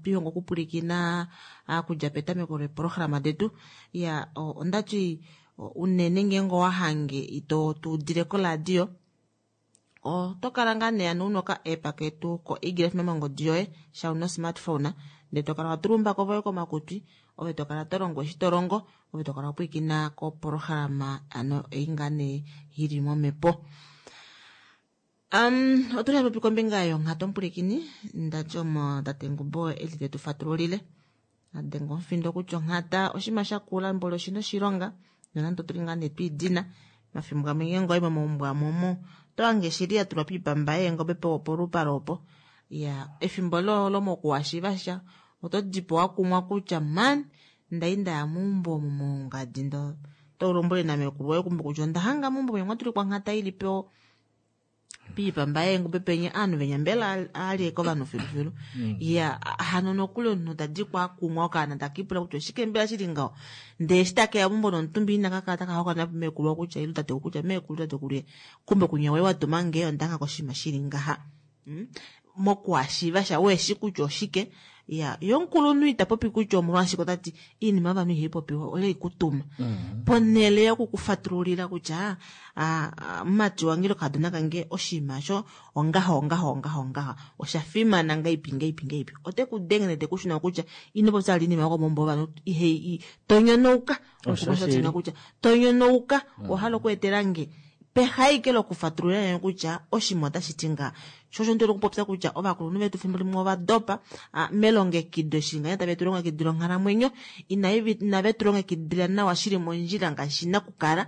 twihonga okupwilikina okudja petameko leepolohalama detu. Ya, ondati unene ngeenge owahange ito tuudile koradio, oto kala ngaa nee ano una oka app ketu ko Eagle F M mongodi yoye sha una osmartphone, ndee tokala watula oumbako voye komakutwi, ove tokala tolongo eshi tolongo, ove tokala wapwilikina kopolohalama ano ei ngaa nee ili momhepo. Um, otuli hatupopi kombinga yonghata omupulikini, ndati omo tate Ngubo eli tetu fatululile adenga omufindo kutya onghata oshinima shakula mboli oshina oshilonga, nonande otuli ngaa nee twiidina mafimbo gamwe ngeenge owayi momaumbo amwe omo oto hange shili ya tulwa piipamba yeengobe polupale opo. Ya, efimbo lomokuwashiva sha oto dipo wakumwa kutya man ndai ndaya meumbo omu mongadi ndo tolombwele namekulu woye kumbe kutya onda hanga meumbo mwe mwatulikwa onghata ili po piipamba yeengobe penye aanhu venya mbela alyeke ovanhu filufilu. Ya, hano nokuli omunhu tadikwa akumwa okaana takipula kutya oshike mbela shili ngaho, ndee eshi takeya meumbo nomutumba ina kakala taka hokana mekulu kutya ile tatekulu kutya meekulu tatekulu kumbe kunya woye watuma nge ondanga koshinima shili ngaha. Mokuwashiva sha weshi kutya oshike. Ya, yo omukulunhu ita popi kutya omolwashike otati iinima yovanhu ihai popiwa ole ikutuma. Ponhele yokukufatululila kutya mumati wange ile okakadona kange oshinima osho ongaho ongaho ongaho ongaho osha fimana ngaipi ngaipi ngaipi, ote ku denge nete kushuna kutya ino popya vali iinima yokomaumbo ovanhu ihei tonyonouka. Osho kutya tonyonouka owahala okweetela nge Peha ike lokufatulula nge kutya oshinima otashi ti nga. Sho osho ndi okupopya kutya ovakulunhu vetu fimbo limwe ova dopa melongekido eshi ngahenya tave tu longekidile onghalamwenyo, inave tu longekidila nawa shili mondjila ngaashi shina okukala.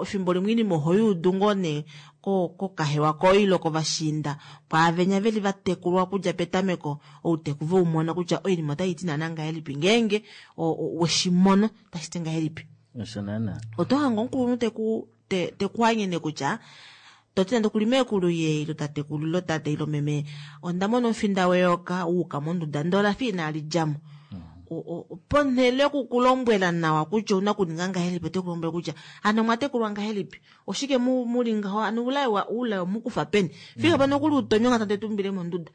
Efimbo limwe oinima oho yuudu ngoo nee kokahewa koye ile kovashiinda pwaavenya veli vatekulwa okudja petameko outeku veumona kutya oinima otaiti naana ngahelipi ngeenge weshimono tashi ti ngahelipi. Osho naana. Oto hange omukulunhu teku tekuanyene kutya toti nande okuli meekulu ye ilo tatekulu ilo tate ilo meme onda mona omufinda weyoka wuuka monduda ndele olafa inali djamo. Ponhele yokukulombwela nawa kutya ouna okuninga ngahelipi ote kulombwele kutya hano omwatekulwa ngahelipi oshike muli ngaho hano oulai omukufa peni fika pano okuli utonywa onghata ndele tumbile monduda.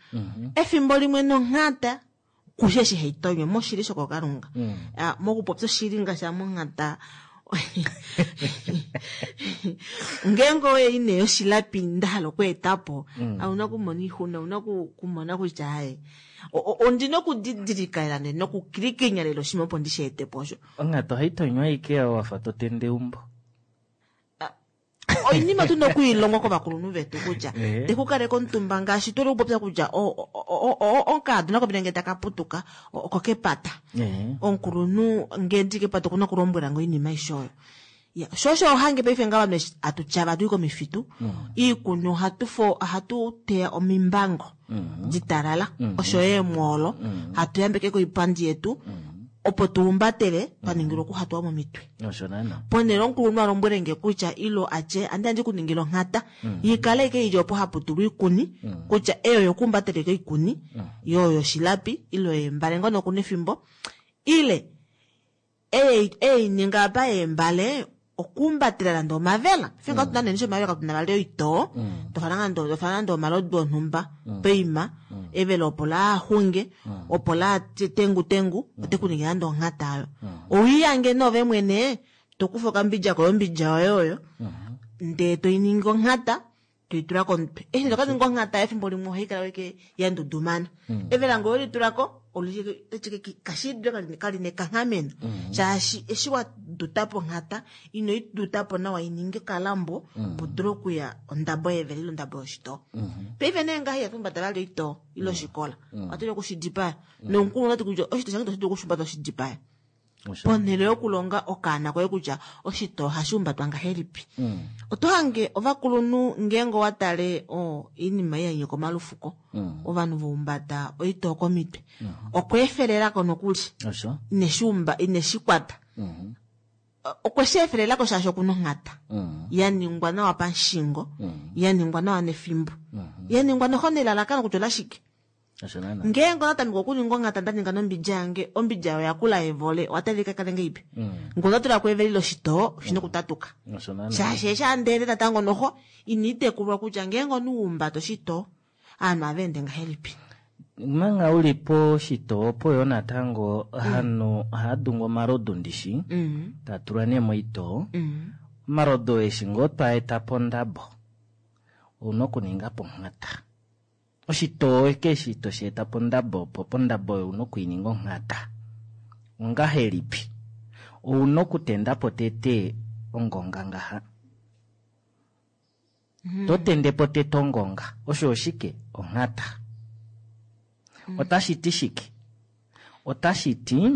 Efimbo limwe nonghata kushe eshi haitonywa moshili shokokalunga mokupopya oshili ngaashi amonghata ngeenge oye ine yoshilapi nda hala okweetapo auna okumona oixuna ouna okumona kutya haye ondina okudidilika lela nokukilikinya lela oshinima opo ndishi etepo osho. Onghata ohaitonywa ashike wafa totende eumbo. Oinima tuna okuilongwa kovakulunhu vetu kutya tekukaleka omutumba ngaashi tuli okupopya kutya okaadona kopena ngee taka putuka oko kepata. Omukulunhu ngee ndi kepata okuna okulombwela ngo oinima aishe oyo. Sho osho ohange paife nga vanhu hatu tyava hatu i komifitu iikuni ohatu teya omimbango ditalala osho yo eemwoolo hatu yambeke koipandi yetu opo tuumbatele twaningilwa okuhatuwa momitwe. Ponhele omukulunhu alombwele nge kutya ilo atye andi andi kuningila onghata ikale ike ili opo haputulwa oikuni kutya eyo yokuumbatele koikuni yo yoshilapi ilo yeembale ngono okuna efimbo ile ei ninga apa yeembale okuumbatela nande omavela finga tuna nene omavela katuna vali oitoo tofana nande tofana nande omalodu onhumba peima evela opo la xunge opo la tengu tengu ote kuninga nande onghata ayo owiyange nove mwene tokufa okambidja koye ombidja yoye oyo ndee toiningi onghata toitula komutwe eshi tokaninga onghata efimbo limwe ohaikala weke yandudumana evela ngee olitulako kashidule kali nekanghameno shaashi eshi wadutapo onghata ino idutapo nawa ininge okalambo opo dule okuya ondabo yevela ile ondabo yoshitoo. Paife nee ngaha ihatu vali oitoo ile oshikola otuli okushidipaya nomukulunhu otati kutya oshitoo shange itoshi dulu okushumbata oshidipaya. Ponhele yokulonga okaana koye kutya oshitoo ohashi humbatwa ngahelipi. Oto hange ovakulunhu ngeenge owatale oinima ei yanyika omalufuko ovanhu vaumbata oitoo komitwe okweefelelako nokuli ineshikwata okweshi efelelako shaashi okuna onghata yaningwa nawa pamushingo yaningwa nawa nefimbo yaningwa noho nelalakano kutya olashike. Ngeenge onatameka okuninga onghata ndaninga nombidja yange ombidja oyo yakula evole owatalika kale ngeipi ngee ondatulako eveli loshitoo oshina okutatuka shaashi eshi andeende natango noho ina itekulwa kutya ngeenge onuumbata oshitoo aanhu aveende ngahelipi. Manga uli poshitoo opo yo natango hano ohadungu omalodu ndishi tatulwa nee moitoo omalodu eshi ngoo twaeta pondabo ouna okuninga po onghata. Oshitoo keshi tosheeta pondabo opo pondabo oyo ouna okuininga onghata. Ongahelipi? Ouna okutendapo tete ongonga ngaha. Totendepo tete ongonga. Osho oshike? Onghata. Otashi ti shike? Otashi ti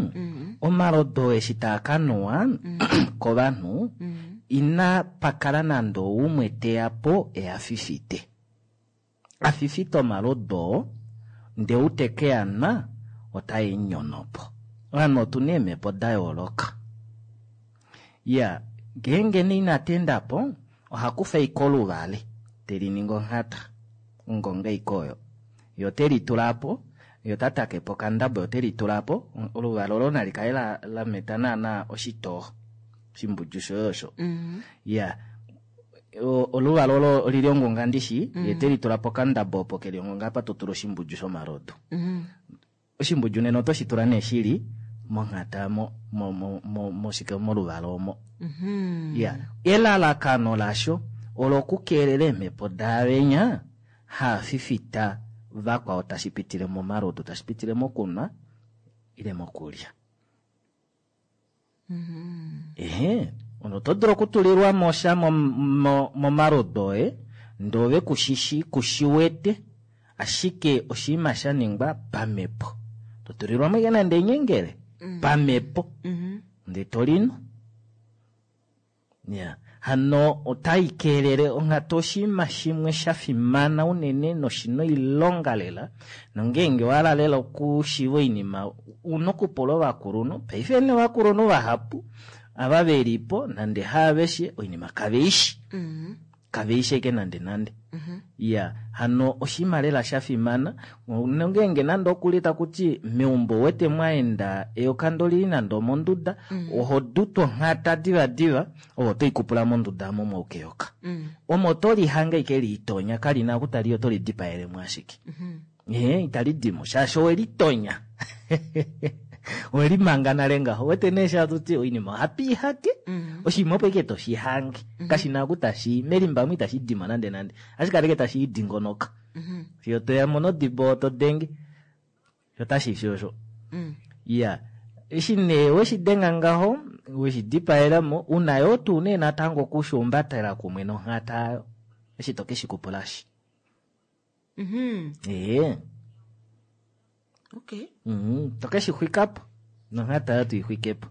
omalodo eshi taakanuwa kovanhu ina pakala nande oumwe teya po eyafifite. Afifite omalodo ndee uteke yanwa otai nyonopo. Ovanhu otuna eemhepo da yooloka. Ya ngeenge nee inatendapo ohakufa ashike oluvale teliningi onghata ongonga ashike oyo yo telitulapo yo tatakepo okandabo yo telitulapo oluvale olo nali kale lameta naana oshitoo oshimbudju shoye osho. Ya oluvalo olo olili ongonga ndishi ye telitulapo okandabo opo keli ongonga apa totula oshimbudju shomalodu. Oshimbudju nena otoshi tula nee shili monghata mo moshike moluvalo omo. Ya elalakano lasho olo okukeelela eemhepo daavenya haafifita vakwao tashi pitile momalodu tashi pitile mokunwa ile mokulya. Ehe Oto dulu okutulilwamo sha momalodu oye ndee ove kushishi kushiwete ashike oshinima shaningwa pamepo. Totulilwamo ashike nande enyengele pamepo ndee tolinu. Ya hano otai kelele onghatu oshinima shimwe shafimana unene noshina oilonga lela nongeenge owahala lela okushiiva oinima una okupula ovakulunhu. Paife nee ovakulunhu vahapu ava velipo nande haaveshe oinima kaveishi kaveishi ashike nande nande. Iya hano oshinima lela shafimana nongeenge nande okuli takuti meumbo ouwete mwaenda eyoka ndee olili nande omonduda oho dutu onghata diva diva ove otoikupula monduda aamo mwayuka eyoka. Omo otolihange ashike liitonya kalina oku taliyi oto lidipaelemo ashike. Ee italidimo shaashi owelitonya owelimanga nale ngaho. Ouwete nee eshi hatuti oinima ohatu ihake oshinima opo ashike toshihange kashina oku tashii melimba omo itashidimo nande nande ohashi kala ashike tashidingonoka fiyo toyamo nodibo todenge sho otashifi osho. Iya eshi nee weshidenga ngaho weshidipaelamo una yoo tuu nee natango okushuumbatela kumwe nonghata aayo eshi tokeshikupulashi. Ee Okay. Mm, tokeshixwikapo nonghata ayo toixwikepo.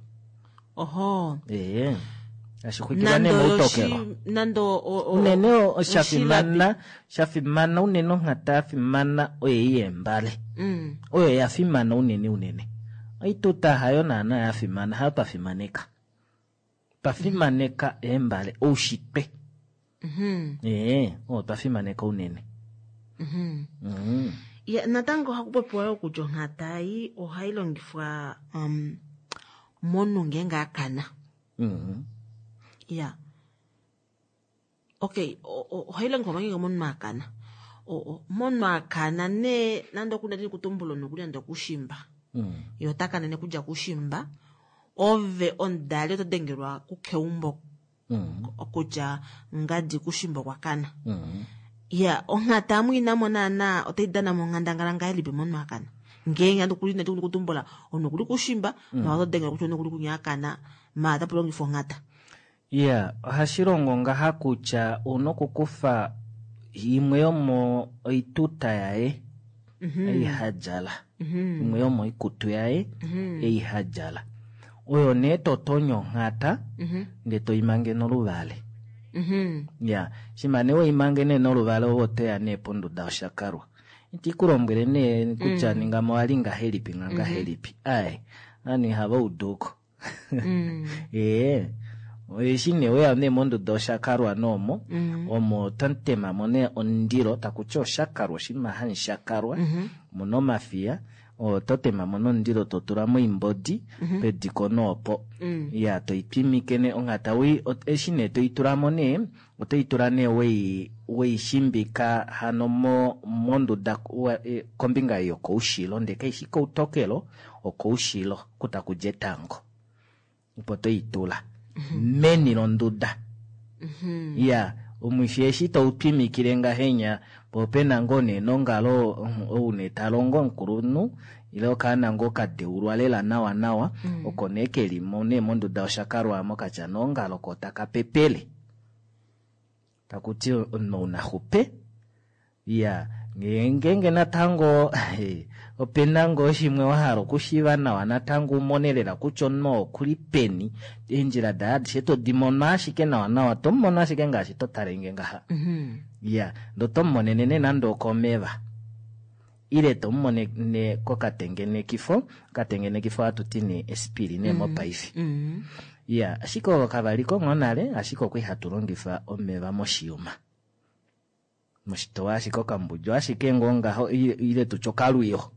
Oho. Ee ashixwikilwa nee moutokelo. Nande unene oshafimana shafimana unene onghata yafimana oyo yeembale. Oyo yafimana unene unene. Oituta hayo naana yafimana hayo twafimaneka. Twafimaneka eembale oushitwe. Ee oyo twafimaneka unene. Mm. Ya, natango ohaku popiwa yoo kutya onghata ei ohai longifwa um, momunhu ngeenge akana. Mm. Ya. Okay, ohai longifwa ngeenge omunhu akana. Omunhu akana nee nande okuna kutumbula nokuli nande okushimba. Mm. Ye ota kanene kudja kushimba. Ove omudali oto dengelwa kukeumbo Mm. kutya ngadi kushimba okwa kana. Mm. Ya, onghata amu inamo naana otai dana monghandangala ngahelipi momunhu akana. Ngeenge nande okuli nande kutumbula omunhu okuli kushimba, Mm. ma oto dengelwa kutya omunhu okuli kunya akana, ma otapu longifwa onghata. Iya, ohashi longo ngaha kutya una okukufa imwe yomo oituta yaye ei hadjala. Imwe yomoikutu yaye ei hadjala. Oyo nee totonya onghata ndee toimange noluvale. Ya, shima nee weimange nee noluvale ove otoya nee ponduda yoshakalwa. Iti kulombwele nee kutya ningamo owali ngahelipi ngangahelipi. Ai, ovanhu ihava uduko. Ee, eshi nee weya nee monduda yoshakalwa noomo, omo totemamo nee omundilo takuti oshakalwa oshinima hamushakalwa muna omafiya ototemamo nomundilo totulamo oimbodi pediko noopo. Iya toitwimike nee onghata eshi nee toitulamo nee otoitula nee wei weishimbika hano mo monduda kombinga yokoushilo ndee kaishi koutokelo okoushilo oku takudja etango. Opo toitula meni londuda. Iya omwifi eshi toutwimikile ngahenya po opena ngoo nee nongalo ou nee talongo omukulunhu ile okaana ngoo kadeulwa lela nawa nawa oko nee kelimo nee monduda yoshakalwa aamo katya nongalo ko taka pepele. Takuti omunhu ounaxupe. Iya ngeenge natango opena ngoo shimwe wahala okushiiva nawa natango umone lela kutya omunhu okuli peni eendjila daye adishe todimono ashike nawa nawa tomumono ashike ngaashi totalenge ngaha. Iya ndee otomumonene nee nande okomeva ile tomumonene kokatengenekifo okatengenekifo ohatuti nee esipili nee mopaife. Iya ashike ovo kavaliko ngoo nale ashike okwali hatu longifa omeva moshiyuma. Moshitowa ashike okambudju ashike ngoo ngaho ile tutye okalwiyo.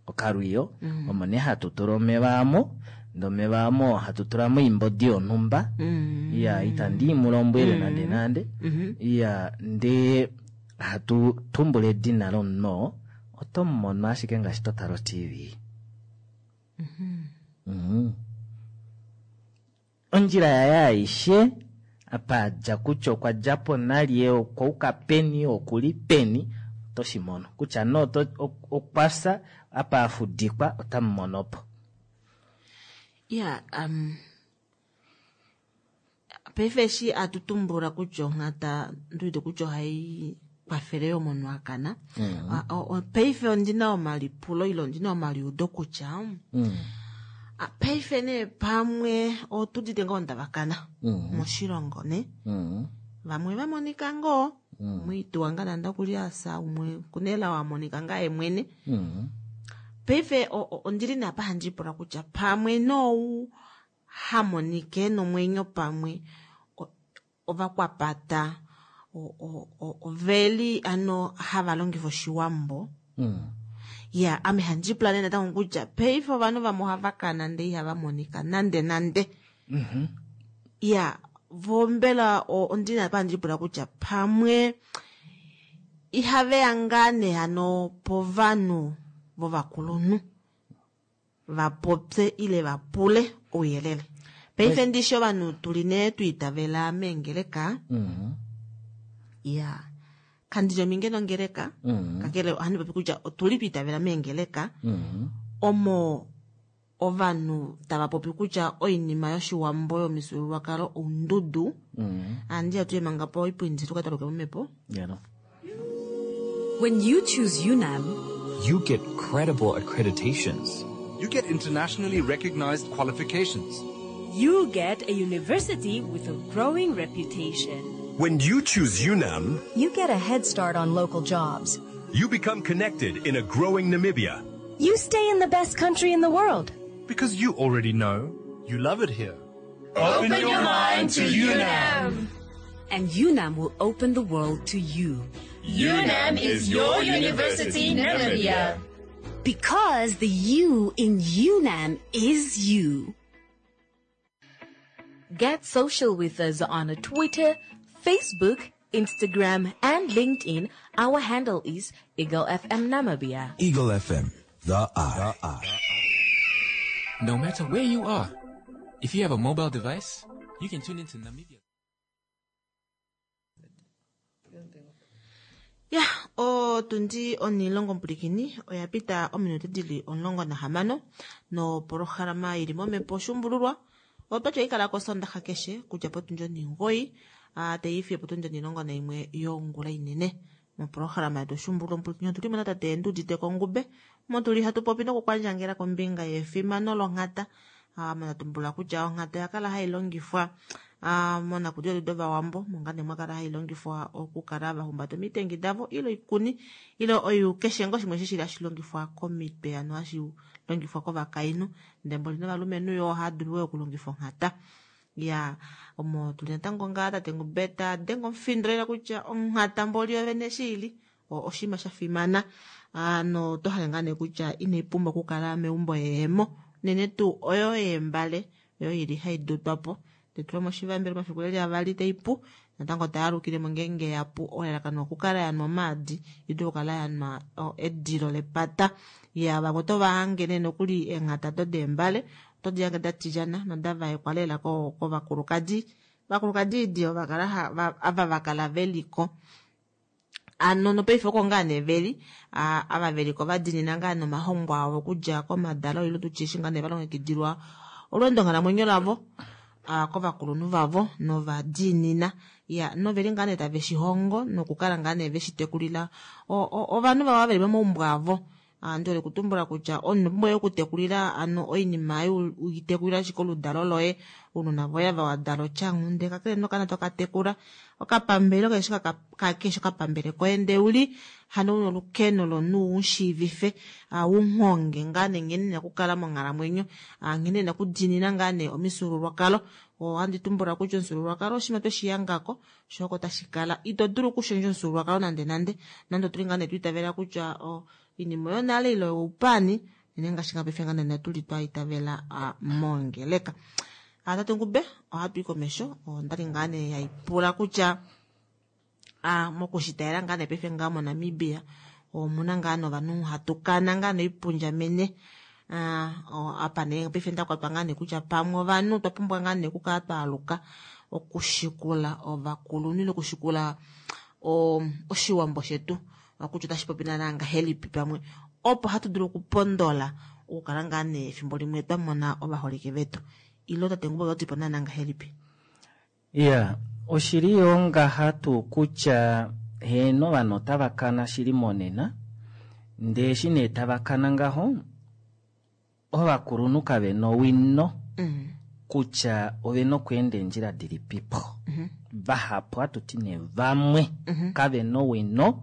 Okalwiyo omo nee hatu tula omeva amo ndee omeva amo hatu tulamo oimbodi yonhumba. Iya itandi mulombwele nande nande. Iya ndee hatu tumbula edina lomunhu oo otomumono ashike ngaashi totala o T V. Mm. Ondjila yaye aishe apa adja kutya okwa djapo nalye okwa uka peni okuli peni otoshimono kutya no okwafya apa afudikwa otamumonopo. Ya, um, Paife eshi atutumbula kutya onghata nduwete kutya ohai kwafele yo omunhu akana. Mm. Ah, o- o- Paife ondina omalipulo ile ondina omaliudo kutya Mm. ah, paife nee pamwe otudite ngoo ndavakana Mm. moshilongo ne Mm. vamwe vamonika ngoo Mm. mwituwa nga nande okuli asa umwe kunela wamonika nga yemwene Mm. paife o- o- ondili nee apa handi ipula kutya pamwe nou hamonike nomwenyo pamwe o- ovakwapata o- o- o- oveli ano hava longifa oshiwambo Mm. ya ame handi ipula nee natango kutya paife ovanhu vamwe ohava kana ndee ihava monika nande nande Mhm. ya vo mbela o- ondili apa handi ipula kutya pamwe ihaveya ngaa nee hano povanhu vovakulunhu vapopye ile vapule ouyelele paife ndishi ovanhu tuli nee twiitavela meengeleka Mm. ya kandili ominge nongeleka Mm. kakele ohandi popi kutya otuli twiitavela meengeleka Mm. omo ovanhu tava popi kutya oinima yoshiwambo yomifyuululwakalo oundudu Mm. andi atuye manga po oipundi tukataluke momhepo Yeah. When you choose UNAM, You get credible accreditations. You get internationally recognized qualifications. you get a university with a growing reputation. When you choose UNAM, You get a head start on local jobs. you become connected in a growing Namibia. You stay in the best country in the world. Because you already know you love it here. Open your mind to UNAM. And UNAM will open the world to you. UNAM is your university, Namibia. Because the U in UNAM is you. Get social with us on Twitter, Facebook, Instagram, and LinkedIn. Our handle is Eagle F M Namibia. Eagle F M, the eye. The eye. No matter where you are, if you have a mobile device, you can tune into Namibia. Ya, otundi onilongo mpulikini oya pita ominute dili omulongo nahamano nopolohalama ili momhepo oshuumbululwa otwatya ikala kosondaxa keshe kudja potundi oningoyi teifiye potundi onilongo naimwe yongula inene. Mopolohalama yetu oshuumbululwa mpulikini otuli mo natate Nduudite Kongube motuli hatu popi nokukwandjangela kombinga yefimano longhata. Ah, monatumbula kutya onghata oya kala hai longifwa ah, monakudiwa yetu dovawambo mongane mwakala hai longifwa okukala vahumbata omitengi davo ile oikuni ile oyu keshe ngoo shimwe shishili hashi longifwa komitwe ano hashi longifwa kovakainhu ndee mboli novalumenhu yo ohava dulu wo okulongifa onghata. Ya omo tuli natango ngaa tate Ngube ta denge omufindo lela kutya onghata mboli yovene shili oshinima sha fimana ano oto hale ngaa nee kutya inai pumbwa okukala meumbo yeemo unene tuu oyo yeembale oyo ili hai dutwa po tetulwa moshivambelo mafiku eli avali taipu natango tayalukilemo ngeenge yapu elalakano okukala yanwa omaadi idule okukala yanwa edilo lepata. Ya vamwe oto vahange nee nokuli eenghata do deembale oto di hange da tilyana noda vaekwa lela kovakulukadi vakulukadi idi ovakala ava vakala veliko ano nopaife oko ngaa nee veli ava veliko vadinina ngaa nomahongo avo okudja komadalo ile tutye eshi ngaa nee valongekidilwa olweendo nghalamwenyo lavo kovakulunhu vavo novadiinina. Ya noveli ngaa nee tave shihongo nokukala ngaa nee veshitekulila ovanhu vavo veli momaumbo avo. Ndi hole kutumbula kutya omunhu pumbwa yo okutekulila ano oinima uitekulila ashike oludalo loye ounona voye ava wadala otyanghunde kakele nokana tokatekula okapambele keshe kakeshe okapambele koye ndee uli hano una olukeno lomunhu ushiivife unhonge ngaa nee nghene ena okukala monghalamwenyo nghene ena okudiinina ngaa nee omifyuululwakalo. Ohandi tumbula kutya omufyuululwakalo oshinima tweshiyangako sho oko tashi kala ito dulu okushendja omufyuululwakalo nande nande nande otuli ngaa nee twiitavela kutya oinima yonale ile oupani unene ngaashi nga paife ngaa nee tuli twa itavela mongeleka. Tate Ngube ohatu i komesho ondali ngaa nee haipula kutya mokushitaela ngaa nee paife ngaa moNamibia omuna ngaa novanhu hatukana ngaa noipundjamene apa nee paife ndakwatwa ngaa nee kutya pamwe ovanhu otwa pumbwa ngaa nee okukala twaaluka okushikula ovakulunhu ile okushikula oshiwambo shetu kutya otashi popi naana ngahelipi pamwe opo hatu dulu okupondola okukala ngaa nee efimbo limwe twa mona ovaholike vetu. Ilo tate Ngube otati po naana ngahelipi? Ya, oshili yo ngaha tuu kutya heeno ovanhu otava kana shili monena, ndee eshi nee tava kana ngaho, ovakulunhu kave na owino kutya ovena okweenda eendjila dilipipo. Vahapu hatuti nee vamwe kavena owino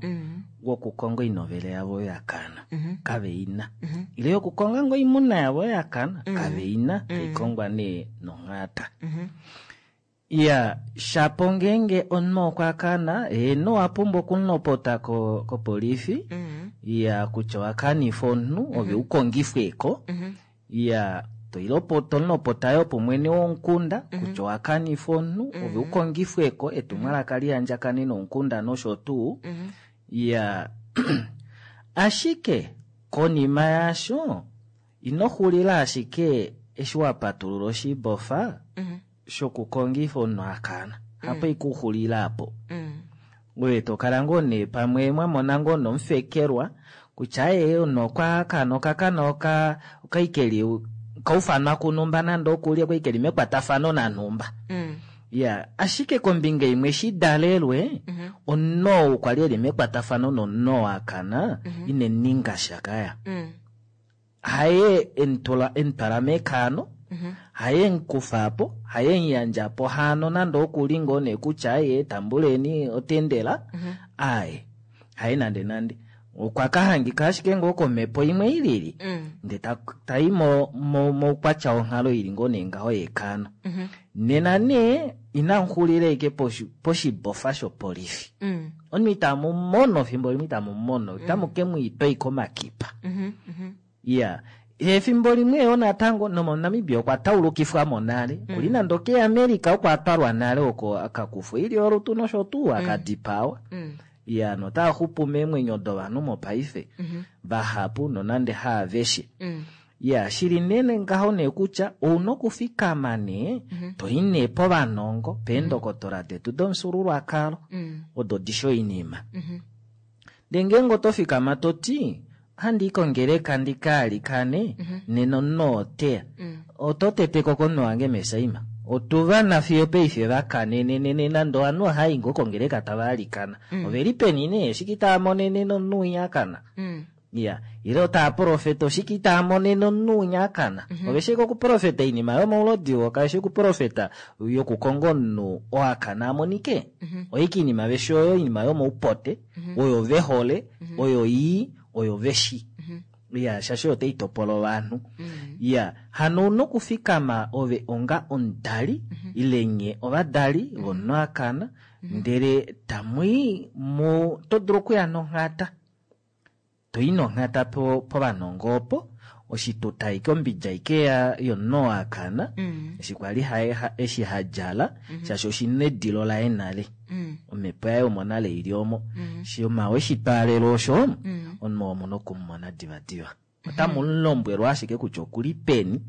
wokukonga oinovele yavo oyo yakana, kaveina. Ile yokukonga ngoo oimuna yavo oyo yakana, kaveina, taikongwa nee nonghata. Iya, shapo ngeenge omunhu okwa kana, heeno owapumbwa okumulopota kopolifi, iya kutya owakanifa omunhu, ove ukongifweko, iya tomulopota yoo pomwene womukunda kutya owakanifa omunhu, ove ukongifweko, etumwalaka lihandjakane nomukunda nosho tuu. Iya, ashike konima yaasho ino xulila ashike eshi wapatulula oshibofa shokukongifa omunhu akana, hapo ikuxulila apo. Oye tokala ngoo nee pamwe mwamona ngoo nomufekelwa kutya aye omunhu okwa kana okakana oka okaikeli kaufanwa kunumba nande okuli okaikeli mekwatafano nanhumba. Ya, ashike kombinga imwe shidalelwe, omunhu ou kwali eli mekwatafano nomunhu oo akana, ine ninga sha kaya. Haye emutula emutwala mekano, haye emukufapo, haye emuyandjapo hano nande okuli ngoo nee kutya aye tambuleni otendela, aye haye nande nande. Okwa kahangika ashike ngoo komhepo imwe ilili, ndee tai moukwatya wonghalo ili ngoo nee ngaho yekano. Nena nee inamuxulila ashike poshibofa shopolifi. Omunhu itamu mono fimbo limwe itamu mono, otamu ke mwiitwa ashike omakipa. Iya, efimbo limwe yoo natango nomoNamibia okwa taulukifwamo nale, kuli nande okeAmerica oko atwalwa nale oko akakufwa oilyo yolutu nosho tuu akadipawa. Iya, notaa xupu meemwenyo dovanhu mopaife vahapu nonande haaveshe. Iya, shili nene ngaho nee kutya ouna okufikama nee toi nee povanongo peendokotola detu domufyuululwakalo odo dishi oinima. Ndee ngeenge oto fikama toti handi kongeleka ndikaalikane nena omunhu oteya, oto teteko komunhu wange mesaima. Otuvana fiyo paife vakanenenene nande ovanhu ohai ngoo kongeleka tava alikana. Oveli peni nee oshike itava monene nomunhu winya akana. Iya, ile otava profeta oshike itava monene omunhu winya akana. Ove shi okuprofeta oinima yomaulodi oo kaveshi okuprofeta yokukonga omunhu oo akana amonike. Oike oinima veshi oyo oinima yomoupote, oyo vehole, oyo ii, oyo veshi. Iya, shaashi oyo taitopola ovanhu. Iya, hano ouna okufikama ove onga omudali, ile nye ovadali vomunhu akana, ndele tamwii mu to dulu okuya nonghata. Toi nonghata povanongo opo, oshituta aike ombidja aike yomunhu oo akana, eshi kwali eshi hadjala, shaashi oshina edilo laye nale. Omhepo yaye omo nale ili omo. Shima weshitwaalelo osho, omunhu oo omuna okumumona divadiva. Otamu mulombwelwa ashike kutya okuli peni,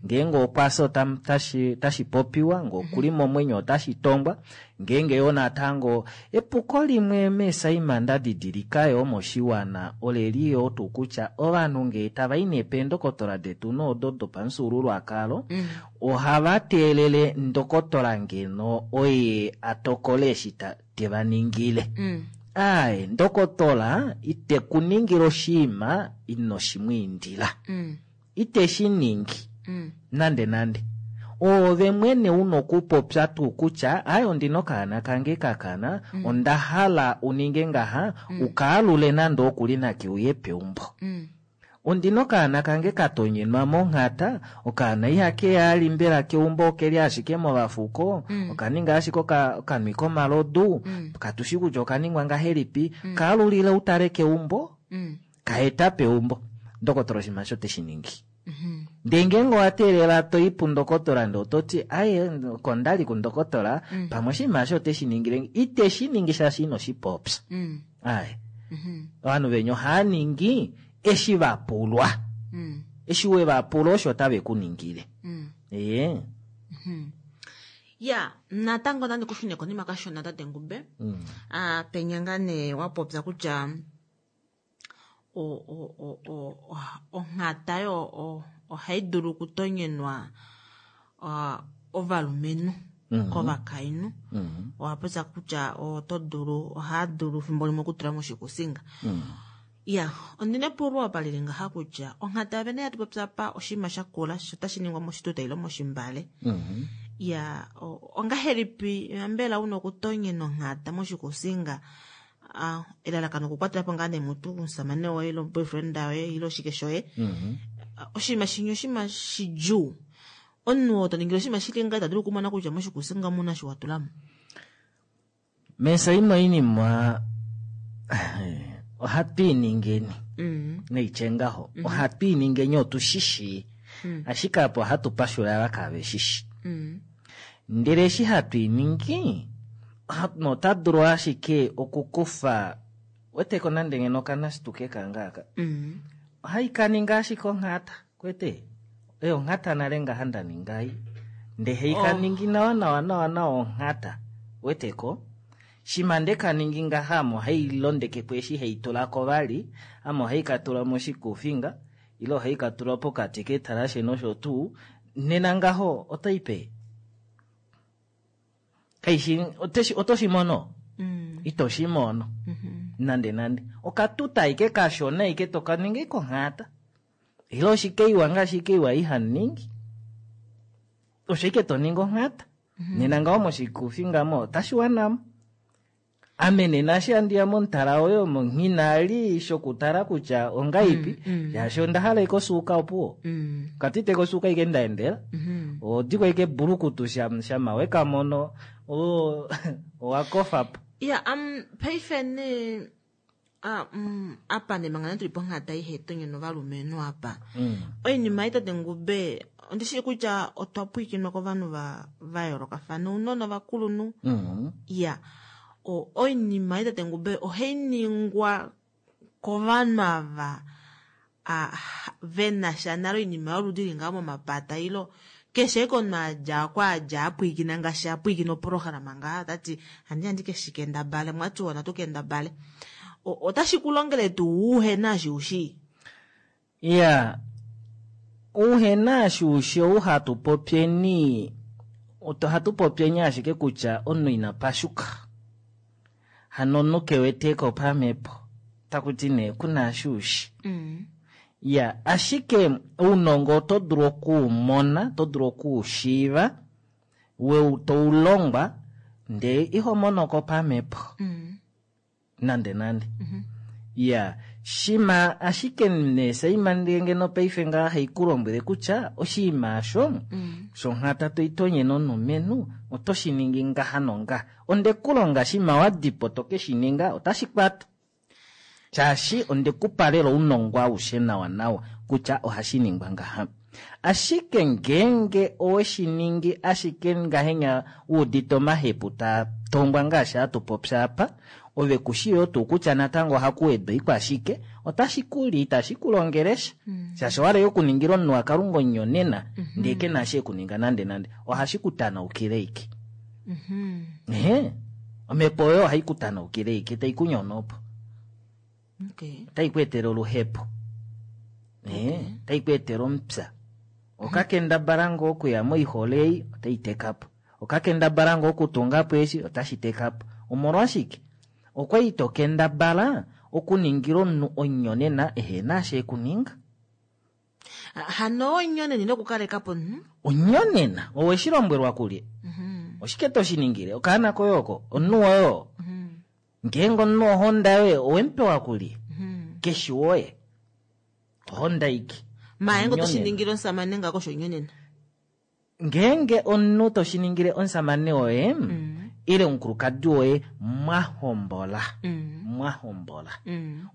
ngeenge okwafya otashi popiwa, ngee okuli momwenyo otashi tongwa, ngeenge yoo natango epuko limwe meesaima nda didilika yoo moshiwana oleli yoo tuu kutya ovanhu ngee tava i nee peendokotola detu noodo dopamufyuululwakalo, ohava teelele ndokotola ngeno oye atokole eshi teva ningile. Aye, ndokotola ite kuningila oshiima ino shimwiindila. Ite shi ningi. Nande nande. Ove mwene una okupopya tuu kutya aye ondina okaana kange kakana, onda hala uninge ngaha, ukaalule nande okuli nake uye peumbo. Ondina okaana kange katonyenwa monghata, okaana ihakeya ali mbela keumbo okeli ashike movafuko, okaninga ashike okanwi komalodu, katushi kutya okaningwa ngahelipi, kaalulile utale keumbo, kaeta peumbo. Ndokotola oshinima osho teshi ningi. Ndee ngeenge owa teelela toi pundokotola ndee ototi aye kondali kundokotola, pamwe oshinima osho oteshi ningile, iteshi ningi shaashi ino shipopya. Aye. Ovanhu venya ohava ningi eshi vapulwa. Eshi we vapula osho otave ku ningile. Ee. Ya, natango nandi kushune konima kashona tate Ngube. Ah, penya ngaa nee wa popya kutya onghata yo ohai dulu okutonyenwa ovalumenhu. Mhm. kovakainhu Mhm. owa popya kutya oto dulu ohaa dulu fimbo limwe okutula moshikusinga Mm. ya ondina epulo apa lili ngaha kutya onghata yovene yatu popya apa oshinima shakula sho tashi ningwa moshituta ile moshimbale Mhm. ya o- ongahelipi mbela una okutonyena onghata moshikusinga ah, elalakano okukwatela po ngaa nee mutu omusamane woye ile boyfriend woye ile oshike shoye Mhm. Ah, oshinima shinyi oshinima shidjuu omunhu oo to ningile oshinima shili nga ita dulu okumona kutya moshikusinga omuna shi wa tulamo Mesa imwe oinima ohatu iningeni Mm. neitye ngaho ohatu iningeni otu shishi Mm. ashike apo ohatu pashula ava kave shishi Mm. ndele eshi hatu iningi oha- nota dulu ashike okukufa weteko nande ngeno okanasituke kangaaka Mm. ohai kaninga ashike onghata kwete eyo onghata nale ngaha ndaningai nde hei Oh. kaningi nawa nawa nawa nawa onghata weteko shima nde kaningi ngaha ame ohai londekepo eshi hei tulako vali ame ohai katula moshikufinga ile ohai katula pokati ketalashe nosho tuu nena ngaho otai pe kaishi oteshi- oto shi mono Mm. ito shi mono nande nande okatuta ike kashona ike tokaninga ike onghata ile oshikeiwa ngaashi ikeiwa ihaningi osho ike toningi onghata nena ngaho moshikufinga mo otashi wanamo ame nena eshi andiya momutala woye omo nghinali shokutala kutya ongaipi shaashi onda hala ike osuuka opuwo Mm. katite kosuuka ike ndaendela odiko ike bulukutu sham- shama wekamono o- owakofapo ya um paife ne ah, mm, apa ne manga tuli ponghata ihe tonyena ovalumenhu apa oinima ei tate ngube ondishii kutya otwa pwiikinwa kovanhu va va yoolokafana ounona ovakulunhu Mhm. ya o- oinima ei tate ngube ohai ningwa kovanhu ava ah, ve na sha nale oinima yoludi li ngaho momapata ilo keshe eke omunhu adja kwa adja apwiikina ngaashi apwiikina opolohalama ngaha tati handi handi keshi kendabale mwati wona tu kendabale O- otashi ku longele tuu uhena eshi ushii ya uhena ashuushe ou hatu popyeni ohatu popyeni ashike kutya omunhu ina pashuka hano omunhu keweteko pamhepo takuti nee kuna ashuushi ya ashike ounongo oto dulu okuumona oto dulu okuushiiva weu toulongwa ndee iho monoko pamhepo nande nande ya shima ashike nee saima ngeno paife ngaa haikulombwele kutya oshinima osho shonghata toitonyene omulumenhu oto shi ningi ngaha nongaha ondekulonga shima wadipo toke shi ninga otashi kwata shaashi ondekupa lela ounongo aushe nawa nawa kutya ohashi ningwa ngaha ashike ngeenge oweshi ningi ashike ngahenya wuudite omahepu taa tongwa ngaashi hatu popya apa ove kushiyo tuu kutya natango ohaku wedwa ikwashike otashi kuli itashi kulongele sha shaashi owala yokuningila omunhu wakalunga onyonena ndee ke na shi ekuninga nande nande ohashi kutanaukile ike ehe omhepo oyo ohayi kutanaukile ike tai kunyono po okay otai ku etele oluhepo ehe otai ku etele omupya okakendabala ngoo okuya moihole ei otai teka po okakendabala ngoo okutunga po eshi otashi teka po omolwashike okwali to kendabala okuningila omunhu onyonena ehena eshi ekuninga hano onyonena ine okukaleka po omunhu onyonena oweshi lombwelwa kulye oshike to shi ningile okaana koye oko omunhu woye oo ngeenge omunhu ohonda yoye owemupewa kulye keshi woye ohonda ike mayengo to shi Onyonena. ningile omusamane ngako osho onyonena ngeenge omunhu to shi ningile omusamane woye ile omukulukadi woye mwahombola mwahombola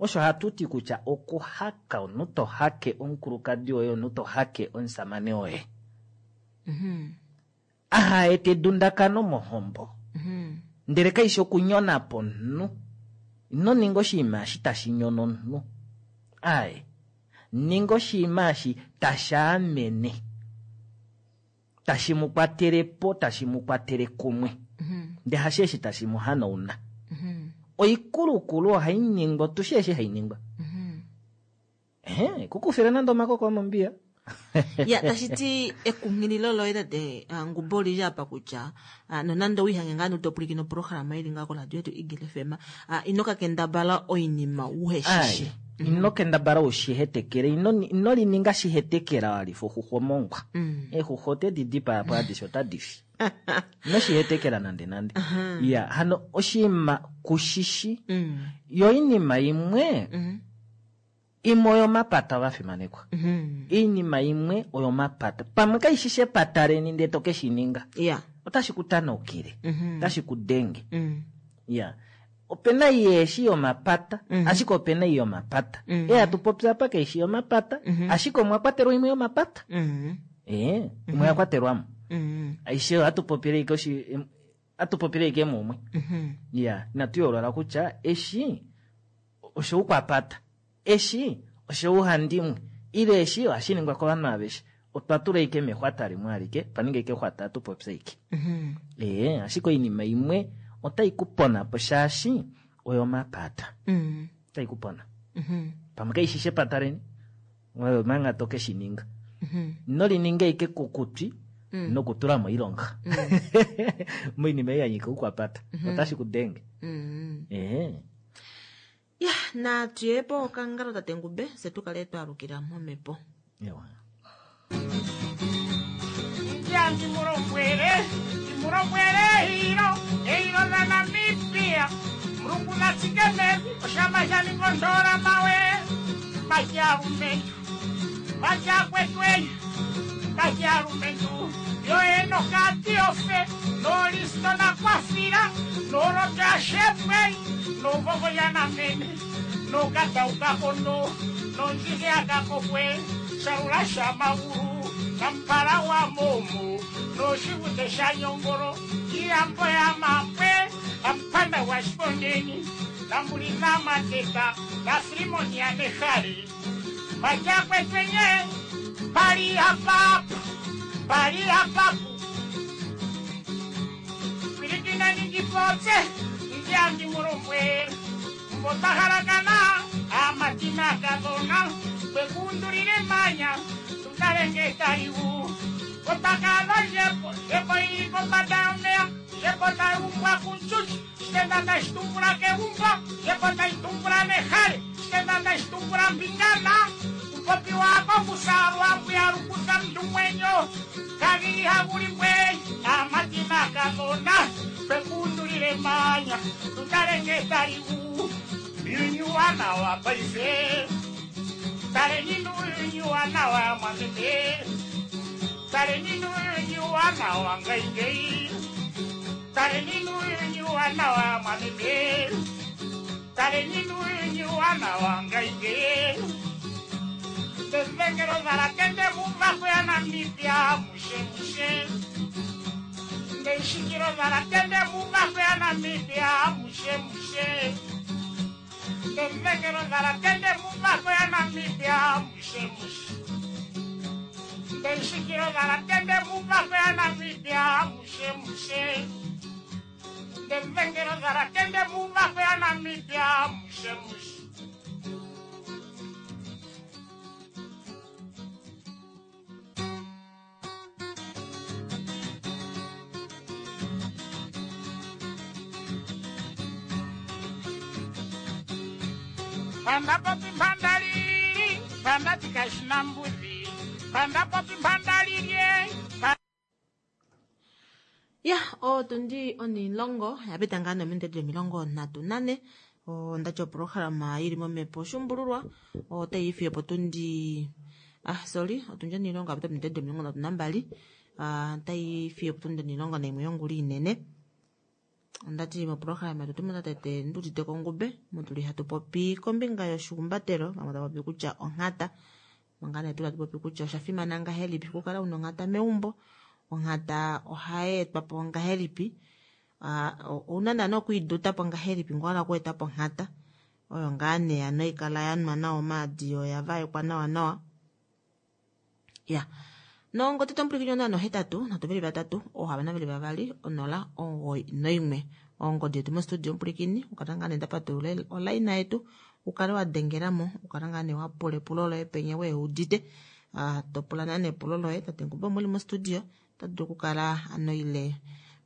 osho hatu ti kutya okuhaka omunhu to hake omukulukadi woye omunhu to hake omusamane woye aha ete edundakano mohombo ndele kaishi okunyona po omunhu ino ninga oshinima eshi tashi nyono omunhu aye ninga oshinima eshi tashi amene tashi mu kwatele po tashi mu kwatele kumwe ndee hashi eshi tashi mu hanauna oikulukulu ohai ningwa otushi eshi hai ningwa ehe kukufile nande omakoko omombiya Ya, tashi ti ekunghililo loye tate ah, Ngubo oli li apa kutya ah, nonande owiihange ngaa notopwilikine oprograma ili ngaa koradio yetu Eagle F M, ah, ino ka kendabala oinima uheshishi. Ai, ino kendabala ushihetekele, ino ino lininga shihetekela walifa oxuxwa omongwa. Mm. Eexuxwa otedi dipaya po adishe otadi fi. Ino shihetekela nande nande. Ya, hano oshinima kushishi. Mm. Yo oinima imwe, imwe oyomapata ovafimanekwa. Mm. Iinima imwe oyomapata. Pamwe kaishishi epata leni ndee to ke shi ninga. Ya. Otashi ku tanaukile. Mhm. Otashi ku denge. Mm. Ya. Opena yeeshi yomapata, ashike opena ei yomapata. Mm. E hatu popi apa kaishi yomapata, ashike omwa kwatelwa imwe yomapata. Mm. Eh, imwe ya kwatelwamo. Mm. Aishe ohatu popile ike oshi hatu popile ike mumwe. Mhm. Ya, inatu yoolola kutya eshi oshoukwapata, eshi oshouhandimwe, ile eshi ohashi ningwa kovanhu aveshe. Otwa tula ike mexwata limwe alike, twa ninga ike exwata hatu popya ike. Mhm. Ee, ashike oinima imwe otai ku pona po shaashi oyomapata. Mm. Otai ku pona. Mhm. Pamwe kaishishi epata leni, oyo manga to ke shi ninga. Mhm. Ino lininga ike kukutwi Mm. nokutula moilonga. Moinima ei ya nyika oukwapata. Mhm. Otashi ku denge. Mm. Ee. Ya, natu ye po okangalo tate Ngube, fye tu kale twalukila momhepo. Ewa. Ndya ndimulombwele, ndimulombwele eilo, eilo la Namibia. Mulungu natsike mevi, oshama shaninga ondola mawe. Majalumentu, majakwetwenyu, majalumentu. Yo enokati ofe, nolisto nakwafila, nolota shepwe, novovo yanamene, nokataukakono, nonjike akakokwe, shalula shamaulu, nampala wa momo, noshivute shanyongolo, iyambo ya mapwe, nampanda wa shipondeni, nambuli namateta, nafilimoni ya nehali. Majakwetwenye, pali hapapu, pali hapapu. Pilikina ningipotse, ndyangi mulombwe, mbotahalakana, amatina kadona, kwekundulile manya, tutalenge taliwu. Kotakalo jepo, jepo ili kombanda yomeya, jepo taiumbwa kunchuchi, shitenda tashitumbula keumbo, jepo taitumbula nehale, shitenda tashitumbula mbingana, upopi wako kusalwa mbuyalukuta mndu mwenyo, kaviha bulimbwe, amatina kadona, kwekundulile manya, tutalenge taliwu. Yunyuwana wa paife, taleni nuyunyuwana wa mwamete, taleni nuyunyuwana wa ngaingei, taleni nuyunyuwana wa mwamete, taleni nuyunyuwana wa ngaingei. Ndezengero zalatende mumvako ya Namibia, mushe mushe. Ndeshikiro zalatende mumvako ya Namibia, mushe mushe. Ndezengero zalatende mumvako ya Namibia, mushe mushe. Ndeshikiro zalatende mumvako ya Namibia, mushe mushe. Ndezengero zalatende mumvako ya Namibia, mushe mushe. Panda popi mpandalili, panda tikashina mbuzi, panda popi mpandalilye, Ya, otundi onilongo, yapita ngaa nominute dhili omilongo ndatu nane. Ondati oprograma yili momhepo shumbululwa, otayi fiyo potundi ah sorry, otundi onilongo yapita ominute dhili omilongo ndatu nambali. Ah, otayi fiyo potundi onilongo naimwe yongula inene. Ondati moprograma yetu tumuna tate Ndudite Kongube, mutuli hatu popi kombinga yoshihumbatelo, vamwe tava popi kutya onghata. Manga nee tuli hatu popi kutya osha fimana ngahelipi okukala una onghata meumbo. Onghata ohayi etwa po ngahelipi, Ah, ouna naana okuiduta po ngahelipi ngee owahala okueta po onghata. Oyo ngaa nee hano haikala yanwa nawa omaadi yo oya vaekwa nawa nawa. Ya, nongodi tomupulikini onola nohetatu, nhatu veli vatatu, oohamano veli vavali, onola, omugoyi noimwe. Ongodi yetu mostudio omupulikini, ukala ngaa nee ndapatulula olaina yetu, ukale wa dengelamo, ukala ngaa nee wapula epulo loye penya weudite. Uh, to pula naa nepulo loye tate Ngube omuli mostudio ota dulu okukala ano ile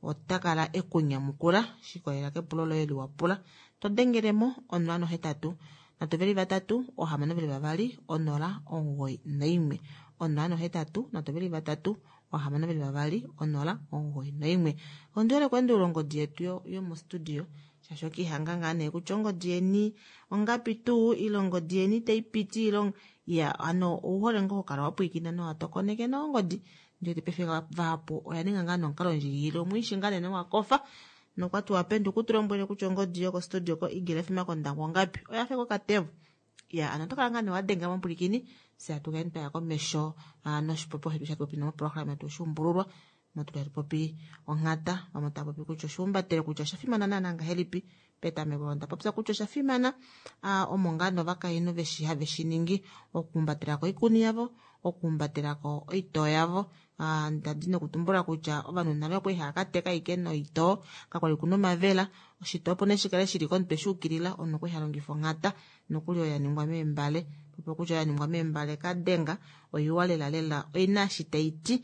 ota kala ekunyamukula shikolela kepulo loye liwa pula. To dengelemo onola nohetatu nhatu veli vatatu ohamano veli vavali onola omugoyi naimwe onola nohetatu nhatu veli vatatu ohamano veli vavali onola omugoyi naimwe. Ondi hole okweendulula ongodi yetu yomostudio shaashi okiihanga ngaa nee kutya ongodi yeni ongapi tuu ile ongodi yeni itayi piti ile ya ano ouhole ngoo hokala wapwiikina nowa tokoneke nawa ongodi. Ndiwete paife vahapu oya ninga ngaa nomukalo ndjigilile omwiishi ngaa nee nowakofa nokwati wapenduka utulombwele kutya ongodi yokostudio ko Eagle F M kOndangwa ongapi oya fa kokatevo. Ya ano otokala ngaa nee wadenga momupulikini fye atukaeni twaya komesho noshipopiwa shetu shatupopi nomoprograma yetu oshuumbululwa motu tatu popi onghata vamwe tava popi kutya oshuumbatele kutya osha fimana naana ngahelipi. Petameko onda popya kutya osha fimana omo ngaa novakainhu veshi have shi ningi okuumbatelako oikuni yavo, okuumbatelako oitoo yavo. Ndadi nokutumbula kutya ovanhu nale okwali hava ka teka ashike noitoo, kakwali kuna omavela. Oshitoo opo nee shikale shili komutwe shuukilila omunhu okwali ha longifa onghata nokuli oyo ya ningwa meembale. Popo kutya oya ningwa meembale kadenga oiwa lela lela oina eshi tai ti,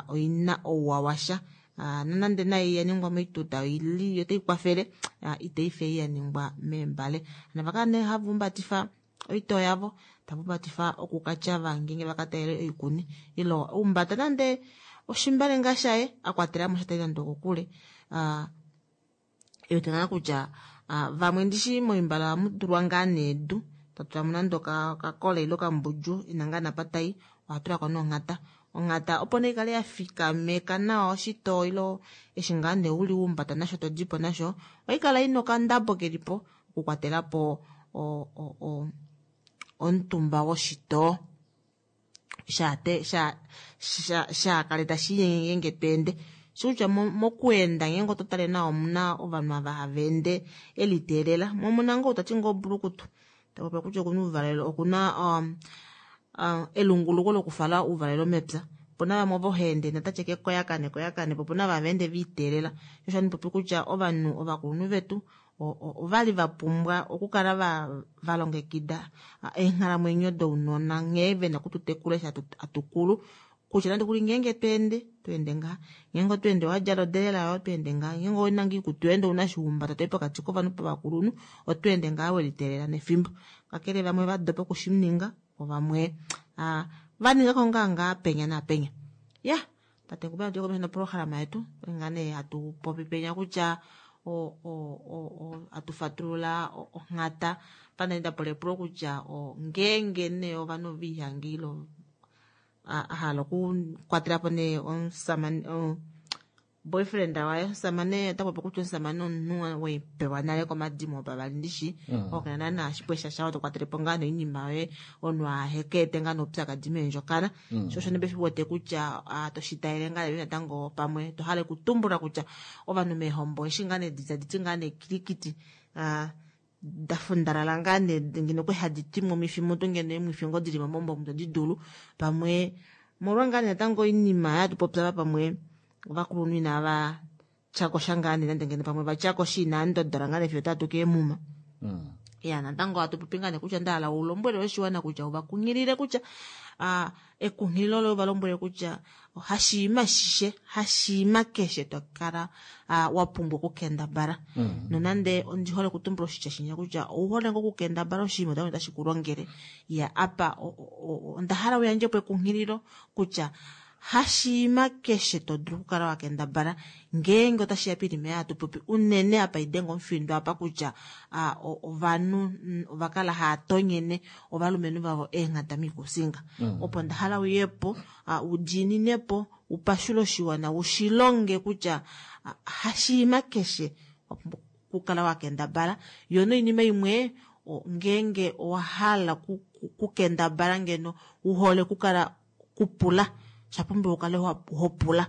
oina ouwa washa. Nonande nayo ya ningwa moituta oili otai kwafele itai fe ya ningwa meembale. Navakala nee hava umbatifa oitoo yavo, tava umbatifa okukatyava ngeenge vakatayele oikuni ile umbata nande oshimbale ngaa shaye akwatelamo sha tai nande okokule. Ewete ngaa kutya vamwe ndishi moimbale ohamu tulwa ngaa needu tatulamo nande okakola ile okambudju ina ngaa napatai ohatulako nonghata. Onghata opo nee ikale ya fikameka nawa oshitoo ile eshi ngaa nee uli umbata nasho todipo nasho oikala ina okandabo kelipo okukwatelapo omutumba woshitoo shaate sha shaakale tashi ngeenge tweende. Shikutya mokuenda ngeenge oto tale nawa omuna ovanhu ava hava ende eliteelela mo omuna ngoo tati ngoo bulukutu tapopi kutya okuna uuvalelo okuna elunguluko lokufala uuvalelo mepya. Opuna vamwe ovo haende natatye kekoyakane koyakane po opuna vava ende viiteelela. Osho handi popi kutya ovanhu ovakulunhu vetu ovali va pumbwa okukala va longekida eenghalamwenyo dounona nghee vena okututekula eshi atukulu kutya nande kuli ngeenge tweende tweende ngaa ngeenge otweende wadjala odelela yoye otweende ngaa ngeenge ouna ngoo ikutu yoye ndee ouna shihumbata toyi pokati kovanhu povakulunhu otweende ngaa weliteelela nefimbo. Kakele vamwe va dopa okushininga vo vamwe vaningako ngaa ngaa penya naapenya. Ya tate Ngube atuyi komesho noprograma yetu ngaa nee hatu popi penya kutya atufatulula onghata pana ndapula epulo kutya ngeenge nee ovanhu viihange ile ahala okukwatelapo nee omusamane boyfriend waye omusamane otapopi kutya omusamane omunhu wepewa nale komadimo opavali ndishi okena naana shipwesha shawo tokwatelepo ngaa noinima yoye omunhu ahekeete ngaa noupyakadi meendjokana. Sho osho nee wete kutya toshitaele ngaa natango pamwe tohala okutumbula kutya ovanhu meehombo eshi ngaa nee taditi ngaa nee kilikiti dafundalala ngaa nee ngeno kwali hadi twimwa omifi mutu ngeno eemwifi ngoo dili momombo omu todi dulu pamwe molwa ngaa nee natango oinima yatupopya pamwe ovakulunhu inava tyakosha ngaa nee nande ngeno pamwe vatyakosha inaa ndodola ngaa nee fiyo otatu keemuma. Ya natango hatu popi ngaa nee kutya ndahala ulombwele oshiwana kutya uvakunghilile kutya ekunghililo loye uvalombwele kutya hashiima shishe hashiima keshe tokala wa pumbwa okukendabala. Nonande ondi hole okutumbula oshitya shinya kutya ouhole ngoo okukendabala oshinima otashi tashi kulongele. Ya apa onda hala uyandjepo ekunghililo kutya hashiima keshe todulu okukala wakendabala ngeenge otashi ya poinima yatupopi unene apa idenga omufindo apa kutya ovanhu ovakala hava tonyene ovalumenhu vavo eenghata miikusinga. Opo nda hala uyepo udiininepo upashule oshiwana ushilonge kutya hashiima keshe wapumbwa okukala wakendabala. Yo noinima imwe ngeenge owahala kukendabala ngeno uhole okukala kupula shapumbiwa ukale hopula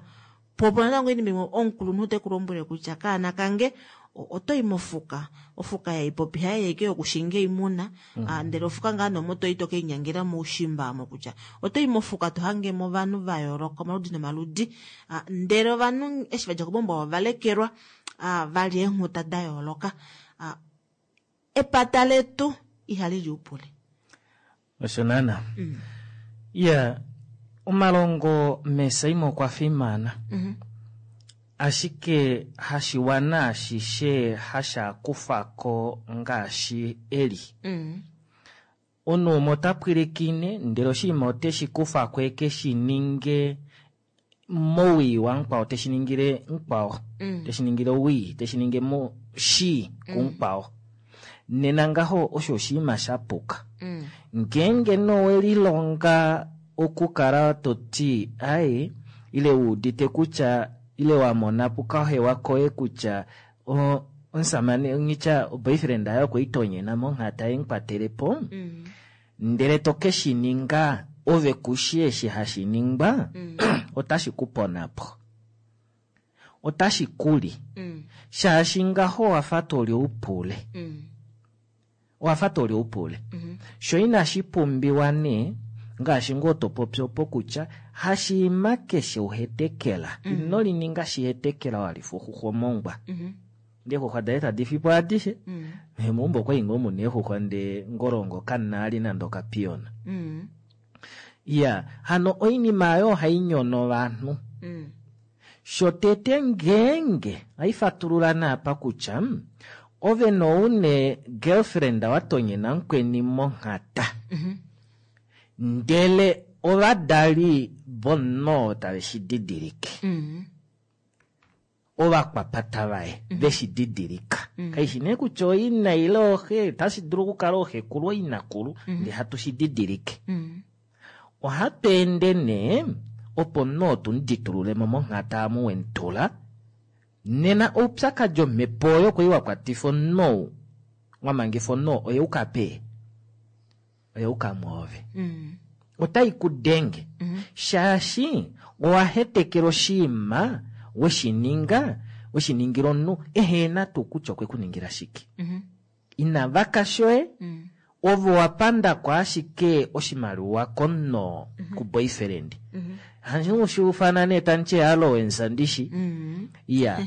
po natango oinima imwe omukulunhu tekulombwele kutya kaana kange otoyi mofuka ofuka yaipopi haye ike yokushinga oimuna ndele ofuka ngaa nomo toyi tokeinyangela moushimba amo kutya otoyi mofuka tohangemo ovanhu va yooloka omaludi nomaludi ndele ovanhu eshi vadja kobombo ovalekelwa vali eenghuta da yooloka. Epata letu ihali liupule. Osho naana. Ya, omalongo mesaima okwa fimana. Mm -hmm. Ashike hashiwana ashishe hashakufako ngaashi eli. Mm. Omunhu umwe ota pwilikine ndele oshinima oteshi kufako eke shi ninge mowii wamukwao, teshi ningile mukwao, Mm. teshi ningile owii, teshi ninge mo shii kumukwao. Nena ngaho osho oshinima sha puka. Mm. Ngeenge nowelilonga okukala toti ai ile wuudite kutya ile wamona pukahewa koye kutya o- omusamane ngitya boyfriend aye okweitonyena monghata yemukwatelepo Mm. ndele to ke shi ninga ove kushi eshi hashi ningwa Mm. otashi ku ponapo, otashi kuli Mm. shaashi ngaho owafa toli oupule, Mm. owafa toli oupule. Mm -hmm. Sho inashi pumbiwa nee ngaashi ngoo to popi opo kutya hashiima keshe uhetekela Mm. ino lininga shihetekela walifuxuxwa omongwa Mm -hmm. ndee xuxwa daye tadi fipo adishe Mm. meumbo okwali ngoo muna eexuxwa ndee ngolongo kanaali nande okapiyona. Mm. Ya, hano oinima ayo ohai nyono ovanhu. Mm. Shotete ngeenge haifatulula naapa kutya ove noune girlfriend watonyena mukweni monghata Mm -hmm. ndele ovadali vomunhu tave shi didilike Mm. ovakwapata vaye veshi didilika. Mm. Kaishi nee kutya oina ile oxe, otashi dulu okukala oxekulu oinakulu Mm. ndee hatu shi didilike. Mm. Ohatu ende nee opo omunhu oo tumuditululemo monghata amu wemutula nena oupyakadi omhepo oyo kwali wakwatifa omunhu ou wamangifa omunhu oo oyeuka pee oyeuka mwoove. Mm. Otai ku denge Mm -hmm. shaashi owahetekela oshiima weshininga weshiningila omunhu ehena tuu kutya okwe ku ningila shike. Mm -hmm. Ina vaka shoye Mm. ove wapandako ashike oshimaliwa komunhu Mm -hmm. ku boyfriend. Mm -hmm. Handi ushiufana nee tandi allowance ndishi. Mm. Ya,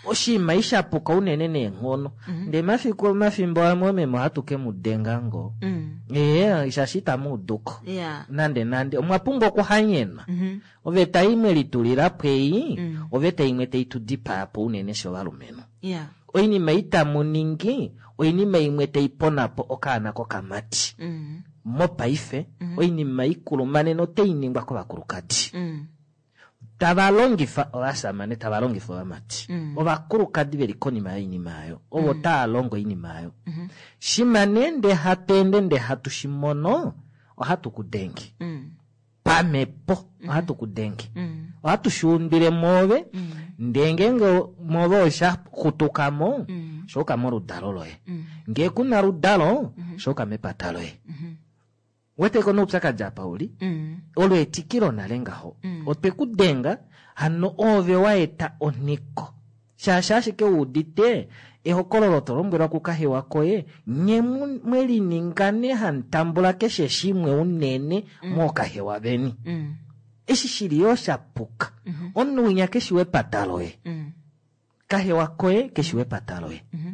oshinima ishapuka unene neenghono. Mm -hmm. Ndee mafiku omafimbo amwe meme ohatu ke mu denga ngoo. Mm. Ee, shaashi itamu uduko. Yeah. Nande nande omwa pumbwa okuhanyenwa. Mm -hmm. Oveta imwe litulilapo ei, Mm. oveta imwe tai tu dipaa po unene shovalumenhu. Yeah. Oinima itamu ningi, oinima imwe tai ponapo okaana kokamati. Mm. Mopaife, Mm -hmm. oinima ikulumanene otai ningwa kovakulukadi. Mm. Tava longifa ovashamane, tava longifa ovamati. Mm. Ovakulukadi veli konima yoinima ayo, ovo Mm. taa longo oinima ayo. Mm -hmm. Shima nee ndee hatu ende ndee hatu shi mono, ohatu ku denge. Mm. Pamhepo, ohatu ku denge. Mm. Ohatu shi undwile mwoove, Mm. ndee ngeenge mwoove osha xutuka mo, Mm. shooka moludalo loye. Mm. Ngee kuna ludalo, Mm -hmm. shooka mepata loye. Mm -hmm. Weteko noupyakadi apa uli? Mm. Olo etikilo nale ngaho. Mm. Otwe ku denga, hano ove waeta onhiko. Shaashi ashike wuudite ehokololo to lombwelwa kukahewa koye, nye mwelininga nee hamutambula keshe shimwe unene Mm. mookahewa veni. Mm. Eshi shili yoo shapuka. Mm -hmm. Omunhu winya keshi wepata loye. Mm. Kahewa koye keshi wepata loye. Mm -hmm.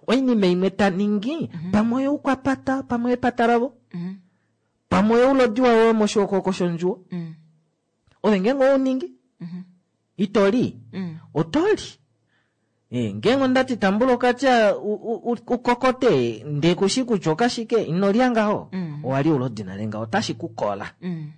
Oinima imwe ta ningi, Mm -hmm. pamwe oyoukwapata, pamwe epata lavo. Mm -hmm. Pamwe oulodi wawe moshookoko shondjuwo. Mm. Ove ngeenge ouningi, Mm -hmm. itoli, Mm. otoli. E, ngeenge ondati tambula okatya ukokote ndee kushi kutya okashike, inolya ngaho. Mm. Owali ulodi nale ngaho, otashi ku kola. Mm.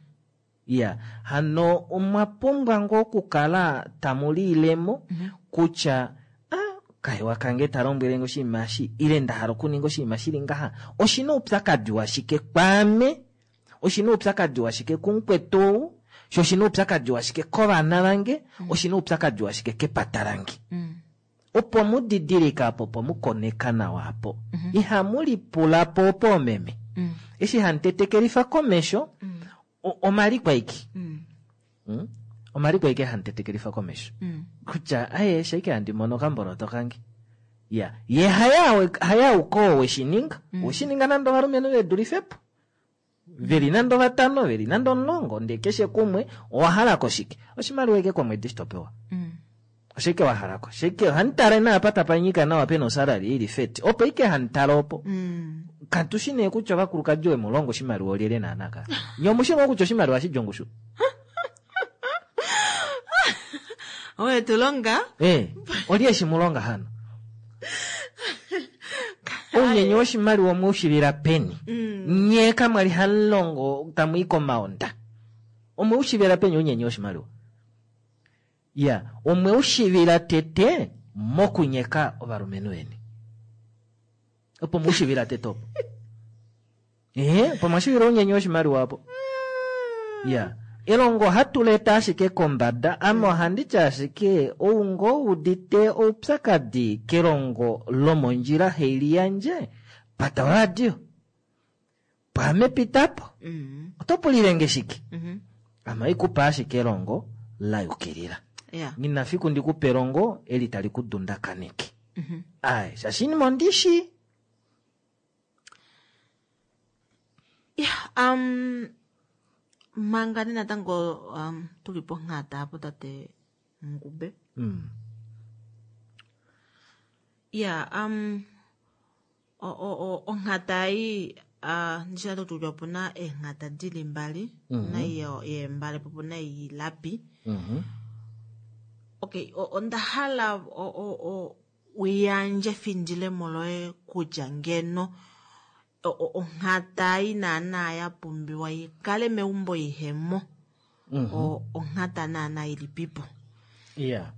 Ya, hano omwa pumbwa ngoo okukala tamu liilemo Mm -hmm. kutya ah, kahewa kange ta lombwelenge oshinima eshi, ile nda hala okuninga oshinima shili ngaha, oshina oupyakadi washike kwaame, oshina oupyakadi washike kumukwetu ou, sho oshina oupyakadi washike kovana vange, Mm. oshina oupyakadi washike kepata lange. Mm. Opo mudidilika apo, opo mukoneka nawa apo. Mm -hmm. Ihamu lipula po opo omeme. Mm. Eshi hamutetekelifa komesho, Mm. omaliko aike. Mm. Mm? Omaliko aike hamutetekelifa komesho. Mm. Kutya, aye, shaike handi mono okamboloto kange. Ya, ye haya hayauko weshininga. Mm. Weshininga nande ovalumenhu vedulifepo. Veli nande vatano, veli nande omulongo, ndee keshe kumwe owahalako shike? Oshimaliwa eke komwedi shitopewa. Mm. Oshike wahalako? Shike hanitale naapa tapanyika nawa pena osalary ili feti. Opo ike hanitale opo. Mm. Katushi nee kutya ovakulukadi owe mu longa oshimaliwa olyelye naana ka. Nye omushi ngoo kutya oshimaliwa shidja ongushu. Owe tu longa? Eh, olye shi mu longa hano? Ounyenye woshimaliwa omwe u shivila peni? Nye kamwa li hamu longo tamu i komaonda. Omwe u shivila peni ounyenye woshimaliwa? Ya, omwe u shivila tete mokunyeka ovalumenhu veni. Opo mu shivila tete opo. Eh, opo mwa shivila ounyenye woshimaliwa opo. Ya. Elongo ohatu leta ashike kombada, ame ohandi ti ashike ou ngoo udite oupyakadi kelongo lomondjila haili yandje, pata oradio. Pwaame pitapo. Oto pulile nge shike? Ame oikupa ashike elongo la yukilila. Yeah. Nghi na fiku ndikupe elongo eli tali ku dundakaneke. Ai, shaashi inima ondishi. Yeah, um, manga nee natango um, tuli ponghata apo tate Ngube. Mm. Yeah, um, o, o, o, onghata ei uh, ndishi atu kutya opuna eenghata dili mbali. Mhm. Opuna ei yeembale po opuna ei yilapi. Mhm. Okay, o- onda hala o, o, o, uyandje efindilemo loye kutya ngeno o- o- onghata ei naana ya pumbiwa ikale meumbo ihemo. Mhm. O- onghata naana ilipipo. Yeah.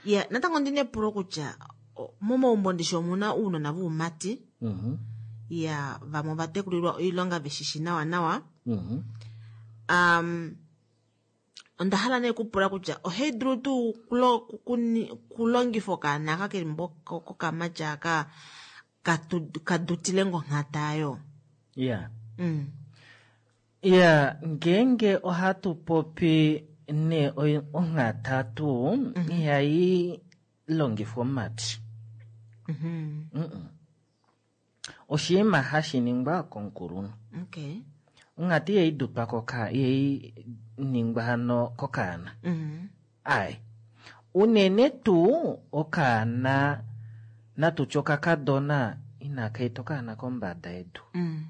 Ya, natango ndina epulo kutya o- momaumbo ndishi omuna uunona voumati. Mhm. Ya, vamwe ova tekulilwa oilonga veshishi nawa nawa. Mhm. Um, onda hala nee kupula kutya ohai dulu tuu kulo- kuni- kulongifa okaana aka keli mbo kokamati aka katu- kadutile ngonghata ayo. Yeah. Mm. Ya, ngeenge ohatu popi ne oi- onghata tuu, ihai longifwa omumati. Mhm. Mm-mm. Oshinima hashi ningwa komukulunhu. Okay. Onghata ihai dutwa koka, ihai ningwa hano kokaana. Mhm. Ai. Unene tuu okaana natutye okakadona inaka eta okaana kombada yedu. Mm.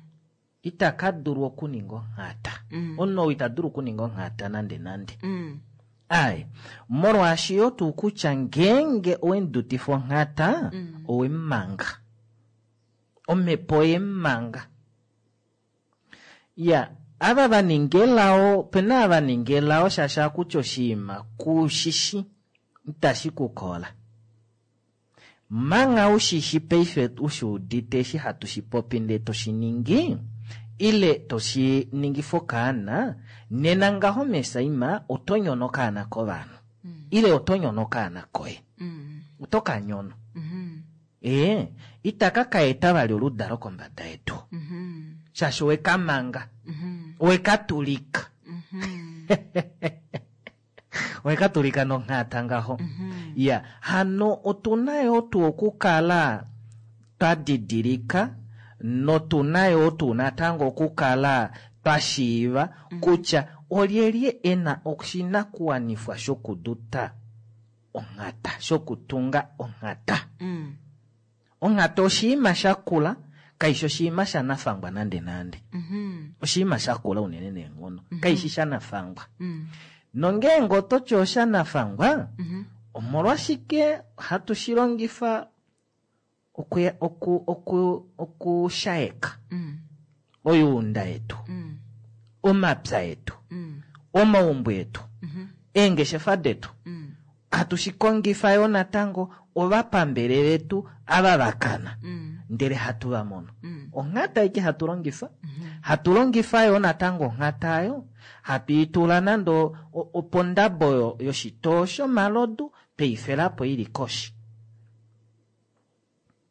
Itaka dulu okuninga onghata. Mm. Omunhu ou ita dulu okuninga onghata nande nande. Mm. Ai, molwaashi yo tuu kutya ngeenge owemudutifa onghata, owemumanga. Omhepo oyemumanga. Ya, ava vaninga elao, opena ava vaninga elao shaashi akutya oshinima kushishi itashi kukola. Manga ushishi paife ushi udite eshi hatu shi popi ndee toshi ningi, ile toshi ningifa okaana, nena ngaho mesaima oto nyono okaana kovanhu. Ile oto nyono okaana koye. Oto ka nyono. Ee, itaka ka eta vali oludalo kombada yedu. Shaashi oweka manga. Oweka tulika. Oweka tulika nonghata ngaho. Ya, hano otuna yo tuu okukala twa didilika notuna yo tuu natango okukala twa shiiva kutya olyelye ena oshinakuwanifwa shokuduta onghata, shokutunga onghata. Mm. Onghata oshinima shakula, kaishi oshinima shanafangwa nande nande. Mhm. Oshinima shakula unene neenghono, kaishi shanafangwa. Mm. Nongeenge ototi oshanafangwa, Mhm. omolwashike hatu shi longifa oku- oku- oku- okushaeka Mm. oyuunda yetu, Mm. omapya etu, Mm. omaumbo etu, Mhm. eengeshefa detu. Mm. Hatu shi kongifa yo natango ovapambele vetu ava vakana, Mm. ndele hatu va mono. Mm. Onghata aike hatu longifa, hatu longifa yo natango onghata ayo, hatu itula nande o- opondabo yo- yoshitoo shomalodu, tweifelapo ili koshi.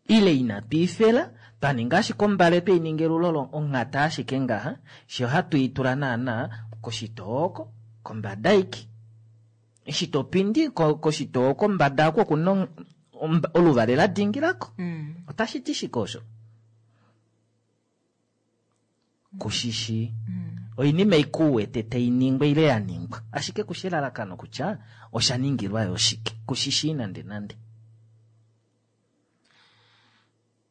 Ile inatu ifela, twa ninga ashike ombale tweininga elulolo onghata ashike ngaha, she ohatu itula naana koshitoo oko, kombada aike. Eshi topindi ko- koshitoo kombada oko okuna on- omba- oluvale la dingilako. Mm. Otashi ti shike osho? Kushishi. Oinima ei kuwete tai ningwa ile ya ningwa. Ashike kushi elalakano kutya osha ningilwa yo shike. Kushishi nande nande.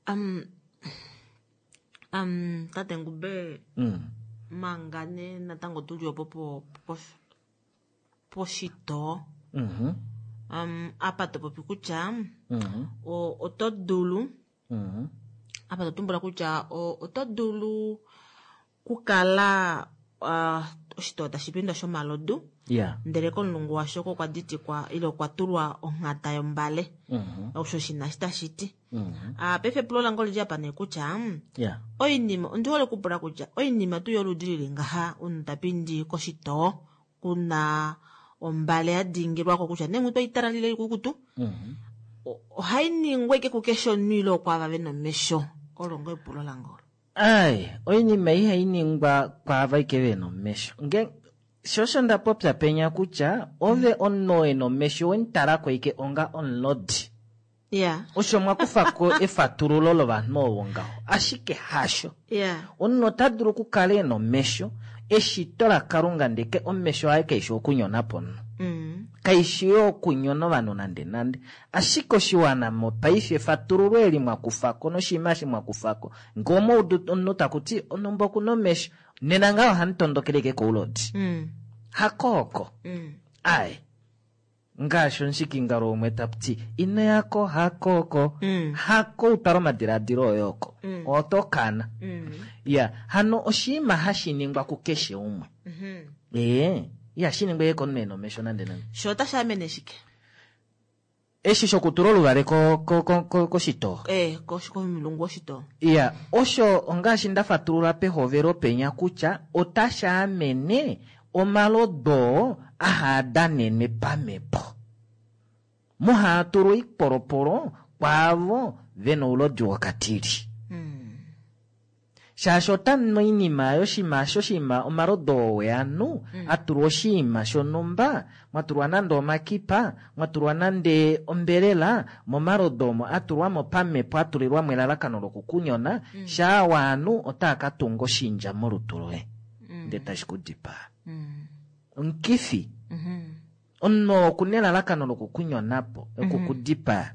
Um, Um, tate Ngube, Mm. manga nee natango tuli opo po- po- poshitoo Mhm. um, apa to popi kutya Mhm. o- oto dulu Mhm. apa to tumbula kutya o- oto dulu kukala uh, oshitoo tashi pindwa shomalodu Yeah. ndele komulungu washo oko kwa ditikwa ile okwa tulwa onghata yombale Mhm. osho shina shi tashi ti Mhm. Ah, paife epulo lange olili apa nee kutya mm, Yeah. oinima ondi hole okupula kutya oinima tuu yoludi lili ngaha omunhu ta pindi koshitoo kuna ombale ya dingilwako kutya nee mutu oitalalile ikukutu Mhm. ohai ningwa ike kukeshe omunhu ile okwaava vena omesho olo ngo epulo lange olo Ai, oinima ihai ningwa kwaava ike vena omesho. Nge sho osho nda popya penya kutya ove omunhu ena omesho wemutalako ike onga omulodi. ya Osho mwa kufako efatululo lovanhu ovo ngaho, ashike hasho. ya Omunhu ota dulu okukala ena omesho, eshito laKalunga ndeke omesho aye kaishi okunyona po omunhu. Mm. Kaishi yo okunyona ovanhu nande nande. Ashike oshiwana mopaife efatululo eli mwa kufako noshinima eshi mwa kufako, ngee omaudu omunhu takuti onhumba okuna omesho, nena ngaho ohamu tondokele ike koulodi. Mm. Hakooko. Mm. Ai. Ngaashi omushikingalo umwe takuti ino yako hakooko. Hako utwala omadilaadilo oye oko. Mm. Oto kana. Mm. Ya, hano oshinima hashi ningwa kukeshe umwe. Mhm. Ee, ihashi ningwa ike komunhu ena omesho nande nande. sho otashi amene shike Eshi shokutula oluvale ko- ko- ko- ko- koshitoo. eh kosh- komulungu woshitoo Ya, osho ongaashi nda fatulula pehovelo penya kutya otashi amene omalodo oo ahaa danenwe pamhepo. Muhaa tulwa oipolopolo kwaavo vena oulodi wokatili. Shaashi otamu oinima yoshinima shoshinima omalodo oo weanu atulwa oshinima shonhumba, mwatulwa nande omakipa, mwatulwa nande ombelela, momalodo omo atulwamo pamhepo atulilwamo elalakano lokukunyona, shaa waanu otaa ka tunga oshindja molutu loye ndee tashi ku dipaa. Omukifi omunhu okuna elalakano lokukunyonapo, okukudipaa.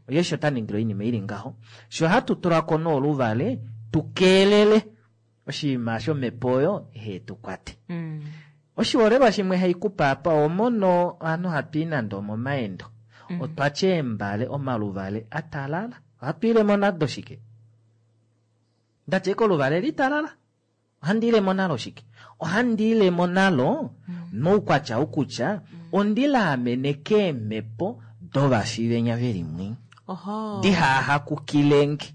Oye osho ta ningile oinima ili ngaho. Sho hatu tulako nee oluvale tukeelele oshinima shomhepo oyo ihe tu kwate. Oshiholelwa shimwe haikupa apa omono ovanhu hatu i nande omomaendo. Otwatya eembale omaluvale atalala. Ohatu ilemo nado shike? Ndatya ike oluvale litalala. Ohandi ilemo nalo shike? Ohandi ilemo nalo moukwatya wokutya ondilaamene keemhepo dovafi venya veli mwi. oho Dihahakukilenge.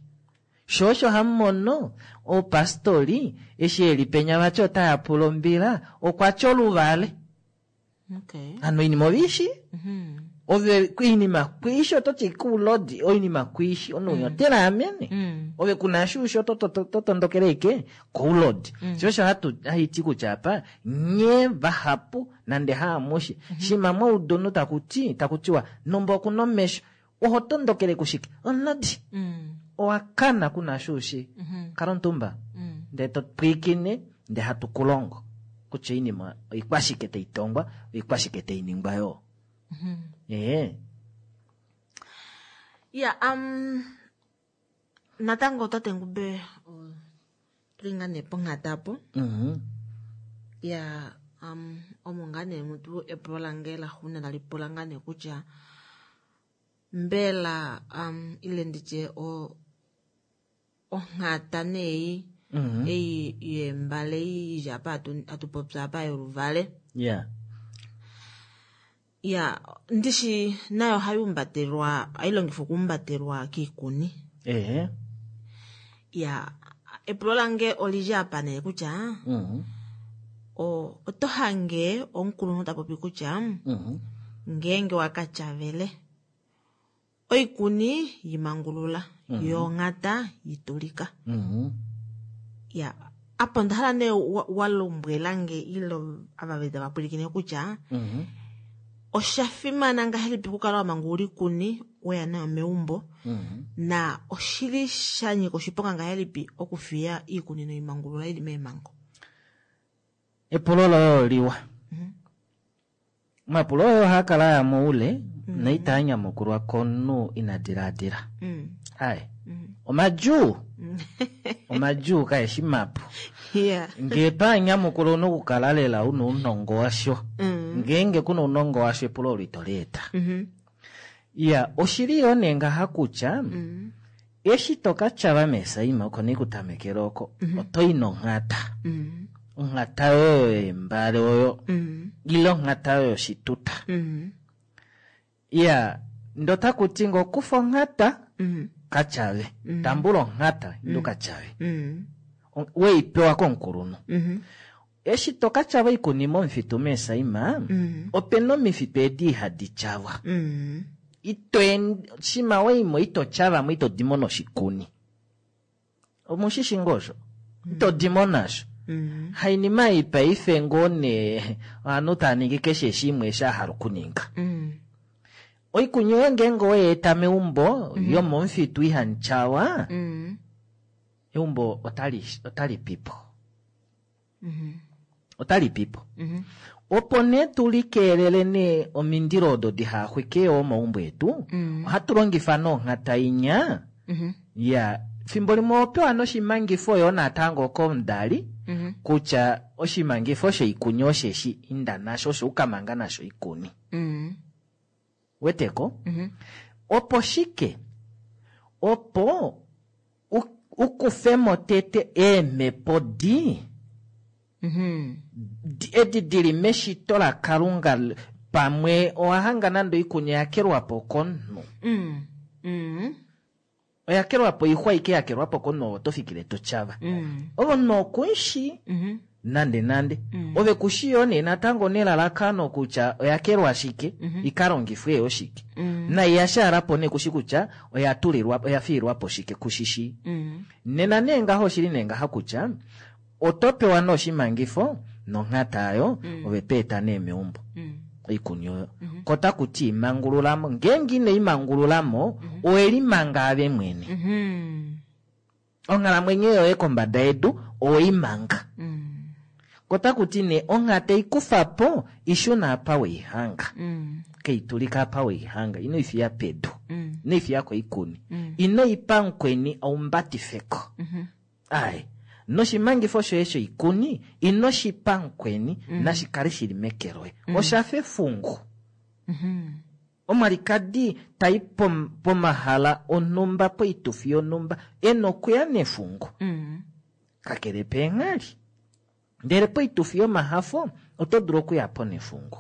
Sho osho hamumono opastori eshi eli penya vati otaya pula ombila okwatya oluvale. okay Hano oinima oviishi? Mhm. Ove oinima kwiishi ototi kuulodi oinima kwiishi omunhu unya otelaamene. Ove kuna shuushi oto- to- to- totondokele ike koulodi. Sho osho hatu haiti kutya apa nye vahapu nande haamushe. Shima mwaudu omunhu takuti takutiwa nomba okuna omesho oho tondokele kushike? Omulodi. Owa kana kuna shuushi. Kala omutumba. Ndee to pwiikine ndee hatu kulongo kutya oinima oikwashike taitongwa oikwashike tainingwa yoo. Ee. ya um natango tate Ngube o- tuli ngaa nee ponghata apo Mhm. ya um omo ngaa nee mutu epulo lange laxuuninwa tali pula ngaa nee kutya mbela um ile nditye o onghata neyi Mhm. ei yeembale ei ili apa atu- atu popya apa yoluvale Yeah. ya ndishi nayo ohayi umbatelwa ohayi longifwa okuumbatelwa kiikuni Ee. ya epulo lange olili apa nee kutya Mhm. o- oto hange omukulunhu ta popi kutya Mhm. ngeenge waka tyavele oikuni yimangulula Mhm. yo onghata yitulika Mhm. ya apa onda hala nee wa- wa lombwelange ile ava veli tava pwilikine kutya Mhm. osha fimana ngahelipi okukala wa mangulula oikuni weya nayo meumbo Mhm. na oshili sha nyika oshiponga ngahelipi okufiya iikuni noimangulula ili meemango Epulo loye oliwa. Omapulo oyo ohaa kala aya moule noitaa nyamukulwa komunhu ina dilaadila. Mm. Ai. Omadjuu. Omadjuu kaeshi mapu. Yeah. Ngee twaanyamukula ouna okukala lela una ounongo washo. Mm. Ngeenge kuna ounongo washo epulo olo ito lieta. Mhm. Ya, oshili yoo nee ngaha kutya eshi toka tyava meesaima oko nee kutamekela oko otoyi nonghata. Mm. Onghata oyo yeembale oyo Mm. ile onghata oyo yoshituta. Mm. Ya, ndo takuti ngo kufa onghata Mm. katyave. Tambula onghata indu katyave. Mm. On- Weipewa komukulunhu. Mhm. Eshi toka tyava oikuni momufitu meesaima Mm. opena omifitu edi ihadi tyavwa. Mm. Ito en- shima waimo ito tyavamo ito dimo noshikuni. Omushishi ngoo osho? Ito dimo nasho. Mm. Hainima ei paife ngoo nee ovanhu tava ningi keshe shimwe eshi ahala okuninga. Mm. Oikuni yoye ngeenge oweyeeta meumbo yomomufitu ihamu tyawa, Mm. eumbo otali otali pipo. Mhm. Otali pipo. Mhm. Opo nee tulikeelele nee omindilo odo dihaxwike yoo omaumbo etu, Mm. ohatu longifa nonghata inya. Mhm. Ya, fimbo limwe opewa noshimangifo yoo natango komudali Mhm. kutya oshimangifo shoikuni osheshi inda nasho osho ukamanga nasho oikuni. Mm. Weteko? Mhm. Opo shike? Opo u- ukufemo tete eemhepo di Mhm. di- edi dili meshito lakalunga l- pamwe owahanga nande oikuni oyakelwapo komunhu. Mm. Mm. Oyakelwapo oixwa ike yakelwapo komunhu oto fikile totyava. Mm. Ove omunhu okunshi Mhm. nande nande. Mm. Ove kushi yoo nee natango nelalakano kutya oyakelwa shike, ikalongifwe yo shike. Mm. Nai yashaalapo nee kushi kutya oyatulilwa oyafiilwapo shike kushishi. Mm. Nena nee ngaho oshili nee ngaha kutya oto pewa nee oshimangifo nonghata ayo ove toeta nee meumbo Mm. oikuni oyo. Ko takuti imangululamo, ngeenge ino imangululamo owelimanga ave mwene. Mhm. Onghalamwenyo yoye kombada yedu oweimanga. Mm. Ko takuti nee onghata ikufapo ishuna apa weihanga. Mm. Keitulika apa weihanga ino ifiya pedu. Mm. Ino ifiya koikuni. Mm. Ino ipa mukweni aumbatifeko. Mhm. Ai, noshimangifo shoye shoikuni ino shipa mukweni nashikale shili meke loye. Oshafa efungu. Mhm. Omwalikadi tai pom- pomahala onhumba poitufi yonhumba ena okuya nefungu. Mm. Kakele peenghali. Ndele poitufi yomahafo oto dulu okuyapo nefungu.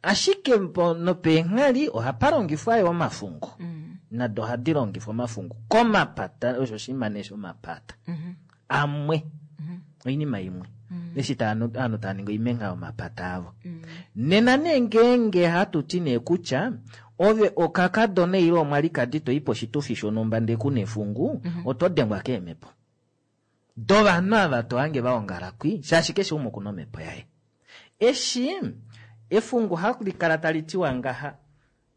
Ashike po- nopeenghali ohapa longifwa yo omafungu. Mm. Nado ohadi longifwa omafungu komapata, osho oshinima nee shomapata. Mhm. Amwe. Oinima imwe. Eshi ta- ovanhu tava ningi oimengha yomapata avo. Nena nee ngeenge hatu ti nee kutya ove okakadona ile omwalikadi toi poshitufi shonhumba ndee kuna efungu, oto dengwa keemhepo. Dovanhu ava tohange vaongala kwi, shaashi keshe umwe okuna omhepo yaye. Eshi efungu hali kala tali tiwa ngaha,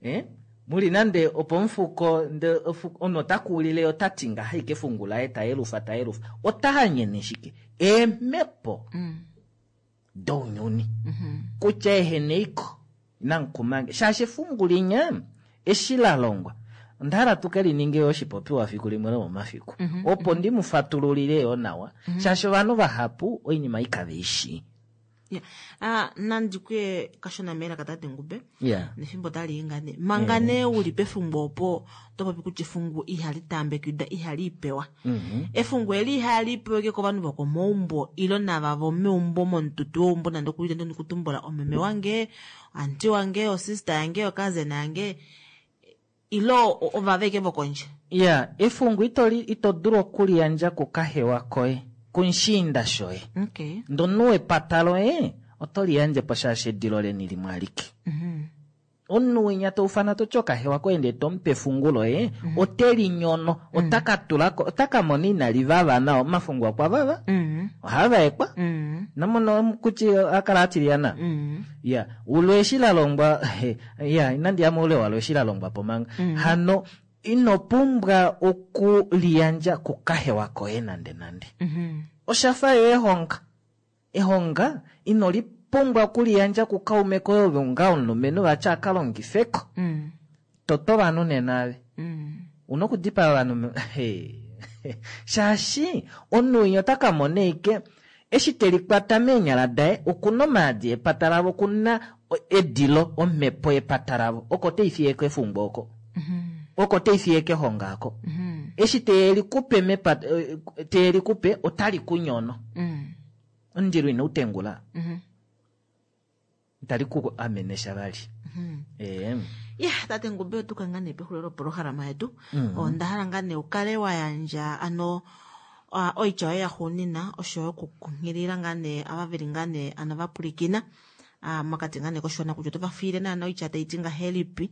eh? Muli nande opomufuko nde ofu- omunhu ota kuulile ota ti ngaha ike efungu laye tayelufa tayelufa ota hanyene shike eemhepo Mm. dounyuni Mhm. kutya eheneiko inamukumange shaashi efungu linya eshi la longwa onda hala tuke lininge yo oshipopiwa fiku limwe lomomafiku Mhm. opo ndi mu fatululile yo nawa shaashi ovanhu vahapu oinima ikave ishi Yeah. Ah, nandi kuye kashona melaka tate Ngube. Yeah. Nefimbo tali ingane. Manga nee uli pefumbo opo to popi kutya efungu ihali taambekidwa ihali ipewa. Mhm. Efungu eli ihali pewa ike kovanhu vokomaumbo ilo nava vomeumbo momututu weumbo nande okuli nande kutumbula omeme wange, anti wange, osista yange, okazena yange ilo ovava ike vokondje. ya efungu ito li- ito dulu okuliyandja kukahewa koye kumushiinda shoye Okay. ndomunhu wepata loye oto liyandje po shaashi edilo leni limwe alike Mhm. omunhu winya toufana toti okahewa koye ndee tomupe efungu loye ote linyono ota ka tulako ota ka mona inali vava nawa omafungu okwa vava Mhm. ohaa vaekwa Mhm. namono kuti akala atiliyana Mhm. ya ulo eshi la longwa ya inandi ya moule walo eshi la longwa po manga hano ino pumbwa okuliyandja kukahewa koye nande nande Mhm. oshafa yo ehonga ehonga ino lipumbwa okuliyandja kukaume koye ove onga omulumenhu vati aka longifeko Mm. toto ovanhu nena ave Mm. una okudipaa ovanhu me- Hey. Shaashi omunhu winya ota ka mona eike eshi telikwata meenyala daye okuna omaadi epata lavo, okuna edilo omhepo yepata lavo, oko teifiye kefungwa oko. Oko teifiye kehonga ako. Eshi telikupe mepata, telikupe otali kunyono. Omundilo ina utengula. Itali ku amene sha vali. Eh. Ya, tate Ngube otuka ngaa nee pexulilo lopolohalama yetu. Mhm. Onda hala ngaa nee ukale wa yandja ano uh, oitya yoye yaxuuninwa oshoyo okukunghilila ngaa nee ava veli ngaa nee ano vapulikina uh, mokati ngaa nee koshiwana kutya otova fiile naana oitya taiti ngahelipi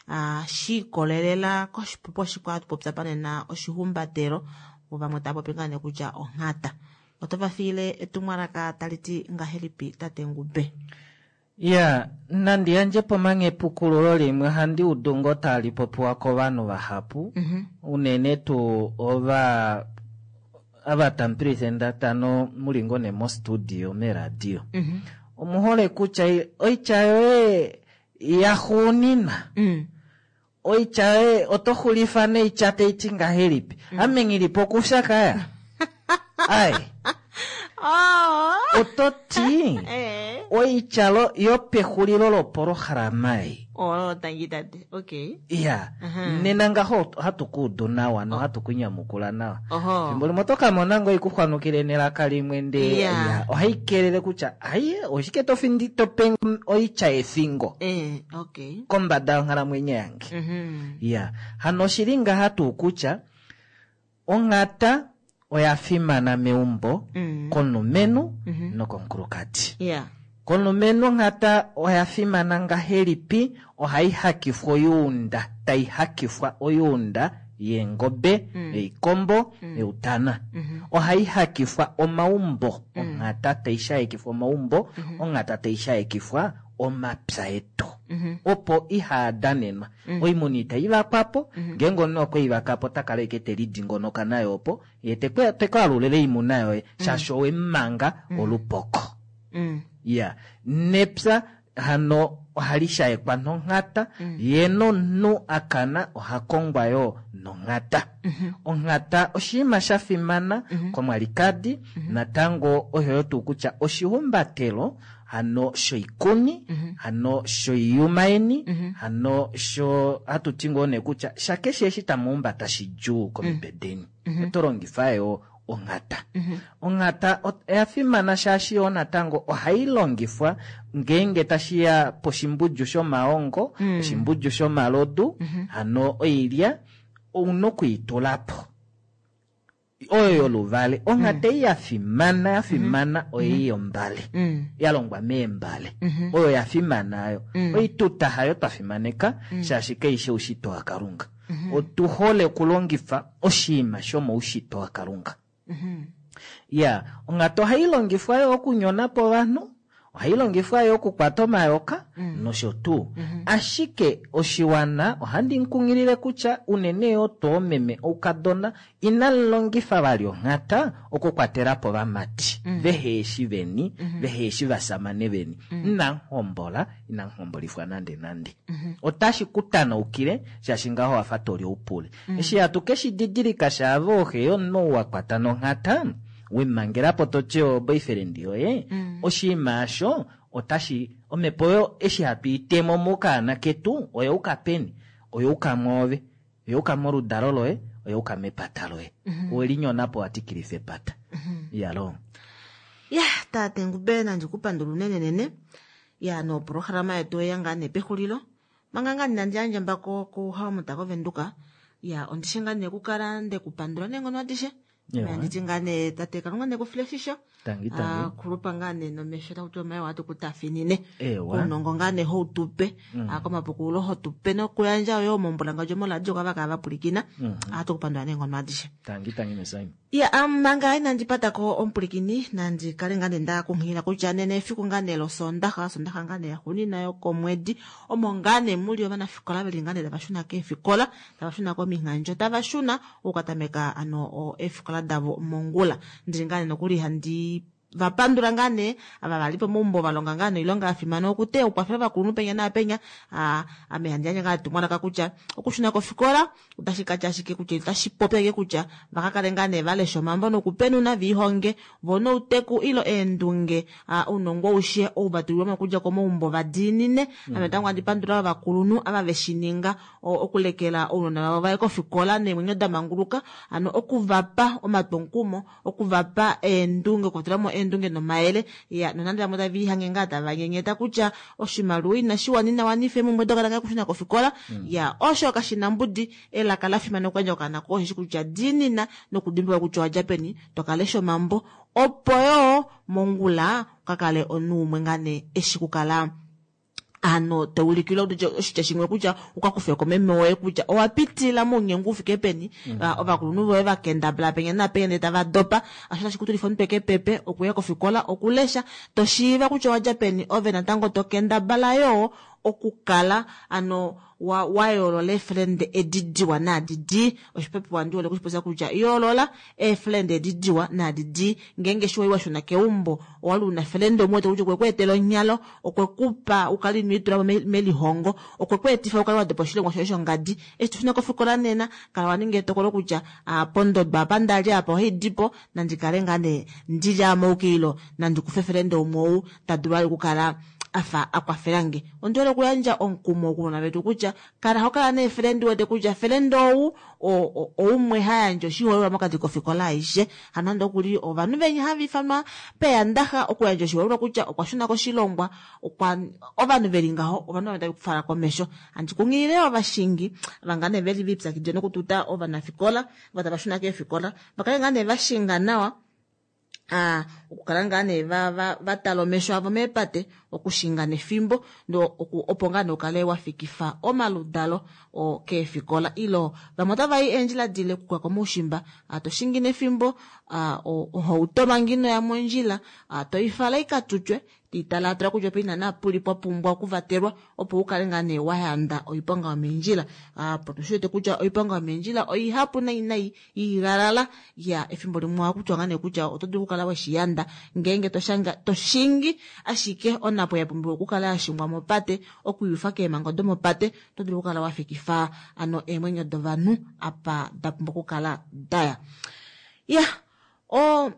uh, shiikolelela koshipopiwa shikwa hatu popya panena oshihumbatelo vo vamwe tava popi ngaa nee kutya onghata. Otova fiile etumwalaka tali ti ngahelipi tate Ngube? Ya, nandi yandje po manga epukululo limwe ohandi udu ngoo tali popiwa kovanhu vahapu unene tuu ova ava tamu muli ngoo nee mostudio meradio. Omuhole kutya oitya yoye yaxuuninwa oitya yoye oto xulifa noitya taiti ngahelipi? Ame nghilipo okufya kaya? Ai. Oto ti oitya yopexulilo lopolohalama ei. Oh, tangi tate. Okay. Ya, nena ngaho ohatu kuudu nawa nohatu kunyamukula nawa. Oho. Fimbo limwe oto ka mona ngoo ikuxwanukile nelaka limwe ndee Yeah. ya, ohai kelele kutya aiye oshike to findi to pe oitya yefingo Eh, okay. kombada yonghalamwenyo yange. Mhm. Ya, hano oshili ngaha tuu kutya onghata oya fimana meumbo Mm. komulumenhu nokomukulukadi. Yeah. Komulumenhu onghata oya fimana ngahelipi? Ohai hakifwa oyuunda, tai hakifwa oyuunda yeengobe, yoikombo, youtana. Ohai hakifwa omaumbo, onghata tai shaekifwa omaumbo, onghata tai shaekifwa omapya etu. Opo ihaadanenwa. Oimuna itai vakwapo, ngeenge omunhu okwe i vakapo ota kala ashike telidingonoka nayo opo, ye tekwe tekwaalulile oimuna yoye, shaashi owemumanga olupoko. Mm. Ya, nepya hano ohali shaekwa nonghata, ye nomunhu akana oha kongwa yoo nonghata. Onghata oshinima sha fimana komwalikadi, natango oyo tuu kutya oshihumbatelo hano shoikuni, hano shoiyuma yeni, hano sho hatu ti ngoo nee kutya shakeshe eshi tamuhumbata shidjuu komitwe deni. Oto longifa yoo onghata. Onghata oya fimana shaashi yoo natango ohai longifwa ngeenge tashiya poshimbudju shomaongo, oshimbudju shomalodu, hano oilya ouna okuitulapo. Oyo yoluvale. Onghata ei ya fimana ya fimana oyi yombale. Ya longwa meembale. Oyo ya fimana ayo. Oituta hayo twa fimaneka shaashi kaishi oushitwe waKalunga. Otu hole okulongifa oshinima shomoushitwe waKalunga. Ya, onghata ohai longifwa yo okunyona po ovanhu, ohai longifwa yo okukwata omayoka nosho tuu. Ashike oshiwana ohandi kunghilile kutya unene yoo toomeme oukadona inamu vali onghata okukwatela po ovamati veheeshi veni, veheeshi vasamane veni. Inamuhombola, inamuhombolifwa nande nande. Otashi ku tanaukile shaashi ngaho wafa toli oupule. Eshi hatu keshi didilika shaave ooxe yomunhu wa kwata nonghata, wemangelapo toti o boyfriend yoye, oshinima osho otashi omhepo oyo eshi hatu itemo mokaana ketu oyauka peni? Oyauka mwoove, oyauka moludalo loye, oyauka mepata loye. Owelinyonapo watikilifa epata. Iyaloo. Ya, tate Ngube nandi kupandula unenenene. Ya, nopolohalama yetu oyeya ngaa nee pexulilo. Manga ngaa nandi yandje mbako kuHaumuta koVenduka. Ya, ondishe ngaa nee okukala ndekupandula neenghono adishe. Ewa. Anditi ngaa nee tate Kalunga nekufile oshisho. Tangi tangi. Ah, kulupa ngaa nee nomesho takuti omaye watu kutafinine. Ewa. Ounongo ngaa nee houtupe. Mm. Ah, komapukululo hotupe nokuyandja yo mombulangadjo moradio kwava kava vapulikina. Mhm. Ohatu kupandula neenghono adishe. Tangi tangi mesaimi. Ya, um, manga inandi patako omupulikini nandi kale ngaa nee ndakunghilila kutya nena efiku ngaa nee losondaxa, sondaxa ngaa nee yaxuuninwa yokomwedi omo ngaa nee muli ovanafikola veli ngaa nee tava shuna keefikola, tava shuna kominghandjo, tava shuna okukatameka ano o, eefikola davo mongula. Ndili ngaa nee nokuli handi vapandula ngaa nee ava vali pomaumbo valonga ngaa noilonga yafimana okuteya okukwafela ovakulunhu penya naapenya. Ame handi yandje ngaa etumwalaka kutya okushuna kofikola otashi katya ashike kutya otashi popi ashike kutya vakakale ngaa nee valesha omambo nokupenuna viihonge vo nouteku ilo eendunge ounongo aushe ou vatulilwamo okudja komaumbo vadiinine. Ame natango handi pandula ovakulunhu ava veshininga okulekela ounona vavo vaye kofikola neemwenyo damanguluka, hano okuvapa omatwomukumo, okuvapa eendunge, okuvatulamo eendunge nomayele. Ya nonande vamwe tava ihange ngaa tava nyenyeta kutya oshimaliwa inashi wanina wanifa eemhumbwe dokana kaye okushuna kofikola, ya osho kashina mbudi. Elaka lafimana okuyandja okaana koye osheshi kutya diinina nokudimbuluka kutya owadja peni, tokalesha omambo opo yoo mongula ukakale omunhu umwe ngaa nee eshi kukala ano taulikilwa oshitya shimwe kutya ukakufeko meme woye kutya owapitila mounyengu ufike peni, ovakulunhu voye vakendabala penya napenya ndee tava dopa, asho tashi kutulifa omutwe kepepe okuya kofikola okulesha toshiiva kutya owadja peni, ove natango tokendabala yoo okukala ano wa wayoolola eefrende edi diwa naadi dii. Oshipopiwa ndi hole okushipopya kutya yoolola eefrende edi diwa naadi dii. Ngeenge eshi wali washuna keumbo owali una frende umwe wete kutya okwe ku etela onyalo, okwe kupa ukale ino itulamo melihongo, okwe ku etifa ukale wadopa oshilongwa shoye shongadi. Eshi toshuna kofikola nena kala waninga etokolo kutya pondodwa apa ndali apa ohaidipo, nandi kale ngaa nee ndili amoukilo, nandi kufe frende umwe ou tadulu vali okukala afa akwafelange. Ondi hole okuyandja omukumo kounona vetu kutya kala hokala neefrende wete kutya frende ou oumwe hayandje oshiholelwa mokati kofikola aishe. Hano nande okuli ovanhu venya hava ifanwa peyandaxa okuyandja oshiholelwa kutya okwa shuna koshilongwa, okwa ovanhu veli ngaho ovanhu vava tava kufala komesho. Handi kunghilile ovashingi vangane veli vipyakidile nokututa ovanafikola ava tava shuna keefikola vakale ngaa nee vashinga nawa, ah okukala ngaa nee va va vatala omesho avo meepate, okushinga nefimbo ndo opo ngaa nee ukale wafikifa omaludalo o keefikola ilo vamwe otava i eendjila dile okuka komaushimba, toshingi nefimbo, ohauto manga inoya mondjila toifala ikatutwe tiitalaatala kutya ope ina naapuli pwa pumbwa okuvatelwa opo ukale ngaa nee wayanda oiponga yomeendjila. Apo tushi wete kutya oiponga yomeendjila oihapu nai nai igalala ya efimbo limwe ohakutiwa ngaa nee kutya oto dulu okukala weshiyanda ngeenge toshanga toshingi ashike onapo yapumbiwa okukala yashingwa mopate okuyufa keemhango domopate, oto dulu okukala wafikifa ano eemwenyo dovanhu apa da pumbwa okukala daya. Ya o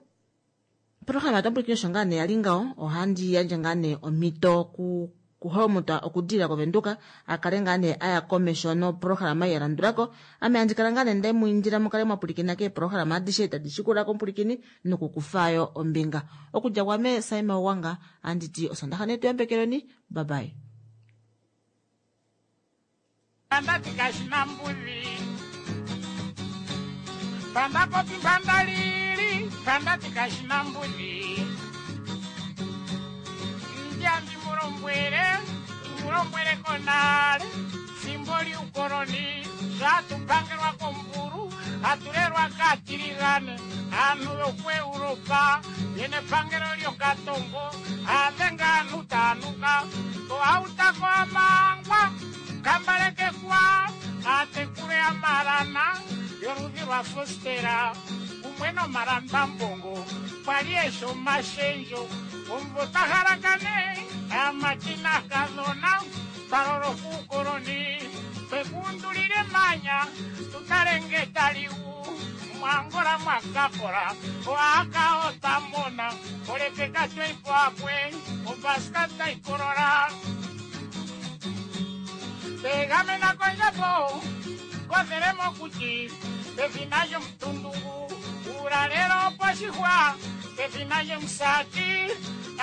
programa tampuliki osho ngaa nee yali ngaho, ohandi yandje ngaa nee omhito ku kuhomuta okudila kovenduka akale ngaa nee aya komesho no programa yalandulako. Ame handi kala ngaa nee nde muindila mukale mwapulikina keeprograma adishe tadi shikula kompulikini nokukufayo ombinga. Okudja kwame Saima Wanga anditi osondaxa netu yambekeleni, bye bye. Pandati kashinambuli panda popi panda lili pandati kashinambuli njambi mulombwele mulombwele konale fimbo liukoloni zvatupangelwa komburu atulelwa katiligane anhu yokuEuropa yene pangelo lyokatongo adenga anhu tanuka ohautako amangwa kambalekekwa atekule amalana yoludhi lwa fostera kumwe nomalambambongo kwali esho mashenjo omvo tahalakane amatina kadhona twalolo kuukoloni twekundulile manya tutalenge taliu mwangola mwakakola oaka otamona olepeka tweipo akwe obaska taikolola tegamena kondjapo kothele mokuti pefina lyomutundungu ulalelo poshihwa pefina lyomusati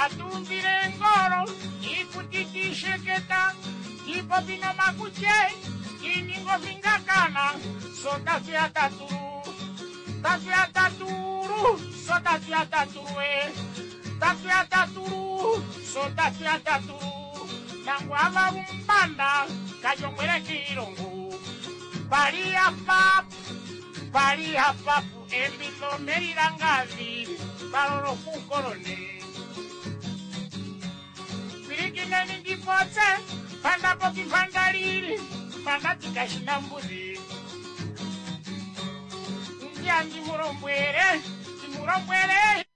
atumbile ngolo iikuti tiisheketa tiipopi nomakutye tiininga ofingakana so tatu ya tatulu tatu ya tatulu so tatu ya tatulu e tatu ya tatulu so tatu ya tatulu nangu avalumbanda kajongwele kiilongo pali ya papu pali ya papu embilo melilangavi palolo kukoloni pilikineni ndipotse panda popi panda lili panda tikashinambuli ndiandi mulombwele ndimulombwele.